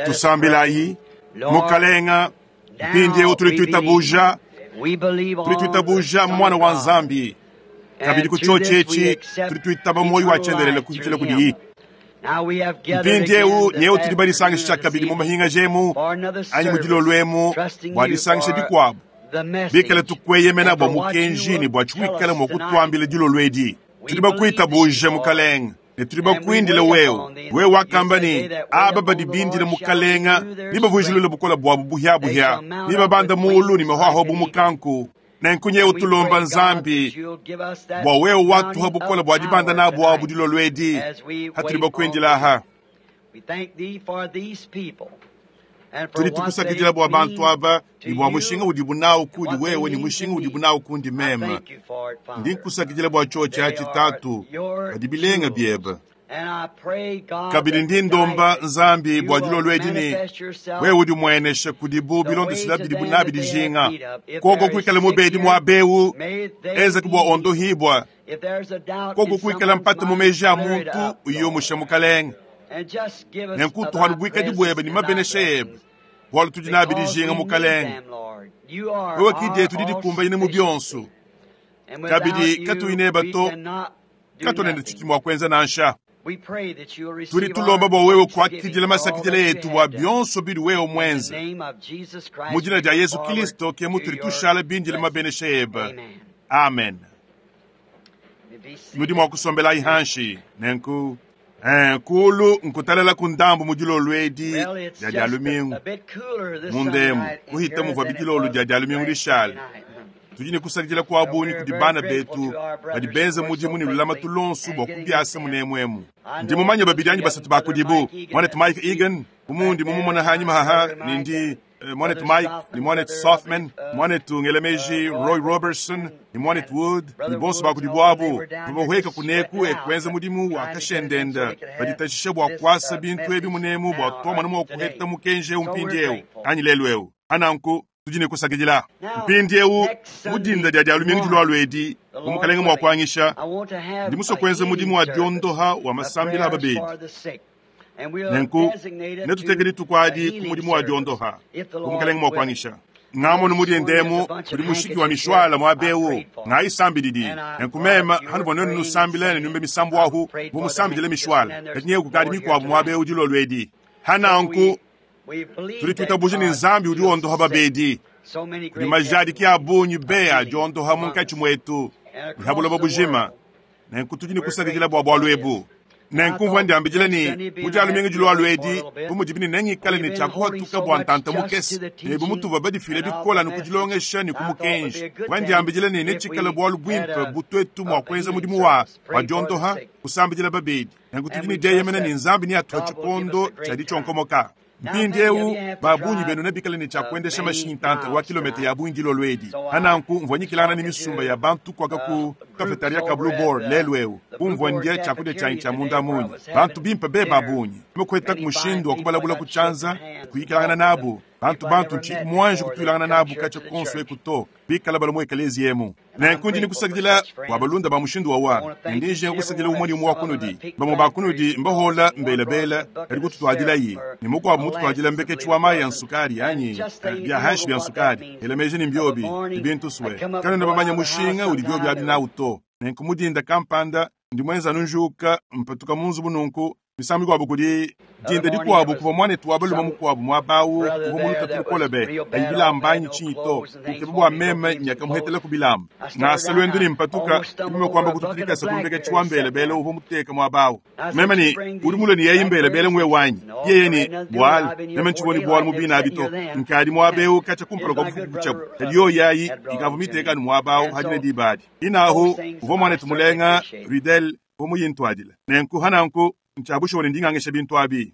Tusambilayi. Mukalenga, mpindieu tudi tuitabuja, tudi tuitabuja Muana wa Nzambi. Kabidi ku tshiotshi etshi tudi tuitaba muoyo wa tshiendelele kupitshila kudiyi. Mpindieu nyewu tudi badisangisha kabidi mu mahingaja emu anyi mu dilolo emu bua disangisha dikuabu, bikale tukueyemena bua mukenji ne bua tshiwikale mua kutuambila dilolo edi. Tudi bakuitabuja, Mukalenge, ne tudi bakuindile wewe. Wewe wakamba ne, Aba badi bindile Mukalenga nebavujilule bukole buabu buhia-buhia, nebabande muulu ne mahuahua bu mukanku. Nenku nyewu tulomba Nzambi bua wewe watuha bukole bua dibanda nabu abu dilolo edi hatudi bakuindila aha. Tudi tukusakidila bua bantu aba ne bua mushinga udibu nawu kudi wewe ne mushinga udibu nawu kundi meme. Ndi nkusakidila bua tshiotshi atshi, Tatu, badi bilenga biebe. Kabidi ndi ndomba Nzambi bua dilolo edi ne wewe udi muenesha kudibu bilondeshila bidibu nabi dijinga. Koko kuikala mubedi muaba eu, enzeke bua ondohibua. Koko kuikala mpata mu meji a muntu, uyumushe Mukalenge. Nenku tuhanu buikadi buebe ne mabenesha ebe, bualu tudi nabi dijinga, Mukalenge. Wewe ki dietu didi dikumbanyine mu bionso. Kabidi katuyi neba to, katuena ne tshidi mua kuenza nansha. Tudi tulomba bua wewe kuakidila masakidila etu bua bionso bidi wewe muenze. Mu dina dia Yezu Kristo ke mutudi tushala bindile mabenesha ebe. Amen. Nudi mua kusombelayi hanshi nenku. Kulu nkutalala ku ndambu mu dilolo edi dia dia lumingu munda emu kuhita muvua bidilolo dia dia lumingu dishale. Tudi ne kusakidila kua bungi kudi bana betu badi benza mudimu ne lulamatu luonso bua kubiasa munemu emu. Ndi mumanye babidi anyi basatu ba kudibu, muanetu Mike Egan, bu mundi mumumona hanyima haha, ne ndi muanetu Mike ne muanetu Sothmann, muanetu ngela meji Roy Roberson ne muanetu Wood, ne bonso ba kudibu abu babahueka kuneku e kuenza mudimu wa kashendenda, baditashisha bua kuasa bintu ebi munemu bua tuamona mua kuheta mukenji eu mpindieu anyi lelu eu. Ananku tudi ne kusakidila mpindieu mu dinda dia dia lumingu dilualu edi bu Mukalenge mua kuanyisha, ndi musue kuenza mudimu wa diondoha wa masambila a babedi. Nenku netuteke dituku adi ku mudimu wa diondoha bu Mukalenge mua kuanyisha. Ngamono mudi ndemu kudi mushiki wa mishwala muaba eu ngayisambilidi. Nenku mema hanuvua nuenu nusambila ne numbe misambu ahu bu musambidile mishwala, kadi nyewu kukadi mikuabu muaba eu dilolo edi. Hananku tudi tuitabuja ne Nzambi udi wondoha babedi. Kudi majadiki a bungi be adi ondoha munkatshi muetu ne ha buloba bujima. Nenku tudi ne kusakidila bua bualu ebu. Nenku mvua ndiambidila ne mu dia lumingu dilualu edi, bu mudibi ne nengikale ne tshiakuhatuka bua ntanta mukese, ne bu mutuvua badifile bikole anu ku dilongesha ne ku mukenji, mvua ndiambidila ne netshikale bualu buimpe bu tuetu mua kuenza mudimu wa wa diondoha, kusambidila babedi. Nenku tudi ne dieyemena ne Nzambi neatuhe tshikondo tshia ditshionkomoka. Mpindieu ba bungi benu nebikale ne tshia kuendesha mashinyi ntanta wa kilometa ya bungi dilolo edi. Hananku mvua nyikilangana ne misumba ya bantu kuaka ku kafetaria ka Blue Boar lelu eu, kumvua ndia tshiakudia tshianyi tshia munda munyi. Bantu bimpe be ba bungi. Mekuetaku mushindu wa kubalabula ku tshianza, kuyikilangana nabu. Bantu bantu ntshiyi muanji kutuilangana nabu katshia konso eku to, bikala bala mu ekeleziya emu. Nenku ndi nikusakidila bua balunda ba mushindu wawa, ne ndi njinga kusakidila umue ne umue wa kunudi. Bamue ba kunudi mbahola mbelabela kadi kututuadilayi, ne mukuabu mututuadila mbeketshi wa mayi a nsukari anyi bia hanshi bia nsukari. Ela meji ne mbiobi ne bintu sue, kanuena bamanya mushinga udi biobi abi nawu to. Nenku mu dinda kampanda ndi muenza anu njuka mpatuka mu nzubu nunku misangu mikuabu kudi dinda dikuabu kuvua muanetu wa balume mukuabu muaba au uvua mu lutatu lukole be kayi bilamba anyi tshinyi to, ukeba bua meme nyakamuhetela ku bilamba. Ngasa luendu ne mpatuka, meme kuamba kututulikasa ku mbeketshi wa mbelebele uvua muteka muaba au. Meme ne, udi mulue ne yeyi mbelebele ngwe wanyi. Yeye ne, bualu meme ntshivua ne bualu mu bina abi to, nkadi muaba eu katshia kumpala kua bufuku butshiabu, kadi yoyi ayi ikavua miteka anu muaba au hadine diba adi. Inahu uvua muanetu mulenga Ruddell uvua muyintuadile. Nenku hananku ntshia bushuwa ne ndingangisha bintu abi.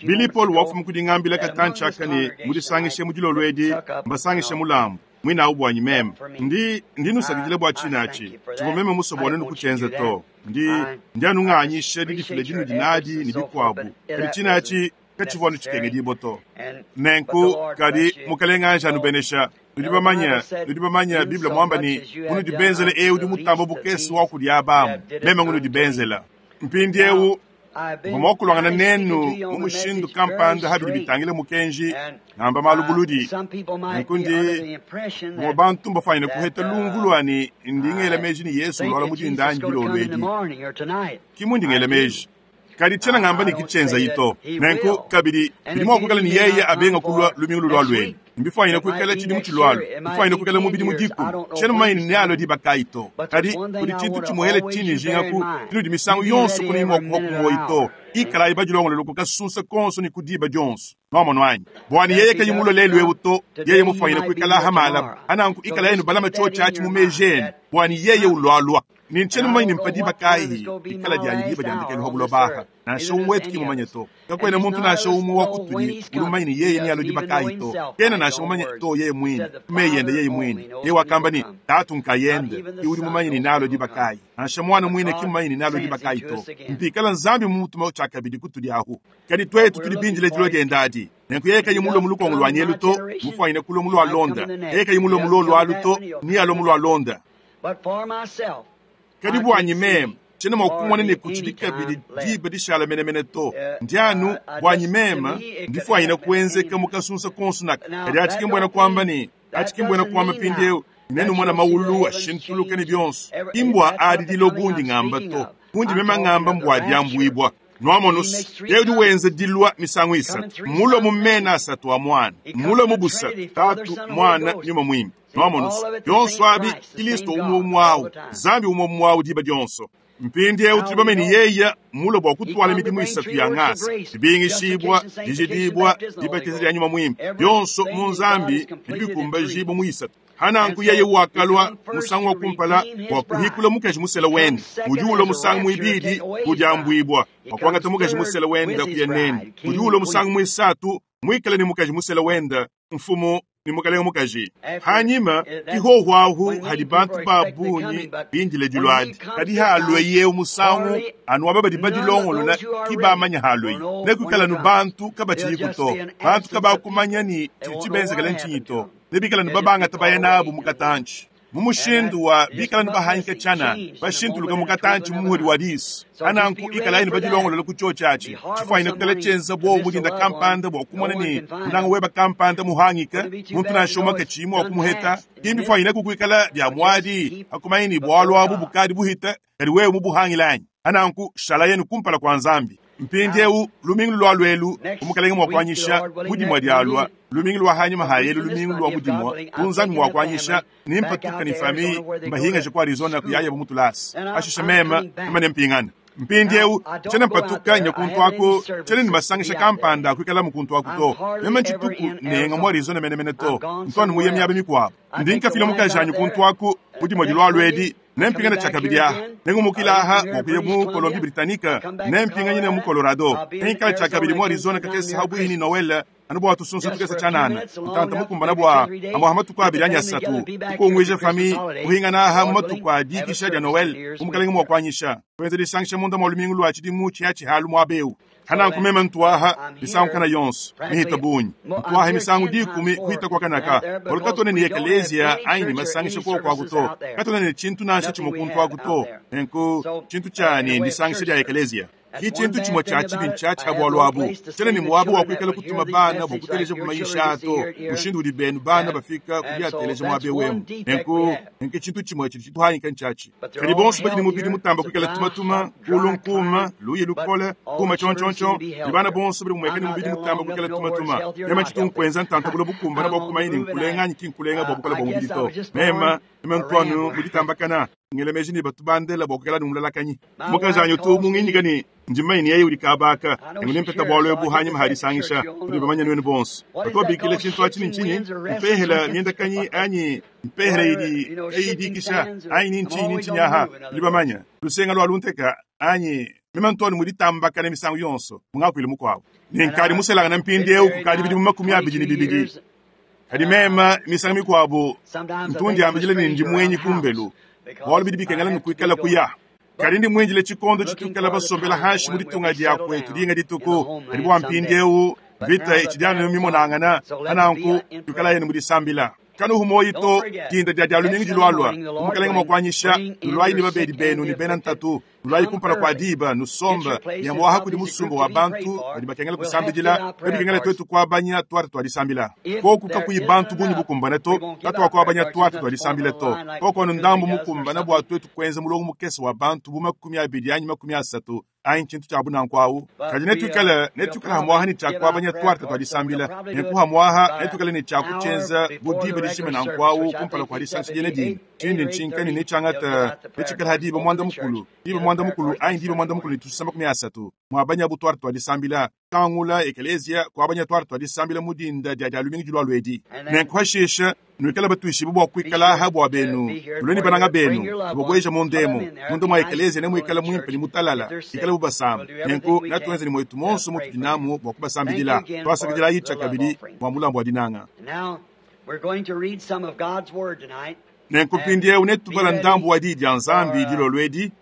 Billy Paul wafuma ku dingambila katantshi aka ne mudisangishe mu dilolo edi mbasangishe mulambu muinawu buanyi meme. Ndi ndi nusakidila bua tshina atshi tshivua meme musue bua nuenu kutshienza to. Ndi ndi anu nganyisha didifila dinudi nadi ne bikuabu, kadi tshina atshi katshivua anu tshikengedibua to. Nenku kadi Mukalenge anji anubenesha. Nudi bamanye, nudi bamanye Bible muamba ne, munudi benzela eu udi mutamba bukese wa kudi abamu, meme ngunudi benzela. Mpindieu. Mvua mua kulwangana nenu mu mushindu kampanda ha bidi bitangila mukenji, ngamba malu buludi. Nenku ndi, bamue bantu mbafwanyine kuheta lumvu lwa ne ndi ngela meji ne Yesu ulwala mu dinda anyi dilolo edi. Ki mundi ngela meji. Kadi tshiena ngamba ne ki tshienzayi to. Nenku, kabidi, bidi mua kuikala ne yeye abenga kulua lumingu lulualu elu. Mbifwanyine kuikala tshidimu tshilualua, bifwanyine kuikala mu bidimu dikumi. Tshiena mumanye ne nealue diba kayi to. Kadi kudi tshintu tshimuele tshindi njingaku, tshinudi misangu yonso kunuyi mua kuhua ku muoyi to. Ikalayi badilongolole ku kasunsa konso ne ku diba dionso. Nwamonu anyi? Bua ne yeye kayi mulue lelu eu to, yeye mufwanyine kuikala aha malaba. Ananku ikalayi nubalama tshiotshi atshi mu meji enu, bua ne yeye ulualua. Ne ntshiena mumanye ne mpa diba kayi dikala dianyi diba dia ndekelu ha buloba aha. Nansha umue wetu ki mumanye to. Kakuena muntu nansha umue wa kutudi udi mumanye ne yeye nealue diba kayi to. Kena nansha mumanye to yeye muine, ku meyi ende yeye muine. Yeye wakamba ne, Tatu nkayende ke udi mumanye ne nealue diba kayi. Nansha Muana muine ki mumanye ne nealue diba kayi to. Mpikala Nzambi mumutume tshiakabidi kutudi ahu. Kadi tuetu tudi bindile dilua diende adi. Nenku yeye kayi mulue mu lukongo lua nyelu to, mufuanyine kulua mu lua londa. Yeye kayi mulue mu luolu alu to, nealue mu lua londa. Kadi buanyi meme, tshiena mua kumona ne kutshidi kabidi diba dishala menemene to. Ndi anu, buanyi meme, ndifuanyine kuenzeka mu kasunsa konso naka. Kadi atshi ki mbuena kuamba ne, atshi ki mbuena kuamba mpindieu nenumona mawulu ashintuluka ne bionso. Ki mbua adi dilo bundi ngamba to. Bundi meme ngamba mbua diambuibua. Nwamonu se, yeye udi wenza dilua misangu isatu. Mmulue mu mena asatu a Muana. Mmulue mu busatu, Tatu, Muana, Nyuma Muimpe. Nwamonu se, bionso abi, Kilisto umue umue awu, Nzambi umue umue awu diba dionso. Mpindieu tudi bamanye ne yeye mmulue bua kutuala midimu isatu ya ngasa, dibingishibua, dijidibua, dibatiza dia Nyuma Muimpe. Bionso mu Nzambi bidi bikumbajibua mu isatu. Hananku yeye wakalua musangu wa kumpala bua kuhikula mukaji musela wende. Udi ulua musangu muibidi ku diambuibua bua kuangata mukaji musela wende kuya nende. Udi ulua musangu muisatu muikale ne mukaji musela wende, mfumu ne mukalenge mukaji. Hanyima ki hohu ahu hadi bantu ba bungi bindile dilua adi. Kadi halue yeu musangu, anu aba badi badilongolola ki bamanya halueyi. Nekuikale anu bantu kabatshiyiku to. Bantu kabakumanya ne tshidi tshibenzekele ntshinyi to. Nebikale anu babangata baya nabu mu katantshi, mu mushindu wa bikale anu bahanyika tshianana, bashintuluka mu katantshi mu muhodi wa disu. Ananku ikalayi ne badilongolola ku tshiotshi atshi, tshifuanyine kuikala tshienza buowa mu dinda kampanda bua kumona ne munanga weba kampanda muhangike, muntu nansha umue katshiyi mua kumuheta. Ki mbifuanyineku kuikala bia muadi hakumanya ne bualu abu bukadi buhita, kadi wewe mubuhangile anyi? Ananku shalayenu kumpala kua Nzambi. Mpindieu lumingu lulualua elu, bu Mukalenge mua kuanyisha, mu dimue dialua, lumingu lua hanyima ha elu lumingu lua mu dimue, bu Nzambi mua kuanyisha, nempatuke ne famille mbahingaje ku Arizona kuyayabu mu tulasa. Pashishe meme, meme nempingane. Mpindieu tshiena mpatuka nya kuntu aku, tshiena ne masangisha kampanda a kuikalamu kuntu aku to. Meme ntshituku nenga mu Arizona menemene to, ntu anu muye miaba mikuabu. Ndi nkafila mukajanyi kuntu aku mu dimue dilualua edi. Nempingane tshiakabidi aha, nengumukile aha bua kuya mu Colombie Britannique, nempinganyine mu Colorado. Nengikale tshiakabidi mu Arizona kakese ha buihi ne Noel, anu bua tusunsa tukese tshianana, ntanta mukumbana bua amue ha matuku abidi anyi asatu, kukunguija famille, kuhingana aha mu matuku a dikisha dia Noel, bu Mukalenge mua kuanyisha, kuenza disangisha munda mua lumingu lua tshidimu tshihatshi-halu muaba eu. Hananku meme ntuaha misangu kana yonso mihita bungi, ntuaha misangu dikumi kuhita kwa kanaka, bualu katuena ne ekeleziya anyi ne masangisha kuoku aku to, katuena ne tshintu nansha tshimue kuntu aku to. Nenku tshintu tshianyi ndisangisha dia ekeleziya. Ki tshintu tshimue tshia tshibi ntshiatshi ha bualu abu, tshiena ne muaba wa kuikala kutuma bana bua kuteleja bumanyishi to, mushindu udi benu bana bafika ku diateleja muaba eu emu. Nenku nenku tshintu tshimue tshidi tshituhangika ntshiatshi. Kadi bonso badi ne mubidi mutamba kuikala tumatuma, kulu nkuma, luyi lukole, kuma tshiontshiontshio, ne bana bonso badi bumueka ne mubidi mutamba kuikala tumatuma. Meme tshitu nkuenza ntanta bulo bukumbana bua kumanya ne nkulenga anyi ki nkulenga bua bukole bua mubidi to. Meme, meme ntuanu mu ditambakana, ngela meji ne batu bandela bua kuikala ne mulalakanyi. Mukajanyi utu munginyika ne ndi mumanye ne yeye udi kabaka, nenku nempeta bualu ebu hanyima ha disangisha, nudi bamanye nuenu bonso. Batu babikila tshintu atshi ne ntshinyi? Mpehela miendakanyi anyi mpehela idi kayiyi dikisha anyi ni ntshinyi ni ntshinyi aha, nudi bamanye lusenga lua lunteka anyi meme ntuanu mu ditambakana misangu yonso, mu ngakuilu mukuabu. Ne nkadi muselangana mpindieu kukadi bidimu 22. Kadi meme misangu mikuabu ntu ndiambidila ne ndi muenyi kumbelu, bualu bidi bikengela nukuikala kuya. Kadi ndi muindile tshikondo tshituikala basombela hanshi mu ditunga dia kuetu dinga dituku. Kadi bua mpindieu mvita itshidi anu mimonangana, pananku tuikalayi mu disambila. Kanuhu muoyi to dinda dia dia lumingu dilualua. Bu Mukalenge mua kuanyisha, nuluayi ne babedi benu ne bena ntatu, nuluayi kumpala kua diba, nusombe ne muaha kudi musumba wa bantu badi bakengela kusambidila, kabikengela twetu kuabanya tuarte tua disambila. Koku kakuyi bantu bungi bukumbane to, katuakuabanya tuarte tua disambila to. Koku anu ndambu mukumbane bua twetu kuenza mulongo mukese wa bantu bu 20 anyi 30 anyi tshintu tshia bunanku awu. Kadi netuikale netuikale hamwaha ne tshia kuabanya tuarte tua disambila, nenku hamwaha netuikale ne tshia kutshienza bu diba dijima nanku awu kumpala kua disangisha diena dina. Tshindi ntshinka ne netshiangata netshikale ha diba 10, diba 10 anyi diba 13:30 muabanya bu tuarte tua disambila. Kangula ekeleziya kuabanya tuarte tua disambila mu dinda dia dia lumingu dilualua edi. Nenku hashisha nuikale batuishibue bua kuikala aha bua benu, nulue ne bananga benu, nubabueja munda emu. Munda mua ekeleziya nemuikale muimpe ne mutalala, ikale bubasamba. Nenku natuenze ne muetu monso mutudi namu bua kubasambidila. Tuasakidilayi tshiakabidi bua mulambu wa dinanga. Nenku mpindieu netubala ndambu wa diyi dia Nzambi dilolo edi,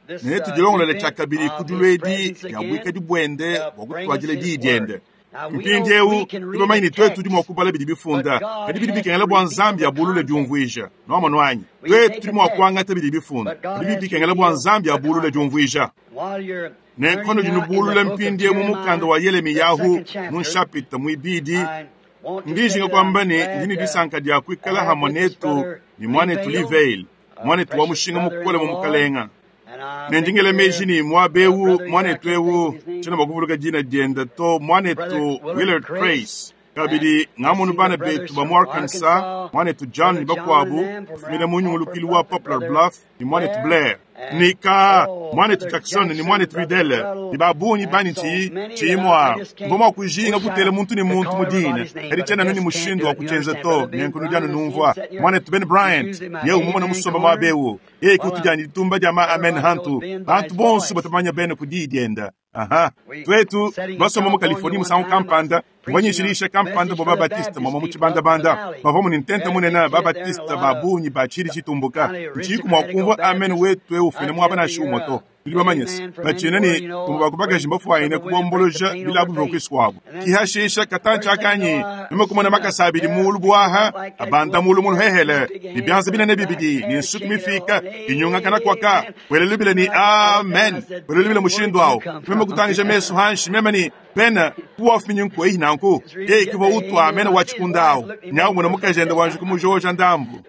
ne netudilongolole tshiakabidi ku dilu edi dia buikadi buende bua kutuadila diyi diende. Mpindieu tudi bamanye ne twetu tudi mua kubala bidi bifunda, kadi bidi bikengela bua Nzambi abulule diumvuija. Nuamonu anyi? Twetu tudi mua kuangata bidi bifunda, kadi bidi bikengela bua Nzambi abulule diumvuija. Nenku panudi nubulula mpindieu mu mukanda wa Yelemiyahu mu nshapita muibidi, ndi njinga kuamba ne ndi ne disanka dia kuikala hamwe netu ne muanetu Lee Vayle, muanetu wa mushinga mukole mu Mukalenga. Ne ndi ngela meji ne muaba eu muanetu eu tshiena mua kuvuluka dina diende to, muanetu Willard Crase. Kabidi ngamonu bana betu ba mu Arkansas, muanetu John ne bakuabu bafumina mu nyungulukilu wa Poplar Bluff ne muanetu Blair ne ka muanetu Jackson ne muanetu Ruddell ne ba bungi banyi tshiyi tshiyi mua mvua mua kujinga kutela muntu ne muntu mu dina, kadi tshiena anu ne mushindu wa kutshienza to. Nenku nudi anu numvua muanetu Ben Bryant yeye umumona musomba muaba eu, yeye ke utudianyi ditumba dia ma amen hantu bantu bonso batamanya bene ku diyi dienda. Aha, twetu basomba mu Californie musangu kampanda, mvua nyishilisha kampanda bua Babatiste mwamwa mu tshibandabanda. Bavua mu ne ntenta munene Babatiste ba bungi ba tshidi tshitumbuka. Ntshiyiku mua kumvua amen wetu eu ufina muaba nansha umue to. Tudi bamanye se, batshiena ne bamue ba ku bakaji mbafuanyine kubomboloja bilabu bivua kuisu kuabu. Kihashisha katantshi akanyi, meme kumona makasa abidi muulu buaha abanda muulu mu luhehele, ne bianza binene bibidi ne nsuki mifika inyungakana kuaka, wela lubila ne amen, wela lubila mushindu awu. Meme kutangija mesu hanshi, meme ne pena kuwafuminyi nkueyi nanku. Yeye kivua utua amen wa tshikunda awu. Nyawu muna mukajende wanje kumujoja ndambu.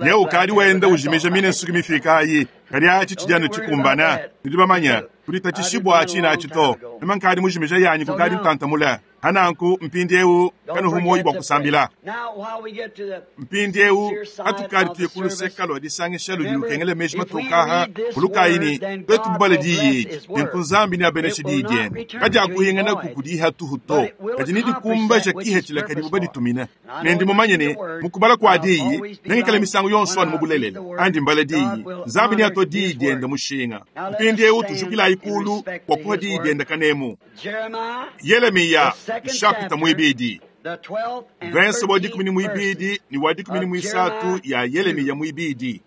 Nyewu ukadi wenda ujimija mine nsuki mifika ayi. Kadi atshi tshidi anu tshikumbana. Nudi bamanye kuditatshishibua atshi natshi to. Meme nkadi mujimija yanyi kukadi ntantamula. Hananku mpindieu kanuhu muoyi bua kusambila. Mpindieu atukadi tuye ku luseka lua disangisha ludi lukengela meji matokaha kulukayi ne twetu bubale diyi edi, nenku Nzambi neabeneshe diyi diende. Kadiakuhinganaku kudiha tuhu to, kadi nedikumbaja kihetshila kadibu baditumina. Ne ndi mumanye ne mu kubala kua diyi nengikale misangu yonso anu mu bulelela. Andi mbala diyi, Nzambi neatue diyi diende mushinga. Mpindieu tujukilayi kulu bua kuha diyi diende kanemu. Yelemiya nshapita muibidi, verse wa 12 ne wa 13 ya Yelemiya muibidi.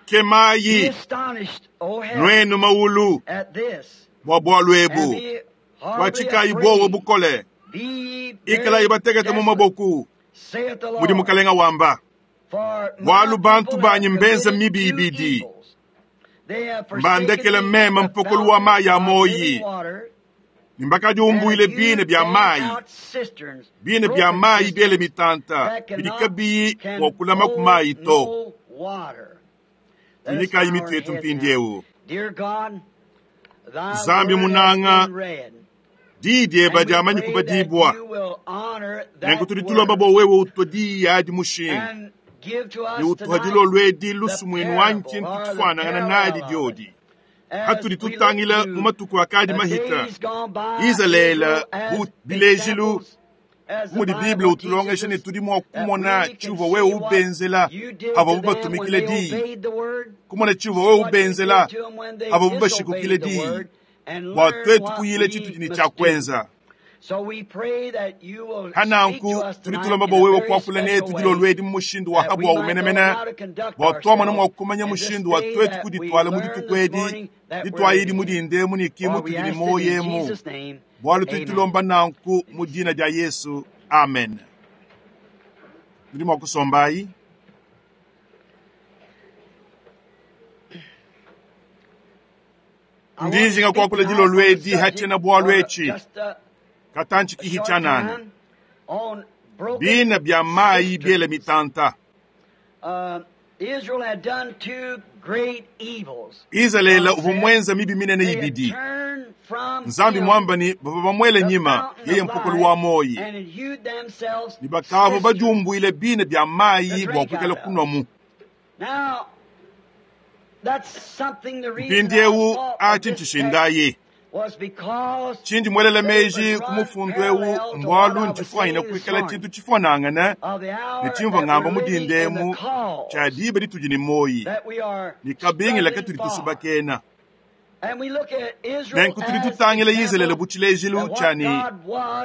Kemayi nuenu maulu bua bualu ebu, kuatshikayi buowa bukole, ikalayi batekete mu maboku, mudi Mukalenga wamba. Bualu bantu banyi mbenza mibi ibidi, mbandekele meme mpokolo wa mayi a moyi, ne mbakadiumbuile bine bia mayi, bine bia mayi biele mitanta bidi kabiyi mua kulama ku mayi to. Tunyikayi mitu yetu mpindieu. Nzambi munanga, diyi diebe diamanyi kubadibua, nenku tudi tulomba bua wewe utue diyi adi mushinga ne utuha dilolo edi lusumuinu wanyi tshintu tshifuanangana nadi diodi. Hatudi tutangila mu matuku akadi mahita, Izalele bu bilejilu, mudi Bible utulongesha ne tudi mua kumona tshivua wewe ubenzela avuabu batumikile diyi, kumona tshivua wewe ubenzela avuabu bashikukile diyi, bua twetu kuyila tshitudi ne tshia kuenza. Hananku tudi tulomba bua wewe kuakula netu dilolo edi mu mushindu wa habua umenemene, bua tuamona mua kumanya mushindu wa twetu kudituala mu dituku edi dituayidi mudinde mu ne kimu tudi ne moyo emu. Bualu tudi tulomba nanku mu dina dia Yesu, amen. Nudi mua kusombayi. Ndi njinga kuakula dilolo edi ha tshiena-bualu etshi, katantshi kihi tshianana, bina bia mayi biele mitanta. Izalele uvua muenza mibi minene ibidi. Nzambi muamba ne bavua bamuele nyima, yeye mpokolo wa muoyi, ne bakavua badiumbuile bina bia mayi bua kuikala kunuamu. Mpindiewu atshi ntshishindayi. Tshindi muelela meji ku mufundu eu mbualu ntshifuanyine kuikala tshintu tshifuanangane ne tshimvua ngamba mu dinda emu tshia diba ditudi ne muoyi ne kabingila katudi tusubakena. Nenku tudi tutangila Izalele bu tshilejilu tshia ne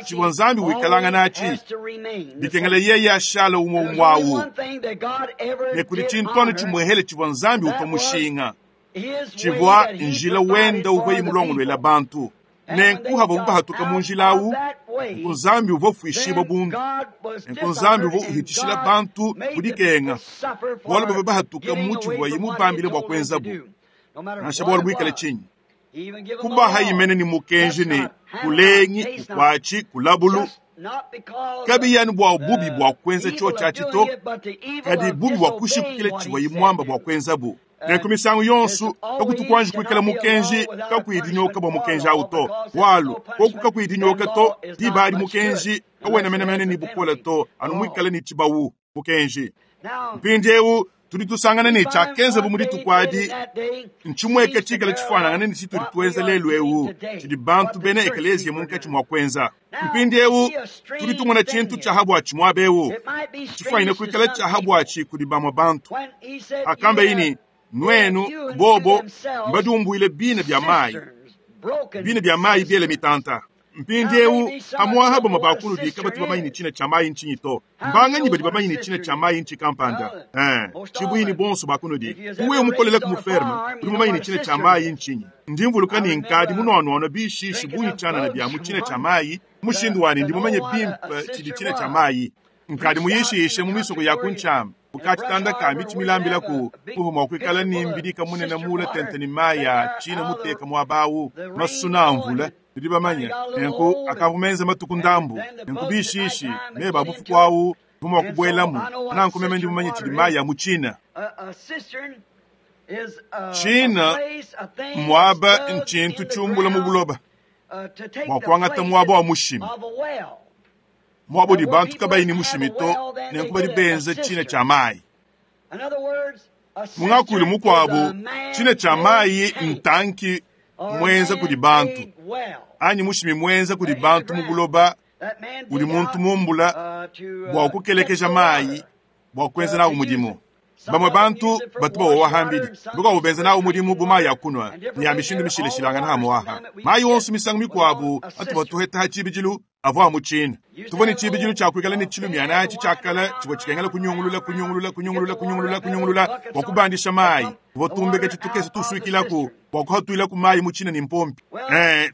tshivua Nzambi wikalangana atshi, bikengela yeye ashala umue umue awu. Ne kudi tshintu anu tshimuehele tshivua Nzambi upa mushinga, tshivua njila wenda uvuaye mulongoluela bantu. Nenku havuabu bahatuka mu njila awu, nku Nzambi uvua ufuishibua bundu, nenku Nzambi uvua uhitshishila bantu ku dikenga, bualu bavua bahatuka mu tshivuaye mubambile bua kuenzabu, nansha bualu buikale tshinyi. Kubaha imene ne mukenji ne kulengi, kukuatshi, kulabulu, kabiyi anu bua bubi bua kuenza tshiotshi atshi to, kadi bubi bua kushipukila tshivuaye muamba bua kuenzabu. Nenku misangu yonso kakutu kuanji kuikala mukenji kakuyi dinyoka bua mukenji awu to, bualu koku kakuyi dinyoka to, diba adi mukenji kawena menemene ne bukole to, anu muikale ne tshibawu mukenji. Mpindiewu tudi tusangana ne tshiakenzabu mu dituku adi ntshimueke tshikale tshifuanangane ne tshitudi tuenza lelu eu, tshidi bantu bena ekeleziya munkatshi mua kuenza. Mpindiewu tudi tumona tshintu tshia habuatshi muaba eu, tshifuanyine kuikala tshia habuatshi kudi bamue bantu. Akambayi ne, nuenu bobo mbadiumbuile bina bia mayi, bina bia mayi biele mitanta. Mpindiewu amuaha bamue ba kunudi kabatu bamanye ne tshina tshia mayi ntshinyi to. Mbanganyi badi bamanye ne tshina tshia mayi ntshi kampanda? Tshibuini bonso ba kunudi. Wewe mukolele ku muferme, udi mumanye ne tshina tshia mayi ntshinyi. Ndi mvuluka ne nkadi munuanuanua bishishi bungi tshianana bia mu tshina tshia mayi, mushindu wanyi ndi mumanye bimpe tshidi tshina tshia mayi. Nkadi muyishishe mu misoko ya ku ntshiama, bukatshitanda ka mitshi milambilaku, kuvua mua kuikala ne mbidika munene muule tente ne mayi a tshina muteka muaba awu, masuna a mvula. Tudi bamanye nenku akavua menze matuku ndambu, nenku bishishi meba a bufuku awu mvua mua kubuelamu. Nanku meme ndi mumanye tshidi mayi a mu tshina. Tshina muaba ntshintu tshiumbula mu buloba bua kuangata muaba wa mushimi, muaba udi bantu kabayi ne mushimi to, nenku badi benza tshina tshia mayi. Mu ngakuilu mukuabu, tshina tshia mayi ntanki muenza kudi bantu anyi mushimi muenza kudi bantu mu buloba udi muntu mumbula bua kukelekeja mayi bua kuenza nawu mudimu. Bamue bantu batu bawowa hambidi, bakuabu benza nawu mudimu bu mayi a kunua ne a mishindu mishilashilangane hamuaha. Mayi onso misangu mikuabu atu batuheta ha tshibidilu avua mu tshina. Tuvua ne tshibidilu tshia kuikala ne tshilumiana atshi tshiakala tshivua tshikengela kunyungulula kunyungulula kunyungulula kunyungulula kunyungulula bua kubandisha mayi. Tuvua tumbeka tshitukese tusuikilaku bua kuhatuilaku mayi mu tshina ne mpompi.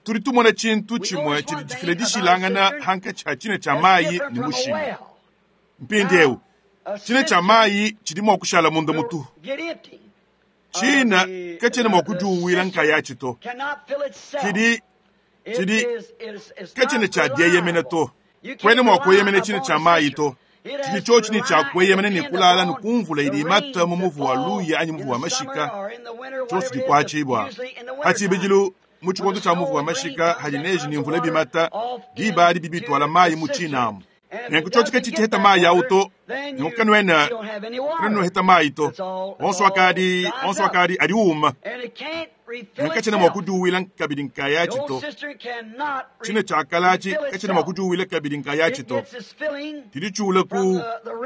Tudi tumona tshintu tshimue tshidi tshifila dishilangana hankatshi ha tshina tshia mayi ne mushimi. Mpindiewu tshina tshia mayi tshidi mua kushala munda mutuhu. Tshina katshiena mua kudiuwila nkayatshi to. Tshidi tshidi katshiena tshia dieyemena to. Kuena mua kueyemena tshina tshia mayi to. Tshidi tshiotshi ne tshia kueyemena ne kulala ne kumvula idi imata mu muvu wa luya anyi muvu wa mashika, tshionso tshikuatshibua ha tshibidilu mu tshikondo tshia muvu wa mashika hadi neji ne mvula bimata, diba adi bibituala mayi mu tshinamu. Nenku tshiotshi ke tshitshiheta mayi awu to, nenku kanuena kanuheta mayi to. Onso akadi onso akadi adi uma. Nenku katshiena mua kudiuwila kabidi nkayatshi to. Tshina tshiakala atshi katshiena mua kudiuwila kabidi nkayatshi to. Tshidi tshiula ku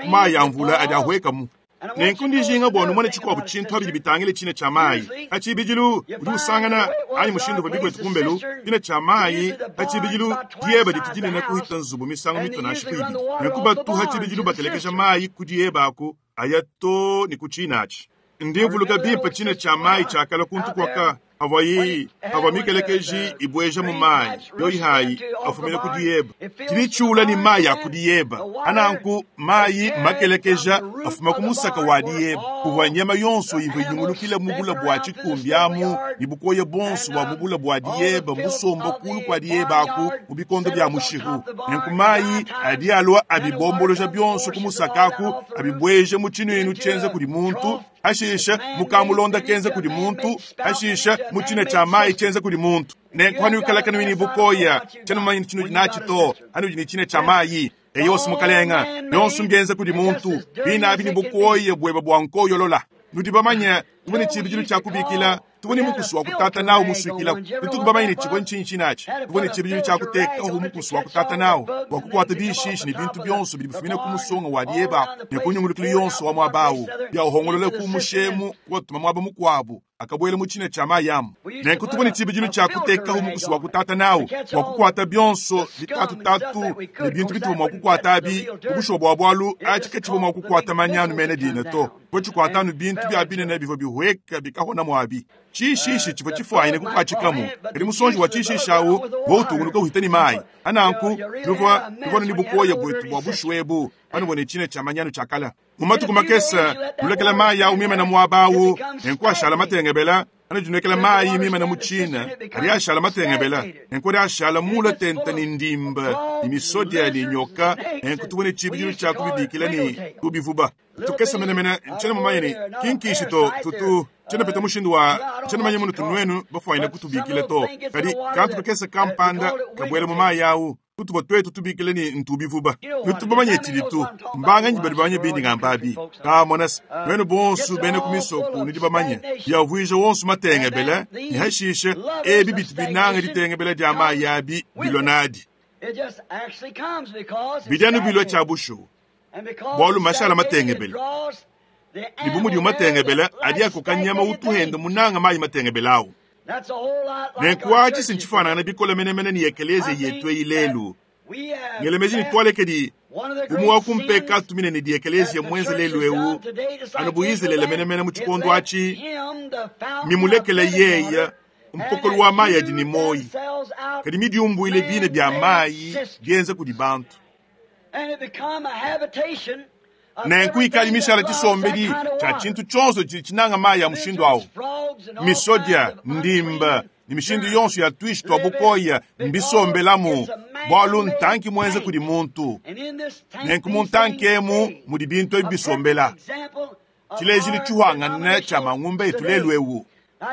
mayi a mvula adi ahuekamu. Nenku ndijinga bua numone tshikuabu tshintu habidi bitangile tshina tshia mayi. Ha tshibidilu udi usangana anyi mushindu uvua bikwetu kumbelu tshina tshia mayi ha tshibidilu dieba ditu dinene kuhita nzubu misangu mitu nansha ku ibidi. Nenku batu ha tshibidilu batelekeja mayi ku dieba aku aya to ne ku tshina atshi. Ndi mvuluka bimpe tshina tshia mayi tshiakala kuntu kuaka. Pavua yi, pavua mikelekeji ibueja mu mayi, yoyi hayi afumina ku diyeba. Tshidi tshiula ne mayi a ku diyeba. Ananku mayi makelekeja afuma ku musaka wa diyeba. Kuvua nyama yonso ivua inyungulukila mu bula bua tshikumbi amu, ne bukoya bonso bua mu bula bua diyeba musomba kulu kua diyeba aku mu bikondo bia mushihu. Nenku mayi adi alua abibomboloja bionso ku musaka aku, abibueja mu tshinuinu tshienza kudi muntu, hashisha mukamulonda kenza kudi muntu, hashisha mu tshina tshia mayi tshienza kudi muntu. Nenku hanuikala kanuyi ne bukoya, tshiena mumanye tshinudi natshi to, hanudi ne tshina tshia mayi. Eyosi mukalenga, bionso mbienza kudi muntu, binabi ne bukoya bueba bua nkoyolola. Nudi bamanye, tuvua ne tshibidilu tshia kubikila, tuvua ne mukusu wa kutata nawu musuikila. Tutuku bamanye ne tshivua ntshinyi tshinatshi? Tuvua ne tshibidilu tshia kuteka hu mukusu wa kutata nawu bua kukuata bishishi ne bintu bionso bidi bifumina ku musonga wa dieba ne ku nyungulukilu yonso wa muaba awu, biawuhongolola ku mushemu kuwatuma muaba mukuabu akabuela mu tshina tshia mayi amu. Nenku tuvua ne tshibidilu tshia kuteka hu mukusu wa kutata nawu bua kukuata bionso bitatutatu ne bintu bituvua mua kukuata abi. Ku bushuwa bua bualu atshi katshivua mua kukuata manyanu mena dina to, tshivua tshikuata anu bintu bia binene bivua bihueka bikahona muabi. Tshishishi tshivua tshifuanyine kukuatshikamu, kadi musonji wa tshishishi awu uvua utungunuka uhita ne mayi. Ananku nuvua nuvua ne bukoya buetu bua bushuwa ebu, panuvua ne tshina tshia manyanu tshia kala. Mu matuku makese nulekela mayi awu mimana muaba awu, nenku ashala matengebela. Anudi nulekela mayi mimana mu tshina, adi ashala matengebela, nenku adi ashala mula tente ne ndimba ne misodia ne nyoka. Nenku tuvua ne tshibidilu tshia kubibikila ne tubivuba tukese menemene. Ntshiena mumanye ne kinkishi to tutu tshiena peta mushindu wa tshiena mumanye munutu nuenu bafuanyine kutubikila to, kadi kantu kakese kampanda kabuela mu mayi awu kutuvua tuetu tubikila ne ntubivuba. Nutu bamanye tshidi tu mbanganyi badi bamanye bindi ngamba abi kamona se nuenu bonso bena ku misoko nudi bamanye biavuija wonso matengebele ne hashishe ebi bitu binanga ditengebele dia mayi abi bilua nadi. Bidi anu bilua tshia bushuwa bualu mashala matengebele ne bu mudiwu matengebele adi akoka nyama utuhenda munanga mayi matengebele awu. Nenku atshi si ntshifuanangana bikole menemene ne ekelezia yetu eyi lelu. Ngelemeji ne tualekedi umue wa ku mpekatu minene di ekelezia muenze lelu ewu, anu bu Izalele menemene mu tshikondo atshi, mimulekele yeye mpokolo wa mayi adi ne muoyi, kadi midiumbuile bine bia mayi bienza kudi bantu. Nenku ikali mishala tshisombedi tshia tshintu tshionso tshidi tshinanga mayi a mushindu awu. Misodia, ndimba ne mishindu yonso ya tuishi tua bukoya mbisombelamu, bualu ntanki muenza kudi muntu. Nenku mu ntanki emu mudi bintu ebi bisombela. Tshilejilu tshihuangane tshia mangumba etu lelu ewu.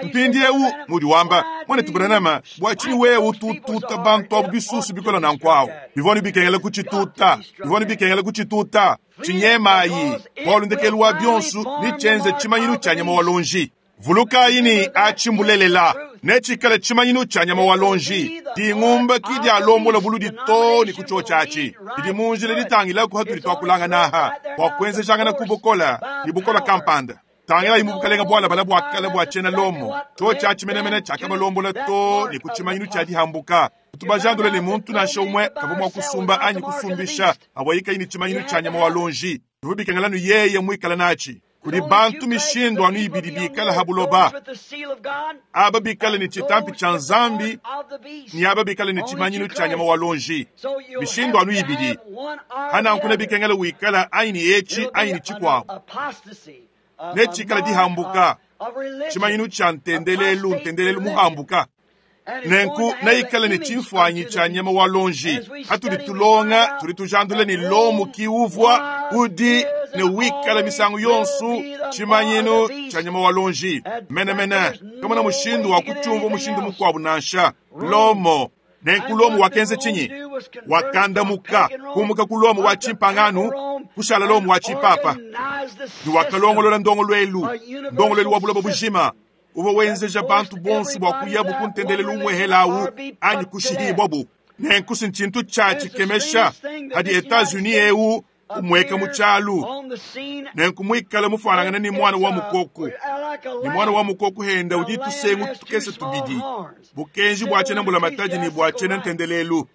Mpindiewu mudi wamba, mwanetu Branham, bua tshinyi wewe utututa bantu abu bisusu bikola nanku awu? Bivua ne bikengela kutshituta, bivua ne bikengela kutshituta. Tshinyemayi, bualu ndekelu wa bionso netshienze tshimanyinu tshia nyama wa lonji. Vulukayi ne atshi mbulelela, netshikale tshimanyinu tshia nyama wa lonji. Dingumba ki dialombola buludi to ne ku tshiotshi atshi. Didi mu njila ditangilaku hatudi tuakulangana aha bua kuenzejangana ku bukola ne bukola kampanda. Tangilayi mu bukalenga bualabala bua kale bua tshiena Lomo, tshiotshi atshi menemene tshiakabalombola to ne ku tshimanyinu tshia dihambuka. Tubajandule ne muntu nansha umue kavua mua kusumba anyi kusumbisha avua ikayi ne tshimanyinu tshia nyama wa lonji. Bivua bikengela nu yeye muikala natshi. Kudi bantu mishindu anu ibidi bikala ha buloba, aba bikale ne tshitampi tshia Nzambi ne aba bikale ne tshimanyinu tshia nyama wa lonji. Mishindu anu ibidi hananku ne bikengela wikala anyi ne etshi anyi ne tshikuabu. Netshikala dihambuka, tshimanyinu tshia ntendelelu, ntendelelu muhambuka. Nenku neikale ne tshimfuanyi tshia nyama wa lonji. Hatudi tulonga, tudi tujandula ne Lomo ki uvua, udi ne wikala misangu yonso tshimanyinu tshia nyama wa lonji. Menemene, kamona mushindu wa kutshiumvua mushindu mukuabu nansha. Lomo. Nenku Lomo wakenza tshinyi? Wakandamuka, kumuka ku Lomo wa tshimpanganu, kushala Lomo wa tshipapa. Ne wakalongolola ndongoluelu, ndongoluelu wa buloba bujima, uvua wenzeja bantu bonso bua kuyabu ku ntendelelu umuehela awu anyi kushihibwabu. Nenku si ntshintu tshia tshikemesha hadi Etats-Unis ewu umueka mu tshialu. Nenku muikale mufuanangane ne mwana wa mukoku. Ne mwana wa mukoku henda udi tusengu tukese tubidi, bukenji bua tshiena mbulamatadi ne bua tshiena ntendelelu.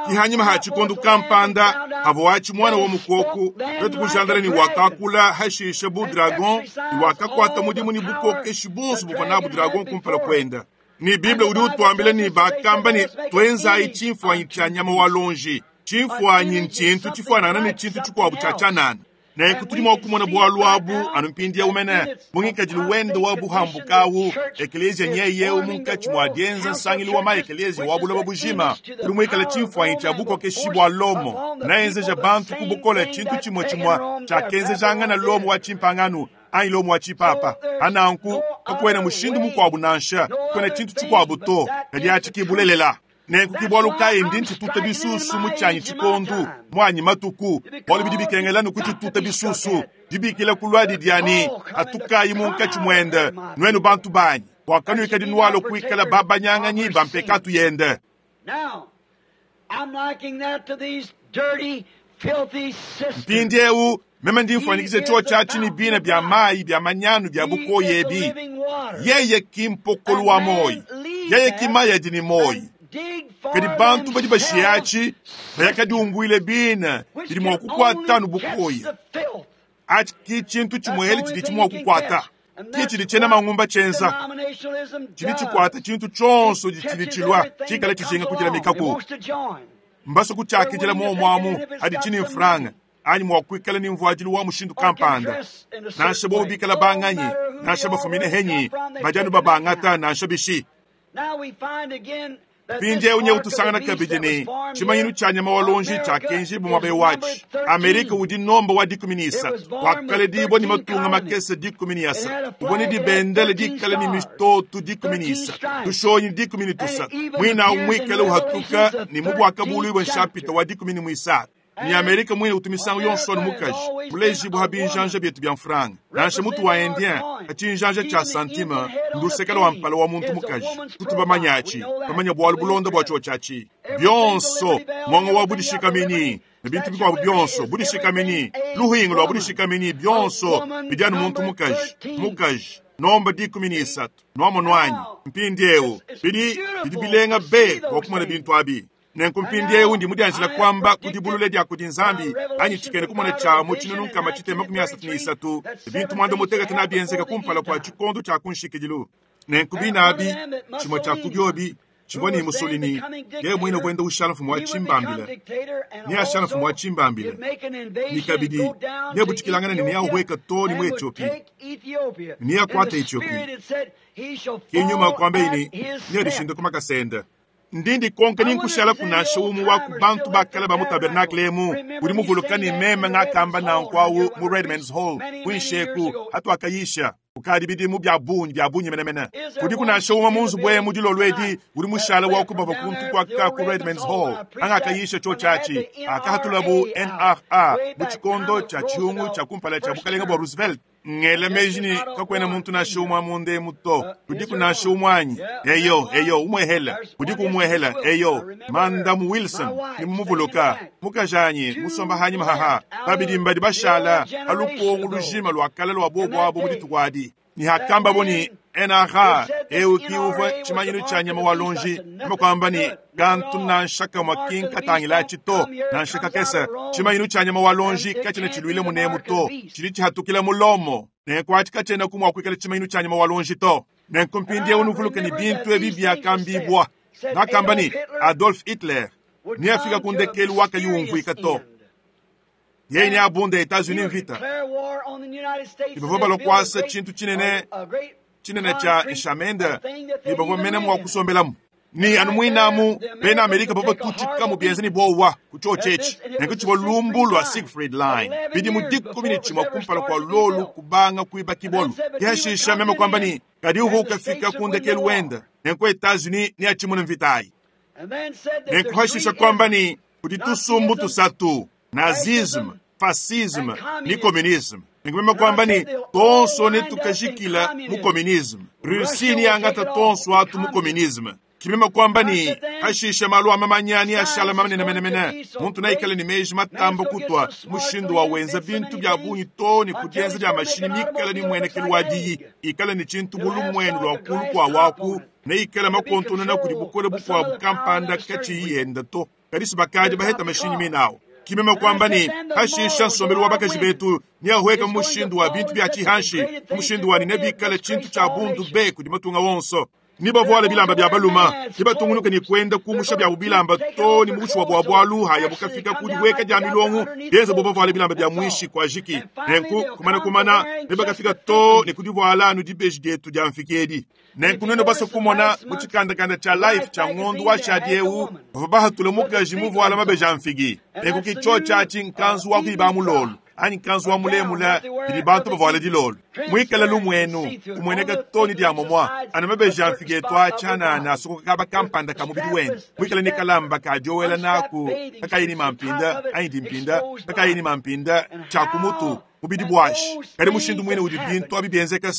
Ki hanyima ha tshikondo kampanda havua atshi muana wa mukoko, tuetu kujandala ne wakakula hashishe bu dragon, ne wakakuata mudimu ne bukokeshi buonso buvua nabu dragon kumpala kuenda. Ne Bible udi utuambila ne bakamba ne tuenzayi tshimfuanyi tshia nyama wa luonji. Tshimfuanyi ntshintu tshifuanangana ne tshintu tshikuabu tshia tshianana. Nenku tudi mua kumona bualu abu anu mpindieu mene mu ngikadilu wende wa buhambuka awu, ekeleziya nyeye eu munkatshi mua dienza nsangilu wa ma-ekeleziya wa buloba bujima udi muikale tshimfuanyi tshia bukokeshi bua Lomo, naenzeja bantu ku bukole tshintu tshimue tshimue tshiakenzejangana Lomo wa tshimpangano anyi Lomo wa tshipapa. Pa nanku kakuena mushindu mukuabu nansha, kakuena tshintu tshikuabu to, kadi atshi ki bulelela. Nenku ke bualu kayi ndi ntshituta bisusu mu tshianyi tshikondu, muanyi matuku, bualu bidi bikengela anu kutshituta bisusu. Dibikila kuluadi dia ne, Patukayi munkatshi muende, nuenu bantu banyi, bua kanuikadi nualua kuikala babanyanganyi ba mpekatu yende. Mpindieu meme ndi mfuanyikija tshiotshi atshi ne bina bia mayi bia manyanu bia bukoya ebi. Yeye ki mpokolo wa muoyo, yeye ki mayi adi ne muoyo. Kadi bantu badi bashiya atshi bayakadiunguile bina bidi mua kukuata anu bukoya. Atshi ki tshintu tshimuehele tshidi mua kukuata. Ki tshidi tshiena mangumba tshienza. Tshidi tshikuata tshintu tshionso tshidi tshilua tshikale tshijinga kudilamikaku. Mbasue kutshiakidila muomu amu haditshi ne mfranga anyi mua kuikala ne mvuadilu wa mushindu kampanda. Nansha bobu bikala banganyi, nansha bafumine henyi, badi anu babangata nansha bishi. Mpindieu nyewu tusangana kabidi ne tshimanyinu tshia nyama wa luonji tshiakenjibua muaba watshi. Amerika udi nomba wa 13, wakaledibua ne matunga makese 13, uvua ne dibendele dikale ne mitoto 13, tushonyi 13, muinawu muikale uhatuka ne mu Buakabuluibua nshapita wa 13. Ne Amerika muine utu misangu yonso anu mukaji mulejibua ha binjanja bietu bia mfranga. Nansha mutu wa Indien ha tshinjanja tshia santime nduseke lua mpala wa muntu mukaji. Tutu bamanya atshi, bamanya bualu bulonda bua tshiotshi atshi. Bionso, muongo wa budishikaminyi ne bintu bikuabu bionso, budishikaminyi, luhingu lua budishikaminyi, bionso bidi anu muntu mukaji, mukaji, nomba 13. Nuamonu anyi? Mpindieu bidi, bidi bilenga be bua kumona bintu abi. Nenku mpindieu ndi mudianjila kuamba ku dibulula dia kudi Nzambi anyi tshikena kumona tshia mu tshinunu nkama tshitema makumi asatu ne isatu, bintu muanda mutekete nabienzeka kumpala kua tshikondo tshia ku nshikidilu. Nenku bine abi, tshimue tshia ku biobi tshivua ne Mussolini, yeye muine wenda ushala mfumu wa tshimbambila, neashala mfumu wa tshimbambila, ne kabidi neabutshikilangane ne neahueka too ne mu Ethiopie, ne neakuate Ethiopie. Ke nyuma kuambaye ne, neadishinde ku makasa ende. Ndi ndikonka ni nkushalaku nansha umue wa ku bantu ba kale ba mu tabernakle emu udi muvuluka ne meme ngakamba nanku awu mu Redman's Hall kuinshi eku hatuakayisha kukadi bidimu bia bungi bia bungi menemene. Kudiku nansha umue mu nzubu emu dilolo edi udi mushale wa ku bavua kuntu kuaka ku Redman's Hall hangakayisha tshiotshi atshi hakahatulabu NRA mu tshikondo tshia tshiungu tshia kumpala tshia bukalenge bua Roosevelt. Ngela meji ne kakuena muntu nansha umue munda emu to. Kudiku nansha umue anyi? Eyo, eyo, umuehela. Kudiku umuehela? Eyo. Mandamu Wilson, ni mumuvuluka. Mukajanyi, musomba hanyima haha. Babidi mbadi bashala ha lukongo lujima lua kale lua bobo abo mu dituku adi. Ne hakambabo ne NRA, eu ki uvua tshimanyinu tshia nyama wa luonji, meme kuamba ne, kantu nansha kamue ki nkatangilatshi to, nansha kakese. Tshimanyinu tshia nyama wa luonji katshiena tshiluile munemu to, tshidi tshihatukila mu Lomo. Nenku atshi katshienaku mua kuikala tshimanyinu tshia nyama wa luonji to. Nenku mpindieu nuvuluke ne bintu ebi biakambibua. Bakamba ne, Adolf Hitler neafika ku ndekelu wakayi umvuika to. Yeye neabunde Etats-Unis mvita. Ne bavua balua kuasa tshintu tshinene tshinene tshia nshamende ne bavua mene mua kusombelamu. Ne anu muinamu bena Amerika bavua batutshikamu bienza ne buowa ku tshiotshi etshi. Nenku tshivua lumbu lua Siegfried Line bidimu 11 kumpala kua luolu kubanga kuibakibua. Ke hashisha meme kuamba ne, kadi uvua ukafika ku ndekelu wende, nenku Etats-Unis neatshimune mvita ayi. Nenku hashisha kuamba ne, kudi tusumbu tusatu, nazisme, fascisme ne communisme. Nenku meme kuamba ne, tonso netukajikila mu communisme. Russie neangata tonso atu mu communisme. Ke meme kuamba ne, hashisha malu a mamanya neashala manene menemene. Muntu neikale ne meji matamba kutua mushindu wa wenza bintu bia bungi to ne ku dienza dia mashinyi mikale ne muenekelu wa diyi, ikale ne tshintu bu lumuenu lua kulu kua waku. Neikale makontonona kudi bukole bukuabu kampanda katshiyi yenda to. Kadi si bakadi baheta mashinyi mine awu. Ki meme kuamba ne, Pashisha nsombelu wa bakaji betu neahueke mu mushindu wa bintu bia tshihanshi, mu mushindu wa ne nebikale tshintu tshia bundu be kudi matunga wonso. Nebavuale bilamba bia baluma, nebatungunuke ne kuenda kumusha biabu bilamba too ne mu bushuwa bua bualu hayabu kafika ku dihueka dia milongo, bienza bu bavuale bilamba bia muinshi kuajiki. Nenku, kumana kumana, nebakafika too ne ku divuala anu dibeji dietu dia mfiki edi. Nenku nuenu basue kumona mu tshikandakanda tshia Life tshia ngondu washadi eu, bavua bahatule mukaji muvuala mabeji a mfigi. Nenku ki tshiotshi atshi nkanzu wa kuiba mulolu anyi nkanzu wa mulemula bidi bantu bavuala dilolu. Muikale lumuenu umueneka too ne dia momua, anu mabeji a mfigi etu a tshianana asokoka kaba kampanda ka mubidi wende, muikale ne kalamba ka diowela naku kakayi ne mampinda anyi dimpinda kakayi ne mampinda tshia ku mutu. Mubidi buashi. Kadi mushindu muine udi bintu abi bienzeka.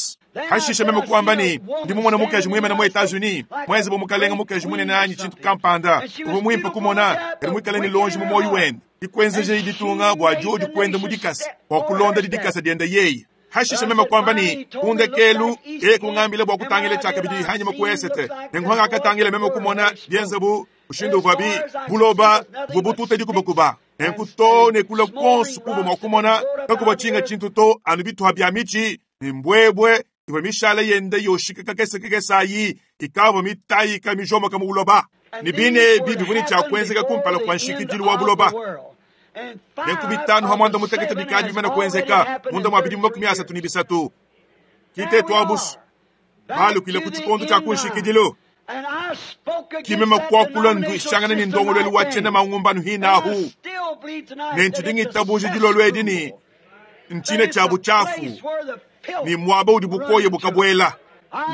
Hashishe meme kuamba ne, Ndi mumone mukaji muimane mu Etats-Unis, muenze bu mukalenge mukaji munene anyi tshintu kampanda. Uvua muimpe kumona, kadi muikale ne luonji mu muoyo wende. Dikuenzejayi ditunga bua diodi kuenda mu dikasa, bua kulonda didikasa diende yeye. Hashishe meme kuamba ne, Ku ndekelu, yeye kungambila bua kutangila tshiakabidi hanyima ku esete. Nenku hangakatangila meme kumona bienze bu mushindu uvuabi buloba buvua bututa dikubakuba. Nenku too ne kule kuonso kuvua mua kumona kakuvua tshinga tshintu to anu bituha bia mitshi ne mbuebue ivua mishale yenda yoshika kakese kakese ayi ikavua mitayika mijomoka mu buloba. Ne bine ebi bivua ne tshia kuenzeka kumpala kua nshikidilu wa buloba. Nenku bitanu pa muanda mutekete bikadi bimane kuenzeka munda mua bidimu 33. Ki tetu abusu balukile ku tshikondo tshia ku nshikidilu. Ki meme kuakula nduishangana ne ndongoluelu wa tshiena mangumbanu hinahu, ne ntshidi ngitabuja dilolo edi ne ntshina tshia butshiafu ne muaba udi bukoya bukabuela.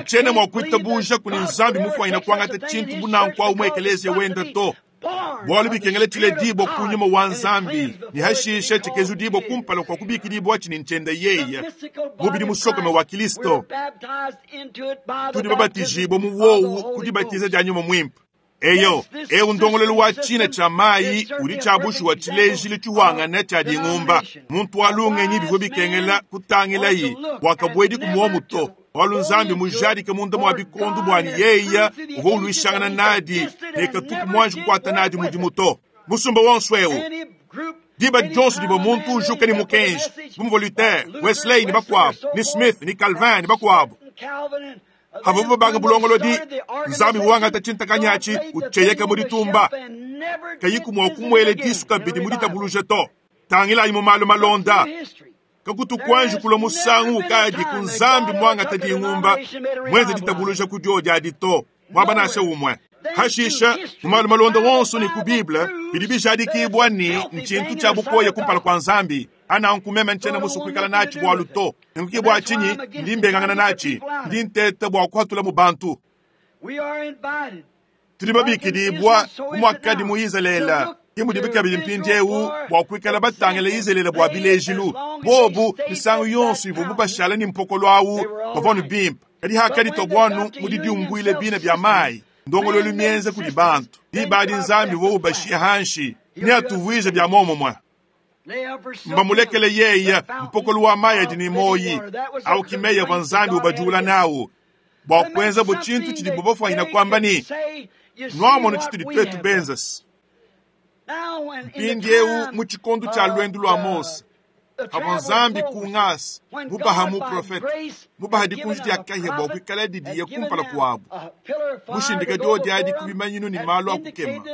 Ntshiena mua kuitabuja kudi Nzambi mufuanyina kuangata tshintu bu nanku au mu ekeleziya wenda to, bualu bikengela tshiledibua ku nyuma wa Nzambi ne hashishe tshikezudibua kumpala kua kubikidibua ne ntshienda yeye, mubidi musokome wa Kilisto. Tudi babatijibue mu wowu ku dibatiza dia Nyuma Muimpe. Eyo, eu ndongoluelu wa tshina tshia mayi udi tshia bushuwa tshilejilu tshihuangane tshia dingumba. Muntu wa lungenyi bivua bikengela kutangilayi bua kabuedi ku muomu to, bualu Nzambi mujadike munda mua bikondo bua ne yeye uvua uluishangana nadi ne katuku muanji kukuata nadi mudimu to. Musumba wonso eu, diba dionso divua muntu ujuka ne mukenji, bu muvua Luther, Wesley ne bakuabu, ne Smith ne Calvin ne bakuabu, Havuabu babanga bulongolodi, Nzambi wangata tshintakanyi atshi utshieyeka mu ditumba, kayiku mua kumuela disu kabidi mu ditabuluja to. Tangilayi mu malu malonda, kakutu kuanji kulua musangu ukadi ku Nzambi muangata dingumba muenze ditabuluja ku diodi adi to, muaba nansha umue. Hashisha, mu malu malonda wonso ne ku Bible, bidi bijadikibua ne ntshintu tshia bukoya kumpala kua Nzambi. Ananku meme ntshiena musue kuikala natshi bualu to. Nenku ke bua tshinyi ndi mbengangana natshi, ndi nteta bua kuhatula mu bantu. Tudi babikidibua bu muakadi mu Izalele, ke mudibi kabidi mpindieu bua kuikala batangila Izalele bua bilejilu. Bobu misangu yonso ivuabu bashala ne mpokolo au bavua anu bimpe, kadi hakaditua buanu mu didiumbuila bina bia mayi, ndongoluelu mienza kudi bantu, diba adi Nzambi uvua ubashiya hanshi. Neatuvuije bia muomumue. Mbamulekele yeye mpokolo wa mayi adi ne muoyi au ki meyi avua Nzambi ubajula nawu bua kuenza bu tshintu tshidibu bafuanyina kuamba ne, Nuamonu tshitudi tuetu benza. Mpindieu mu tshikondo tshia luendu lua Mose, pavua Nzambi ku ngasa mubaha muprofete, mubaha dikunji dia kahia bua kuikala didiye kumpala kuabu, mushindika diodi adi ku bimanyinu ne malu a kukema.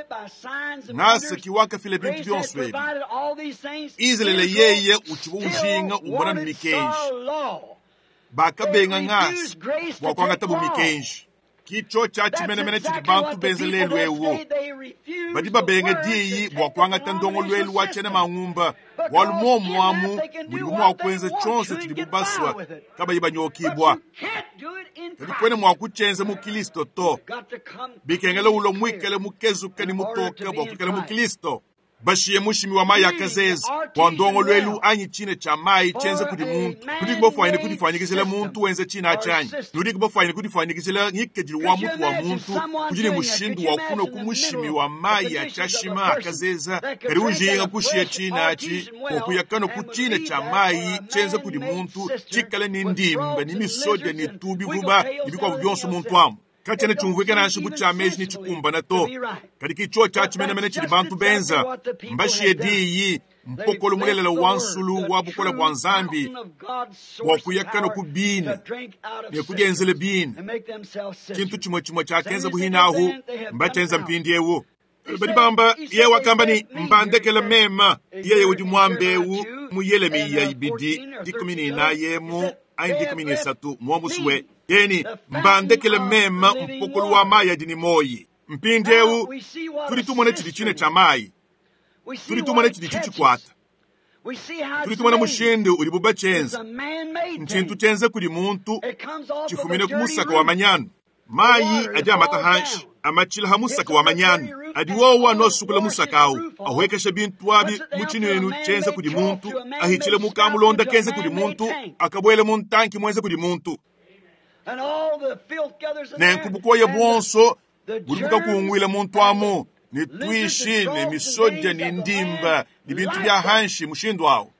Ngasa ki wakafila bintu bionso ebi. Izalele yeye utshivua ujinga umona ne mikenji. Bakabenga ngasa bua kuangatabu mikenji. Ki tshiotshi atshi menemene tshidi bantu benza lelu eu. Badi babenga diyi bua kuangata ndongoluelu wa tshiena mangumba, bualu muomu amu mudibu mua kuenza tshionso tshidibu basua kabayi banyokibua. Kadi kuena mua kutshienza mu Kilisto to. Bikengela ulua muikale mukezuke ne mutoke bua kuikala mu Kilisto. Bashiye mushimi wa mayi a kazeze bua ndongoluelu anyi tshina tshia mayi tshienza kudi muntu. Nudiku bafuanyine kudifuanyikijila muntu wenza tshina atshi anyi? Nudiku bafuanyine kudifuanyikijila ngikadilu wa mutu wa muntu udi ne mushindu wa kunua ku mushimi wa mayi a tshiashima a kazeza, kadi ujinga kushiya tshina atshi bua kuya kanua ku tshina tshia mayi tshienza kudi muntu tshikale ne ndimba ne misodia ne tubivuba ne bikuabu bionso muntu amu? Katshiena tshiumvuika nansha bu tshia meji ne tshikumbana to, kadi ke tshiotshi atshi menemene tshidi bantu benza. Mbashiye diyi, mpokolo mulelela wa nsulu wa bukole bua Nzambi, bua kuya kanua ku bina ne kudienzela bina. Tshintu tshimue tshimue tshiakenza buhine ahu, mbatshienza mpindieu. Badi bamba, yeye wakamba ne, Mbandekele mema. Yeye udi muambe eu mu Yelemiya ibidi 14 emu anyi 13 muomusue. Yeye ne, Mbandekele mema mpokolo wa mayi adi ne muoyi. Mpindieu tudi tumona tshidi tshine tshia mayi, tudi tumona tshidi tshitshikwata, tudi tumona mushindu udibu batshienza. Ntshintu tshienza kudi muntu, tshifumine ku musaka wa manyanu. Mayi adi amata hanshi, amatshila ha musaka wa manyanu, adi wowo anosukula musaka awu, ahuekesha bintu abi mu tshinuinu tshienza kudi muntu, ahitshile mu kamulonda kenza kudi muntu, akabuele mu ntanki muenza kudi muntu. Nenku bukoya buonso budi bukakunguila muntu amu, ne tuishi ne misodia ne ndimba ne bintu bia hanshi mushindu awu.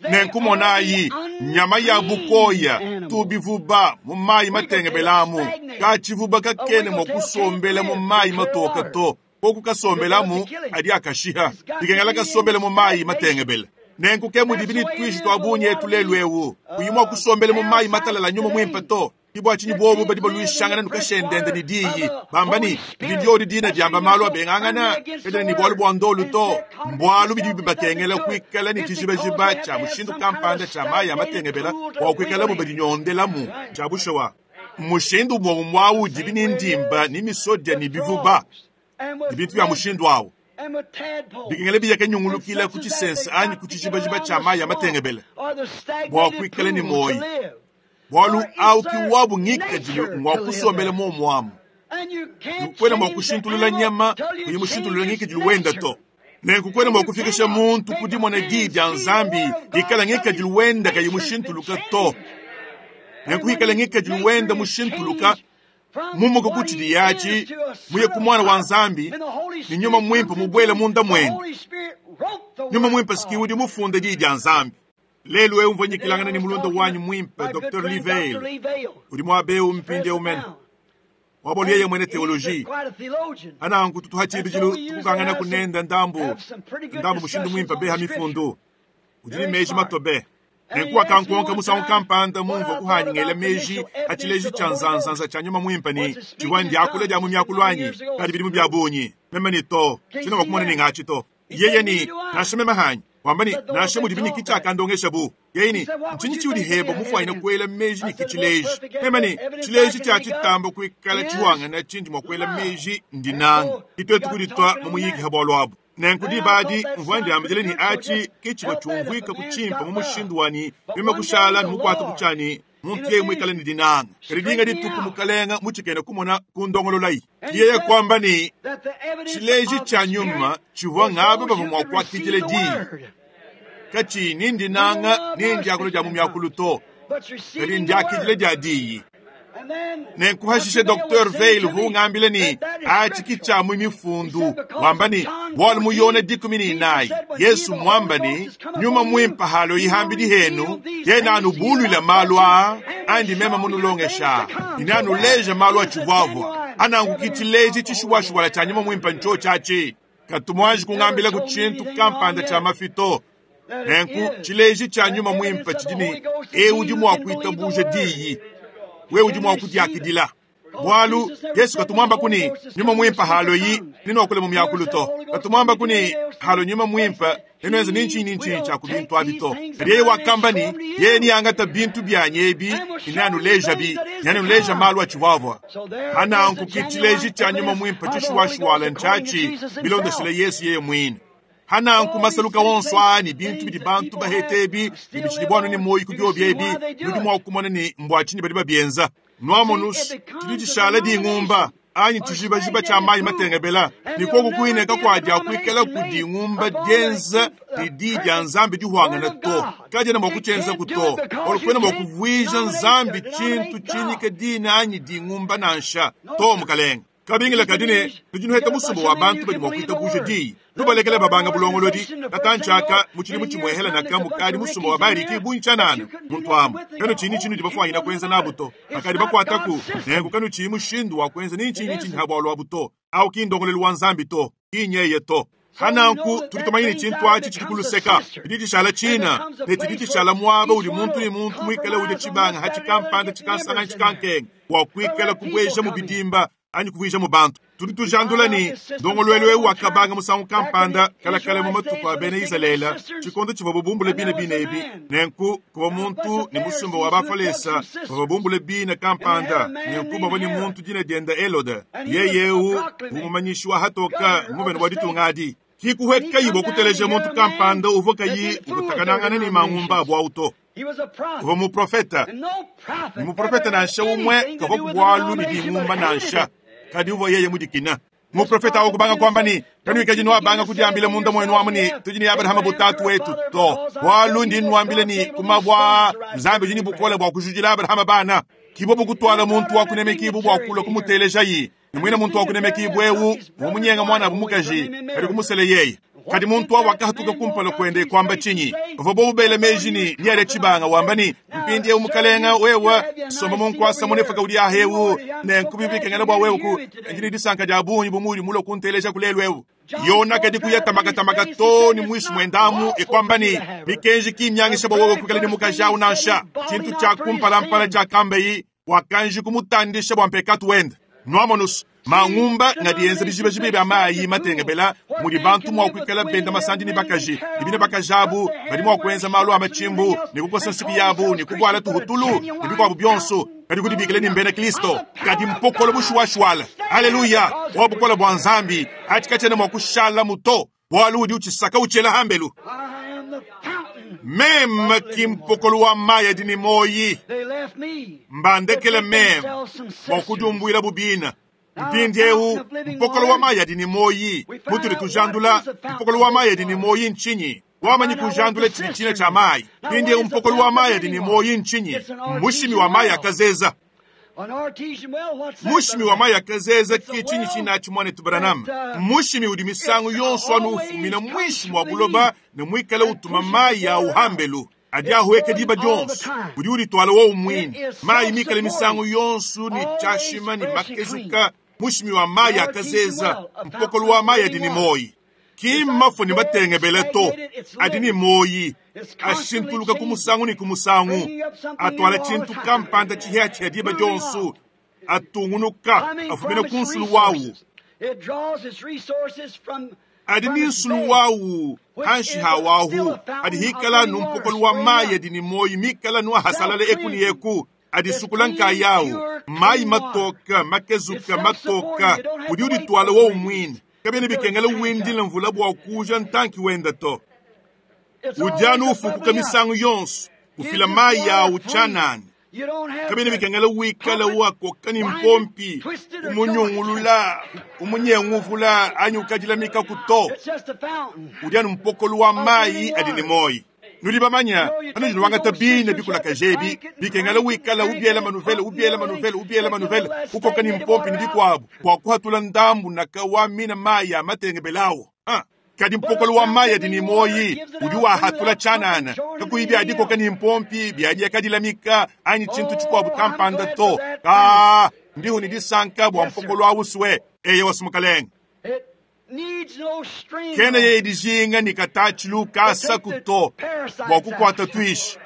Nenku monayi, nyama ya bukoya tubivuba mu mayi matengebelamu, katshivuba kakene mua kusombela mu mayi matoka to, koku kasombelamu adi akashiha, dikengela kasombela mu mayi matengebela. Nenku ke mudibi ne tuishi tua bungi etu lelu eu, kuyi mua kusombela mu mayi matalala nyuma muimpe to. Ke bua tshinyi bobu badi baluishangana ne kashendende ne diyi, bamba ne, Didi diodi dina diamba malu abengangana, kadiena ne bualu bua ndolu to. Mbualu bidi bibakengela kuikala ne tshijibajiba tshia mushindu kampanda tshia mayi a matengebela bua kuikalabu badinyondelamu. Tshia bushuwa, mmushindu umue umue au udibi ne ndimba ne misodia ne bivuba ne bintu bia mushindu au bikengela biya nyungulukila ku tshisense anyi ku tshijibajiba tshia mayi a matengebela bua kuikala ne muoyo. Bualu au ki wabu ngikadilu ngua kusombela muomu amu. Kuena mua kushintulula nyama kuyi mushintulula ngikadilu wenda to. Nenku kuena mua kufikisha muntu ku dimona diyi dia Nzambi dikala ngikadilu wenda kayi mushintuluka to. Nenku ikala ngikadilu wenda mushintuluka mumuka ku tshidi yatshi muye ku mwana wa Nzambi ne nyuma muimpe mubuele munda mwende. Nyuma muimpe siki udi mufunde diyi dia Nzambi. Lelu eu mvua nyikilangana ne mulunda wanyi muimpe Dr. Lee Vayle, udi muaba eu mpindieu mene. Wabolu yeye mwene theologie. Ananku tutuha tshibidilu tukukangana kunenda ndambu ndambu mushindu muimpe beha mifundu. Udi ne meji matobe. Nenku wakankonka musangu kampanda mumvua kuhanyingela meji a tshileji tshia nzanzanza tshia nyuma muimpe ne tshivua ndiakula dia mu miakulu anyi kadi bidimu bia bungi. Meme ne to, tshiena mua kumona ne ngatshi to. Yeye ne, nansha meme hanyi. Wamba ne, nansha mudibi ne kitshiakandongesha bu. Yeye ne, ntshinyi tshiudi heba mufuanyine kuela meji ne kitshileji? Meme ne, tshileji tshia tshitamba kuikala tshiwangana tshindi mua kuela meji ndinanga. Kituetu kuditua mu muyiki ha bualu abu. Nenku diba adi mvua ndiambidila ne atshi ke tshivua tshiumvuika ku tshimpe mu mushindu wanyi meme kushala ne mukuate ku tshianyi muntu yeye muikale ne dinanga. Kadi dinga dituku mukalenga mutshikena kumona ku ndongololayi. Yeye kuamba ne tshileji tshia nyuma tshivua ngaba bavua mua kuakidila diyi. Katshiyi ni ndinanga ni ndiakula dia mu miakulu to, kadi ndiakidila dia diyi. Nenku hashishe Dr. Vayle uvua ungambila ne atshi ki tshia mu mifundu, wamba ne bualu mu Yona 14 Yesu muamba ne nyuma muimpe halo ihambidi henu yena anubuluila malu aa andi meme munulongesha ine anuleja malu atshivuavua ananku ki tshileji tshishuwashuwala tshia nyuma muimpe ntsho tshiatshi. Katumuanji kungambila ku tshintu kampanda tshia mafi to. Nenku tshileji tshia nyuma muimpe tshidi ne eu udi mua kuitabuja diyi, wewe udi mua kudiakidila. Bualu Yesu katumuamba ku ne nyuma muimpe haloyi ninoakule mu miakulu to. Katumuamba ku ne halo nyuma muimpe ninoenza ni ntshinyi ni ntshinyi tshia ku bintu abi to. Kadi yeye wakamba ne yeye niangata bintu bianyi ebi neanulejabi, neanuleja malu atshivuavua. Ananku ki tshileji tshia nyuma muimpe tshishuwashuwala ntshiatshi bilondeshile Yesu yeye muine. Hananku masaluka wonso aa ne bintu bidi bantu bahete ebi ne bitshidi buanu ne muoyo ku biobi ebi, nudi mua kumona ne mbua tshinyi badi babienza. Nuamonus tshidi tshishala dingumba anyi tshijibajiba tshia mayi matengebela, ne koku kuine kakuadia kuikala ku dingumba dienza ne diyi dia Nzambi dihuangana to. Kadiena mua kutshienza ku to, bualu kuena mua kuvuija Nzambi tshintu tshinyika dina anyi dingumba nansha to, mukalenge. Kabingila kadi ne, tudi nuheta musumba wa bantu badi mua kuitabuja diyi. Tubalekele babanga bulongolodi. Katantshi aka, mu tshidimu tshimuehela naka mukadi musumba wa bariki bungi tshianana. Muntu amu, kanutshiyi ne tshinudi bafuanyina kuenza nabu to. Bakadi bakuataku, nenku kanutshiyi mushindu wa kuenza ni ntshinyi ni ntshinyi ha bualu abu to. Au ki ndongoluelu wa Nzambi to, ki nyeye to. Pa nanku, tudi tumanya ne tshintu atshi tshidi ku luseka, tshidi tshishala tshina, ne tshidi tshishala muaba udi muntu ne muntu muikale udia tshibanga hatshi kampanda tshikansanga anyi tshikankenga bua kuikala kubuejamu bidimba anyi kuvuijamu bantu. Tudi tujandula ne, ndongoluelu eu wakabanga musangu kampanda kalakale mu matuku a bena Izalele, tshikondo tshivuabu bumbule bina bine ebi. Nenku, kuvua muntu ne musumba wa Bafalesa bavua bumbule bina kampanda, nenku bavua ne muntu dina diende Helode. Yeye eu uvua mumanyishi wa hatoka nguvena wa ditunga adi. Ki kuhuekayi bua kuteleja muntu kampanda uvua kayi ukutakanangana ne mangumba abu au to. Uvua muprofete, ne muprofete nansha umue kavua ku bualu ne dingumba nansha, kadi uvua yeye mudikina. Muprofete au kubanga kuamba ne, Kanuikadi nuabanga kudiambila munda muenu amu ne, tudi ne Abrahama bu tatu wetu to, bualu ndi nnuambila ne, ku mabue aa Nzambi udi ne bukole bua kujudila Abrahama bana. Ki bobu kutuala muntu wa kunemekibua bua kulua kumutelejayi, ne muine muntu wa kunemekibua eu uvua munyenga muanabu mukaji, kadi kumusele yeye. Kadi muntu au wakahatuka kumpala kuende kuamba tshinyi? Bavua bobu bela meji ne, neadia tshibanga, wamba ne, Mpindieu mukalenga, wewe somba mu nkuasa munefuka udi aha eu, nenku bidi bikengela bua wewe ku ndi ne disanka dia bungi bu muudi mulue kunteleja ku lelu eu. Yona kadi kuya tamakatamaka too ne muinshi muendamu e kuamba ne, Mikenji ki mmiangisha bua wewe kuikala ne mukaji au nansha. Tshintu tshia kumpalampala tshiakambayi, wakanji kumutandisha bua mpekatu wende. Nuamonus, mangumba ngadi enza bijibajiba bia mayi matengebela mudi bantu mua kuikala benda masandi ne bakaji, ne bine bakaji abu badi mua kuenza malu a matshimbu ne kukosa nsuki yabu ne kuvuala tuhutulu ne bikuabu bionso, kadi kudibikila ne mbena Kristo. Kadi mpokolo bushuwashuwala, aleluya, wa bukole bua Nzambi, atshi katshiena mua kushalamu to, bualu udi utshisaka utshiela hambelu. Meme ki mpokolo wa mayi adi ne muoyi, mbandekele meme bua kudiumbuila bu bina. Mpindieu mpokolo wa mayi adi ne muoyi mutudi tujandula. Mpokolo wa mayi adi ne muoyi ntshinyi? Wamanyi kujandula tshidi tshina tshia mayi. Mpindieu mpokolo wa mayi adi ne muoyi ntshinyi? Mmushimi wa mayi akazeza. Mushimi wa mayi akazeza ke tshinyi tshinatshi muanetu Branham? Mushimi udi misangu yonso anu ufumina muinshi mua buloba ne muikale utuma mayi awu hambelu adi ahueka diba dionso. Udi udituala wowu muine, mayi mikale misangu yonso ne tshiashima ne makezuka. Mushimi wa mayi akazeza, mpokolo wa mayi adi ne muoyi. Ki mmafue ne matengebele to, adi ne muoyi, ashintuluka ku musangu ne ku musangu, atuala tshintu kampanda tshihiatshihia diba dionso, atungunuka, afumina ku nsulu wawu. Adi ne nsulu wawu hanshi ha wahu, adi hikala anu mpokolo wa mayi adi ne muoyi mikala anu ahasalala eku ne eku, adisukula nkayawu, mayi matoka, makezuka, matoka, udi udituala wowu muine. Kabiena bikengela windile mvula bua kuuja ntanki wende to. Udi anu ufukuka misangu yonso, ufila mayi awu tshianana. Kabiena bikengela wikale uakoka ne mpompi, umunyungulula, umunyenguvula anyi ukadilamikaku to. Udi anu mpokolo wa mayi adi ne muoyo. Nudi bamanya, panudi nuangata bina bikulakaja ebi, bikengela wikala ubiela manuvele, ubiela manuvele, ubiela manuvele, ukoka ne mpompi ne bikuabu, bua kuhatula ndambu naka wa mina mayi a matengebelawu. Ah, kadi mpokolo wa mayi adi ne muoyi udi wahatula tshianana, kakuyi bia dikoka ne mpompi, bia diakadilamika anyi tshintu tshikuabu kampanda to. Kaa, ndihu ne disanka bua mpokolo awu sue. Eyowa, Mukalenge. Kena yeye dijinga ne katatshilu kasaku to bua kukuata tuishi,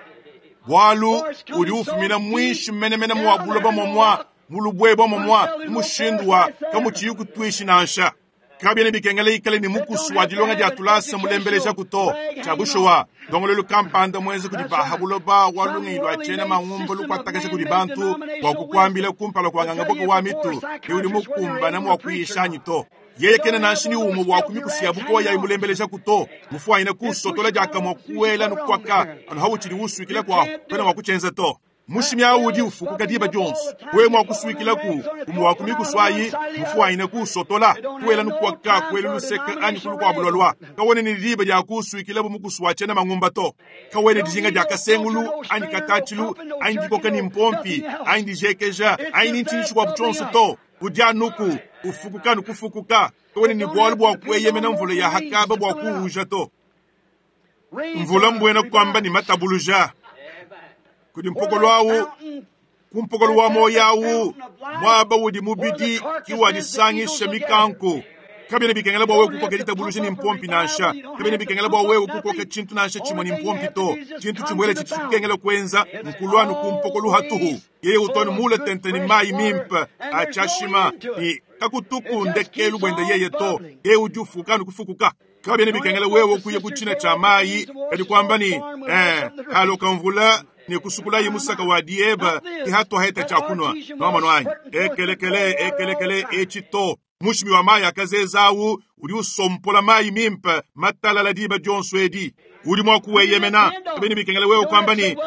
bualu udi ufumina muinshi menemene mua buloba muamua mu lubuebua muamua mu mushindu wa kamutshiyi kutuishi nansha. Kabiena bikengela ikale ne mukusu wa dilonga dia tulasa mulembelejaku to. Tshia bushuwa, ndongoluelu kampanda muenza kudi ba ha buloba wa lungenyi lua tshiena mangumba lukuatakasha kudi bantu bua kukuambila kumpala kua nganga-buka wa mitu ne udi mukumbana mua kuyisha anyi to. Yeye kena nansha ne umue wa ku mikusu ya bukoya imulembelejaku to. Mufuanyine kuusotola diakamue kuela nukuaka anu hautshidi usuikilaku ahu, kuena mua kutshienza to. Mushimi au udi ufukuka diba dionso. Wewe mua kusuikilaku umue wa ku mikusu ayi, mufuanyine kuusotola, kuela nukuaka, kuela luseke anyi ku lukuabu lualua. Kawena ne diba dia kuusuikila bu mukusu wa tshiena mangumba to. Kawena dijinga dia kasengulu anyi katatshilu anyi dikoka ne mpompi anyi dijekeja anyi ne ntshinyi tshikuabu tshionso to. Udi anuku. Ufukuka ne kufukuka. Kawena ne bualu bua kueyemena mvula ya hakaba bua kuuja to. Mvula mbuena kuamba ne matabuluja. Kudi mpokolo awu, ku mpokolo wa muoyo awu, muaba udi mubidi ki wadisangisha mikanku. Kabiena bikengela bua wewe kukoka ditabuluja ne mpompi nansha. Kabiena bikengela bua wewe kukoka tshintu nansha tshimue ne mpompi to. Tshintu tshimuele tshidi tshikengela kuenza nkulua anu ku mpokolo hatuhu. Yeye utu anu mule tente ne mayi mimpe a tshiashima ne kakutuku ndekelu buende yeye to. Yeye udi ufuka anu kufukuka. Kabiena bikengela wewe kuya ku tshina tshia mayi kadi kuamba ne, haloka mvula ne kusukulayi musaka wa dieba ki hatuaheta tshia kunua. Nuamonu anyi? Ekelekele, ekelekele, etshi to. Mushimi wa mayi akazeza awu udi usompola mayi mimpe matalala diba dionso edi. Udi mua kuweyemena. Kabiena bikengela wewe kuamba ne,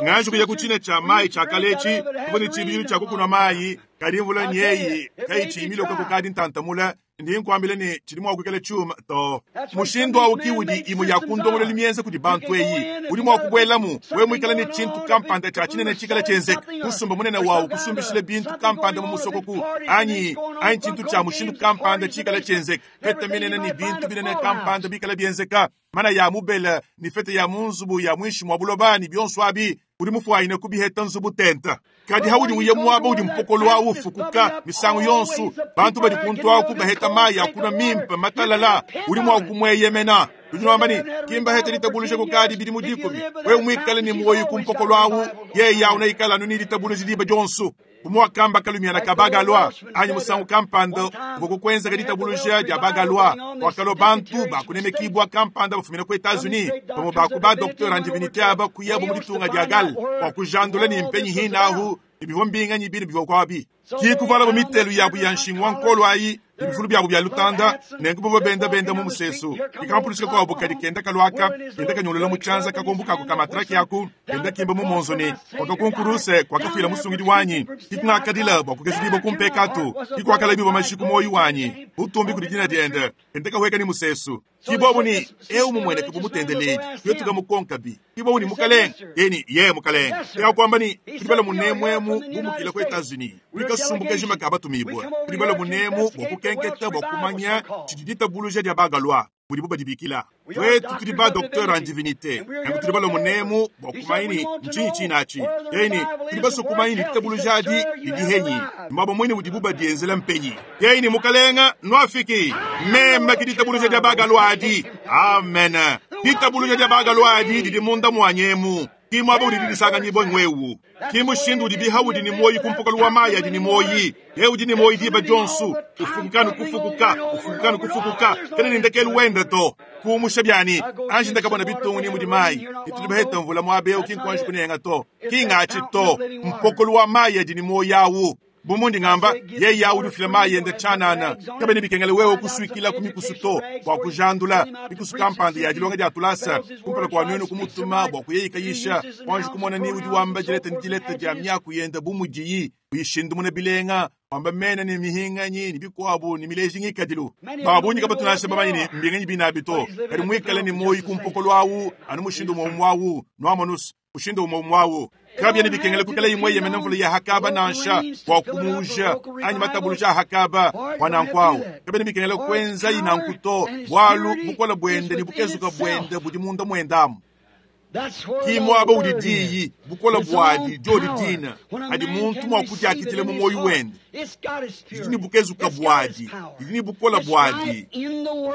nganji kuya ku tshina tshia mayi tshia kale etshi, tuvua ne tshibidilu tshia kukunua mayi, kadi mvula nyeyi kayitshiyi miloka kukadi ntantamula. Ndi nkuambila ne tshidi mua kuikala tshiuma to. Mushindu awu ki udi imue ya ku ndongoluelu mienza kudi bantu eyi. Udi mua kubuelamu wewe muikale ne tshintu kampanda tshia tshinene tshikala tshienzeka, musumba munene wawu kusumbishila bintu kampanda mu musokoku, anyi, anyi tshintu tshia mushindu kampanda tshikala tshienzeka, fete minene ne bintu binene kampanda bikala bienzeka, mana ya mubela ne fete ya mu nzubu ya muinshi mua buloba ne bionso abi. Udi mufuanyine kubiheta nzubu tenta. Kadi haudi uya muaba udi mpokolo awu ufukuka misangu yonso, bantu badi kuntu aku baheta mayi a kunua mimpe matalala, udi mua kumueyemena. Udi wamba ne, ki mbahete ditabuluja kukadi bidimu dikumi. Wewe muikale ne muoyo ku mpokolo awu, yeye awu neikale anu ne ditabuluja diba dionso. Bu muakamba kalumiana ka Bagalwa, anyi musangu kampanda uvua kukuenzeka ditabuluja dia Bagalwa, kuakalua bantu ba kunemekibua kampanda bafumina ku Etats-Unis, bamue ba ku ba docteur en divinite aba kuyabu mu ditunga dia Galles bua kujandula ne mpenyi hine ahu ne bivua mbinganyi bine bivua kuabi. Ki kuvualabu mitelu yabu ya nshingu wa nkolo ayi ne bifulu biabu bia lutanda, nenku bavua benda benda mu musesu. Dikampulushika kuabu kadi kenda kaluaka, kenda kanyolola mu tshianza kakombu kaku ka matraki aku, kenda kimba mu monzo ne, Kuakakunkuruse kuakafuila musungidi wanyi, ki kungakadila bua kukezudibua ku mpekatu, ki kuakalabibua mashi ku muoyo wanyi, butumbi kudi dina diende, kenda kahueka ne musesu. Ki bobu ne, Eu mumueneke bu mutendeledi, tuetu kamukonkabi. Ki bobu ne, Mukalenge, yeye ne, Ye mukalenge. Ke akuamba ne, Tudi bala munemu emu bumukila ku Etats-Unis, tudi kasumbu kajima ka batumibue. Tudi bala munemu bua kukenketa bua kumanya tshidi ditabuluja dia Bagalwa, mudibu badibikila. Tuetu tudi ba docteur en divinite, nanku tudi bala munemu bua kumanya ne ntshinyi tshine atshi. Yeye ne, Tudi basue kumanya ne ditabuluja adi didi henyi, muaba muine udibu badienzela mpenyi. Yeye ne, Mukalenge, nuafiki. Meme ke ditabuluja dia Bagalwa adi. Amen. Ditabuluja dia Bagalwa adi didi munda muanyi emu. Ki muaba udi didisanganyibua ng'wewu. Ki mushindu udi bihaudi ne muoyi ku mpokolo wa mayi adi ne muoyi. Yeye udi ne muoyi diba dionso, ufukuka ne kufukuka, ufukuka ne kufukuka, kena ne ndekelu wende to. Kuumusha bianyi, anji ndakabona bitungu ni mudi mayi, ne tudi baheta mvula muaba eu ki nkuanji kunenga to. Ki ngatshi to, mpokolo wa mayi adi ne muoyi awu. Bu mundi ngamba, yeye awu udi ufila mayi ende tshianana. Kabiena bikengela wewe kusuikila ku mikusu to bua kujandula mikusu kampanda ya dilonga dia tulasa kumpala kua nuenu kumutuma bua kuyeyikayisha, kuanji kumona ni udi wamba dileta ne dileta dia miaku yende bu mudiyi uyishindumuna bilenga, wamba mena ne mihinganyi ne bikuabu ne mileji ngikadilu. Ba bungi kabatu nansha bamanye ne mbinganyi binabi to, kadi muikale ne muoyo ku mpokolo awu anu mushindu umue umue awu, nuamonus, mushindu umue umue awu. Kabiena bikengela kuikala imue yemena mvula ya hakaba nansha bua kumuuja anyi matabuluja a hakaba bua nanku awu. Kabiena bikengela kuenzayi nanku to, bualu bukole buende ne bukezuka buende budi munda muende amu. Ki muaba udi diyi, bukole buadi diodi dina adi muntu mua kudiakidila mu muoyo wende. Didi ne bukezuka buadi, didi ne bukole buadi,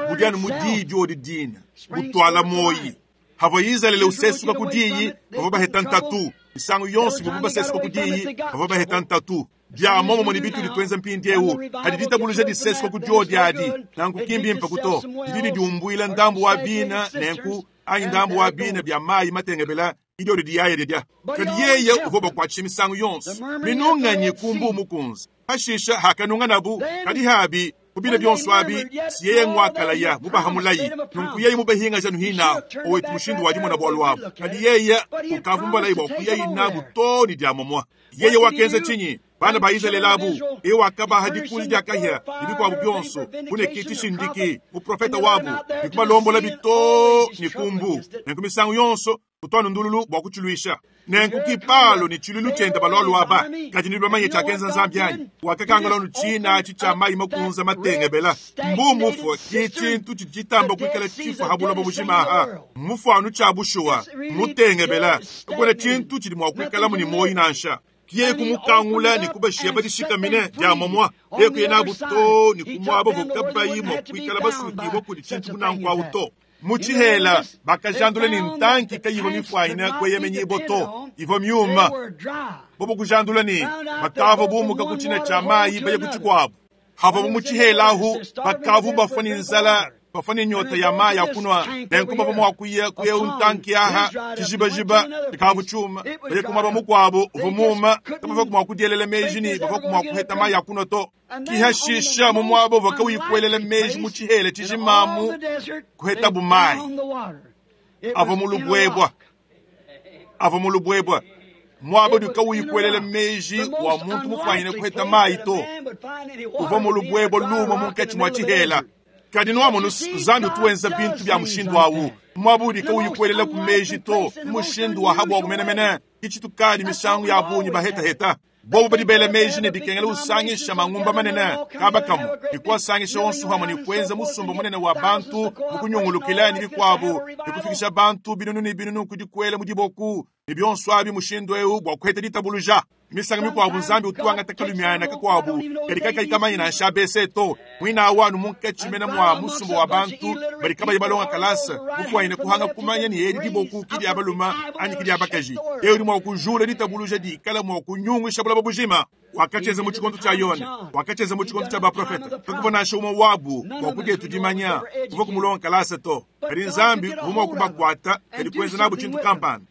budi anu mu diyi diodi dina butuala muoyi. Havua Izalele usesuka ku diyi, bavua baheta ntatu. Misangu yonso ivuabu basesuka ku diyi, bavua baheta ntatu. Bia muomumue ne bitudi tuenza mpindieu, padi ditabuluja disesuka ku diodi adi, nanku ki mbimpe ku to. Didi didiumbuila ndambu wa bina nenku, anyi ndambu wa bina bia mayi matengebela, ki diodi diyaya didia. Kadi yeye uvua ubakuatshisha misangu yonso. Minunganyi ku Mbuu Mukunze. Pashishe hakanunganabu, kadi habi, ku bina bionso abi, si yeye nguakalaya mubaha mulayi, nunku yeye mubahingaja nuhinahu, owetu mushindu wa dimona bualu abu. Kadi yeye ukavua mubalaye bua kuyayi nabu too ne diamomua. Yeye wakenza tshinyi? Bana ba Izalele abu, yeye wakabaha dikunji dia kahia ne bikuabu bionso, bu ne ki tshishindiki, muprofete wabu, ne kubalombolabi too ne ku mbu. Nenku misangu yonso. Kutu anu ndululu bua kutshiluisha. Nenku ki Palo ne tshiluilu tshiende balua aba. Kadi nudi bamanye tshiakenza Nzambi anyi? Wakakangula anu tshina atshi tshia mayi makunze matengebela. Mbu mufue ki tshintu tshidi tshitamba kuikala tshifue ha buloba bujima aha. Mmufuanu tshia bushuwa, mutengebela. Kakuena tshintu tshidi mua kuikalamu ne muoyo nansha. Ki yeye kumukangula ne kubashiya badishikamine dia muamua. Yeye kuya nabu too ne ku muaba uvua kabayi mua kuikala basukibua kudi tshintu bu nanku awu to. Mu tshihela, bakajandula ne ntanki kayivua mifuanyine kueyemenyibua to, ivua miuma. Bobo kujandula ne bakavua bumuka ku tshina tshia mayi baye ku tshikuabu. Havuabu mu tshihela ahu, bakavua bafua ne nzala, bafua ne nyota ya mayi a kunua. Nenku bavua mua kuya ku eu ntanki aha, tshijibajiba tshikavua tshiuma, baye ku muaba mukuabu uvua muuma. Kabavua mua kudielela meji ne bavua mua kuheta mayi a kunua to. Kihashisha mu muaba uvua kawuyi kuelela meji mu tshihela tshijimamu, kuhetabu mayi avua mu lubuebua, avua mu lubuebua, muaba udi kawuyi kuelela meji wa muntu mufuanyine kuheta mayi to, uvua mu lubuebua luuma munkatshi mua tshihela. Kadi nuamonu, Nzambi utu wenza bintu bia mushindu awu, muaba udi kawuyi kuelela ku meji to, mushindu wa habuabu menemene. Ki tshitukadi misangu ya bungi bahetaheta. Bobu badi bela meji ne bikengela usangisha mangumba manene kaba kamue ne kuasangisha onso pamue ne kuenza musumba munene wa bantu mu kunyungulukila ne bikuabu ne kufikisha bantu binunu ne binunu ku dikuela mu diboku ne bionso abi mushindu eu bua kuheta ditabuluja. Misangu mikuabu Nzambi utu wangata kalumiana kakuabu kadi kakayi kamanye nansha ABC to, muine awu anu munkatshi mene mua musumba wa bantu badi kabayi balonga kalasa, mufuanyine kuhanga kumanya ne edi diboku ki dia balume anyi ki dia bakaji. Yeye udi mua kujula ditabuluja dikala mua kunyungusha buloba bujima. Wakatshienza mu tshikondo tshia Yone, wakatshienza mu tshikondo tshia baprofete. Kakuvua nansha umue wabu bua kudietu dimanya uvua kumulonga kalasa to. Kadi Nzambi uvua mua kubakuata kadi kuenza nabu tshintu kampanda.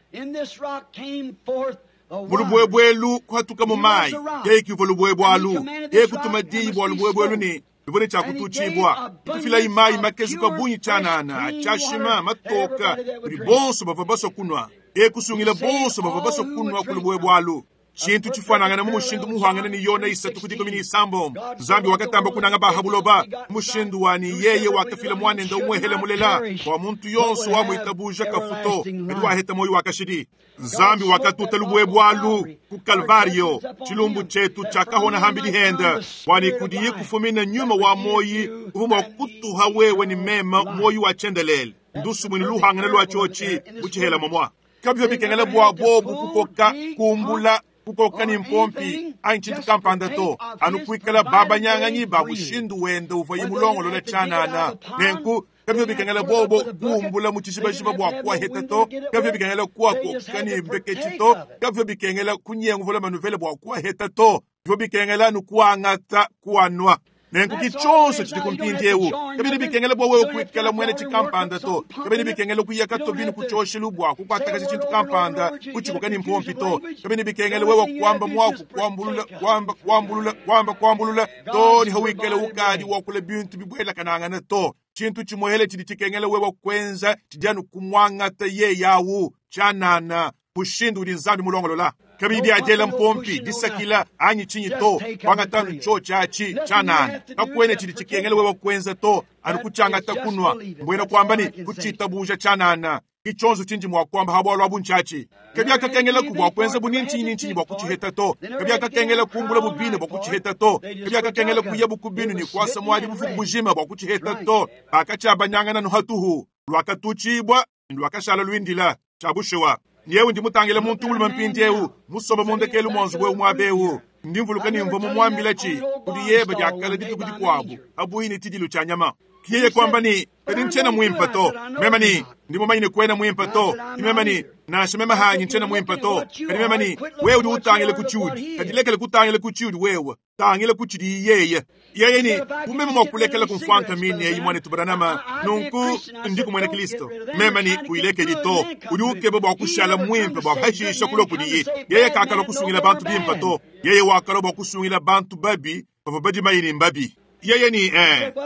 Mu lubuebue elu kuhatuka mu mayi, yeye kivua lubuebue alu. Yeye kutuma diyi bua lubuebue elu ne luvua ne tshia kututshibua. Kufilayi mayi makezuka bungi tshianana, tshiashima, matoka kudi bonso bavua basua kunua. Yeye kusungila bonso bavua basua kunua ku lubuebue alu. Tshintu tshifuanangana mu mushindu muhuangane ne Yona isatu ku dikumi ne isambombo. Nzambi wakatamba kunanga ba ha buloba mushindu wa ne yeye wakafila muanende umuehele mulela bua muntu yonso wamuitabuja kafu to, kadi waheta muoyo wa kashidi. Nzambi wakatuta lubuebue alu ku Kalvario, tshilumbu tshietu tshiakahona hambidi hende, bua ne kudiye kufumina nyuma wa muoyi uvua mua kutuha wewe ne meme muoyi wa tshiendelele. Ndusumwini luhangane lua tshiotshi mu tshihela momua. Kabivua bikengela bua bobu kukoka kumbula kukoka ne mpompi anyi tshintu kampanda to, anu kuikala babanyanganyi ba mushindu wende uvuaye mulongolola tshianana. Nenku kabivua bikengela bobo kumbula mu tshijibajiba bua kuaheta to, kabivua bikengela kuakoka ne mbeketshi to, kabivua bikengela kunyenguvula manuvele bua kuaheta to, bivua bikengela anu kuangata kuanua. Nenku ki tshionso tshidi ku mpindieu. Kabidi bikengela bua wewe kuikala muena tshikampanda to, kabidi bikengela kuya katobini ku tshioshelu bua kukuatakaja tshintu kampanda kutshikoka ne mpompi to, kabidi bikengela wewe kuamba muaku kuambulula kuamba kuambulula kuamba kuambulula to ne hawikala ukadi wakula bintu bibuelakanangana to. Tshintu tshimuehele tshidi tshikengela wewe kuenza tshidi anu kumwangata yeye awu tshianana mushindu udi Nzambi mulongolola. Kabidi adiela mpompi disakila anyi tshinyi to, kuangata anu tshiotshi atshi tshianana. Kakuena tshidi tshikengela wewe kuenza to, anu kutshiangata kunua, mbuena kuamba ne kutshitabuja tshianana. Ki tshionso tshindi mua kuamba ha bualu abu ntshiatshi. Kabiakakengelaku bua kuenza bu ni ntshinyi ni ntshinyi bua kutshiheta to. Kabiakakengela kumbula bubine bua kutshiheta to. Kabiakakengela kuya bu ku binu ne kuasa muadi bufuku bujima bua kutshiheta to. Bakatshiabanyangana anu hatuhu, luakatutshibua ne luakashala luindila. Tshia bushuwa, yewe ndi mutangile muntu mulume mpindieu musombe mu ndekelu mua nzubu eu muaba eu. Ndi mvuluka ne mvua mumuambila tshi kudi yeba diakala dituku dikuabu abuyi ne tshidilu tshia nyama. Yeye kuamba ne, kadi ntshiena muimpe to. Meme ne, ndi mumanye ne kuena muimpe to. Meme ne, nansha meme hanyi ntshiena muimpe to. Kadi meme ne, wewe udi utangila ku tshiudi, kadi lekela kutangila ku tshiudi wewe, tangila ku tshidi yeye. Yeye ne, bu meme mua kulekela kumfuanka mine eyi muanetu Branham, nunku ndi muena Kristo. Meme ne, kuilekedi to. Udi ukeba bua kushala muimpe bua hashisha kulua kudiye. Yeye kakalua kusungila bantu bimpe to. Yeye wakalua bua kusungila bantu babi bavua badimayi ne mbabi. Yeye ni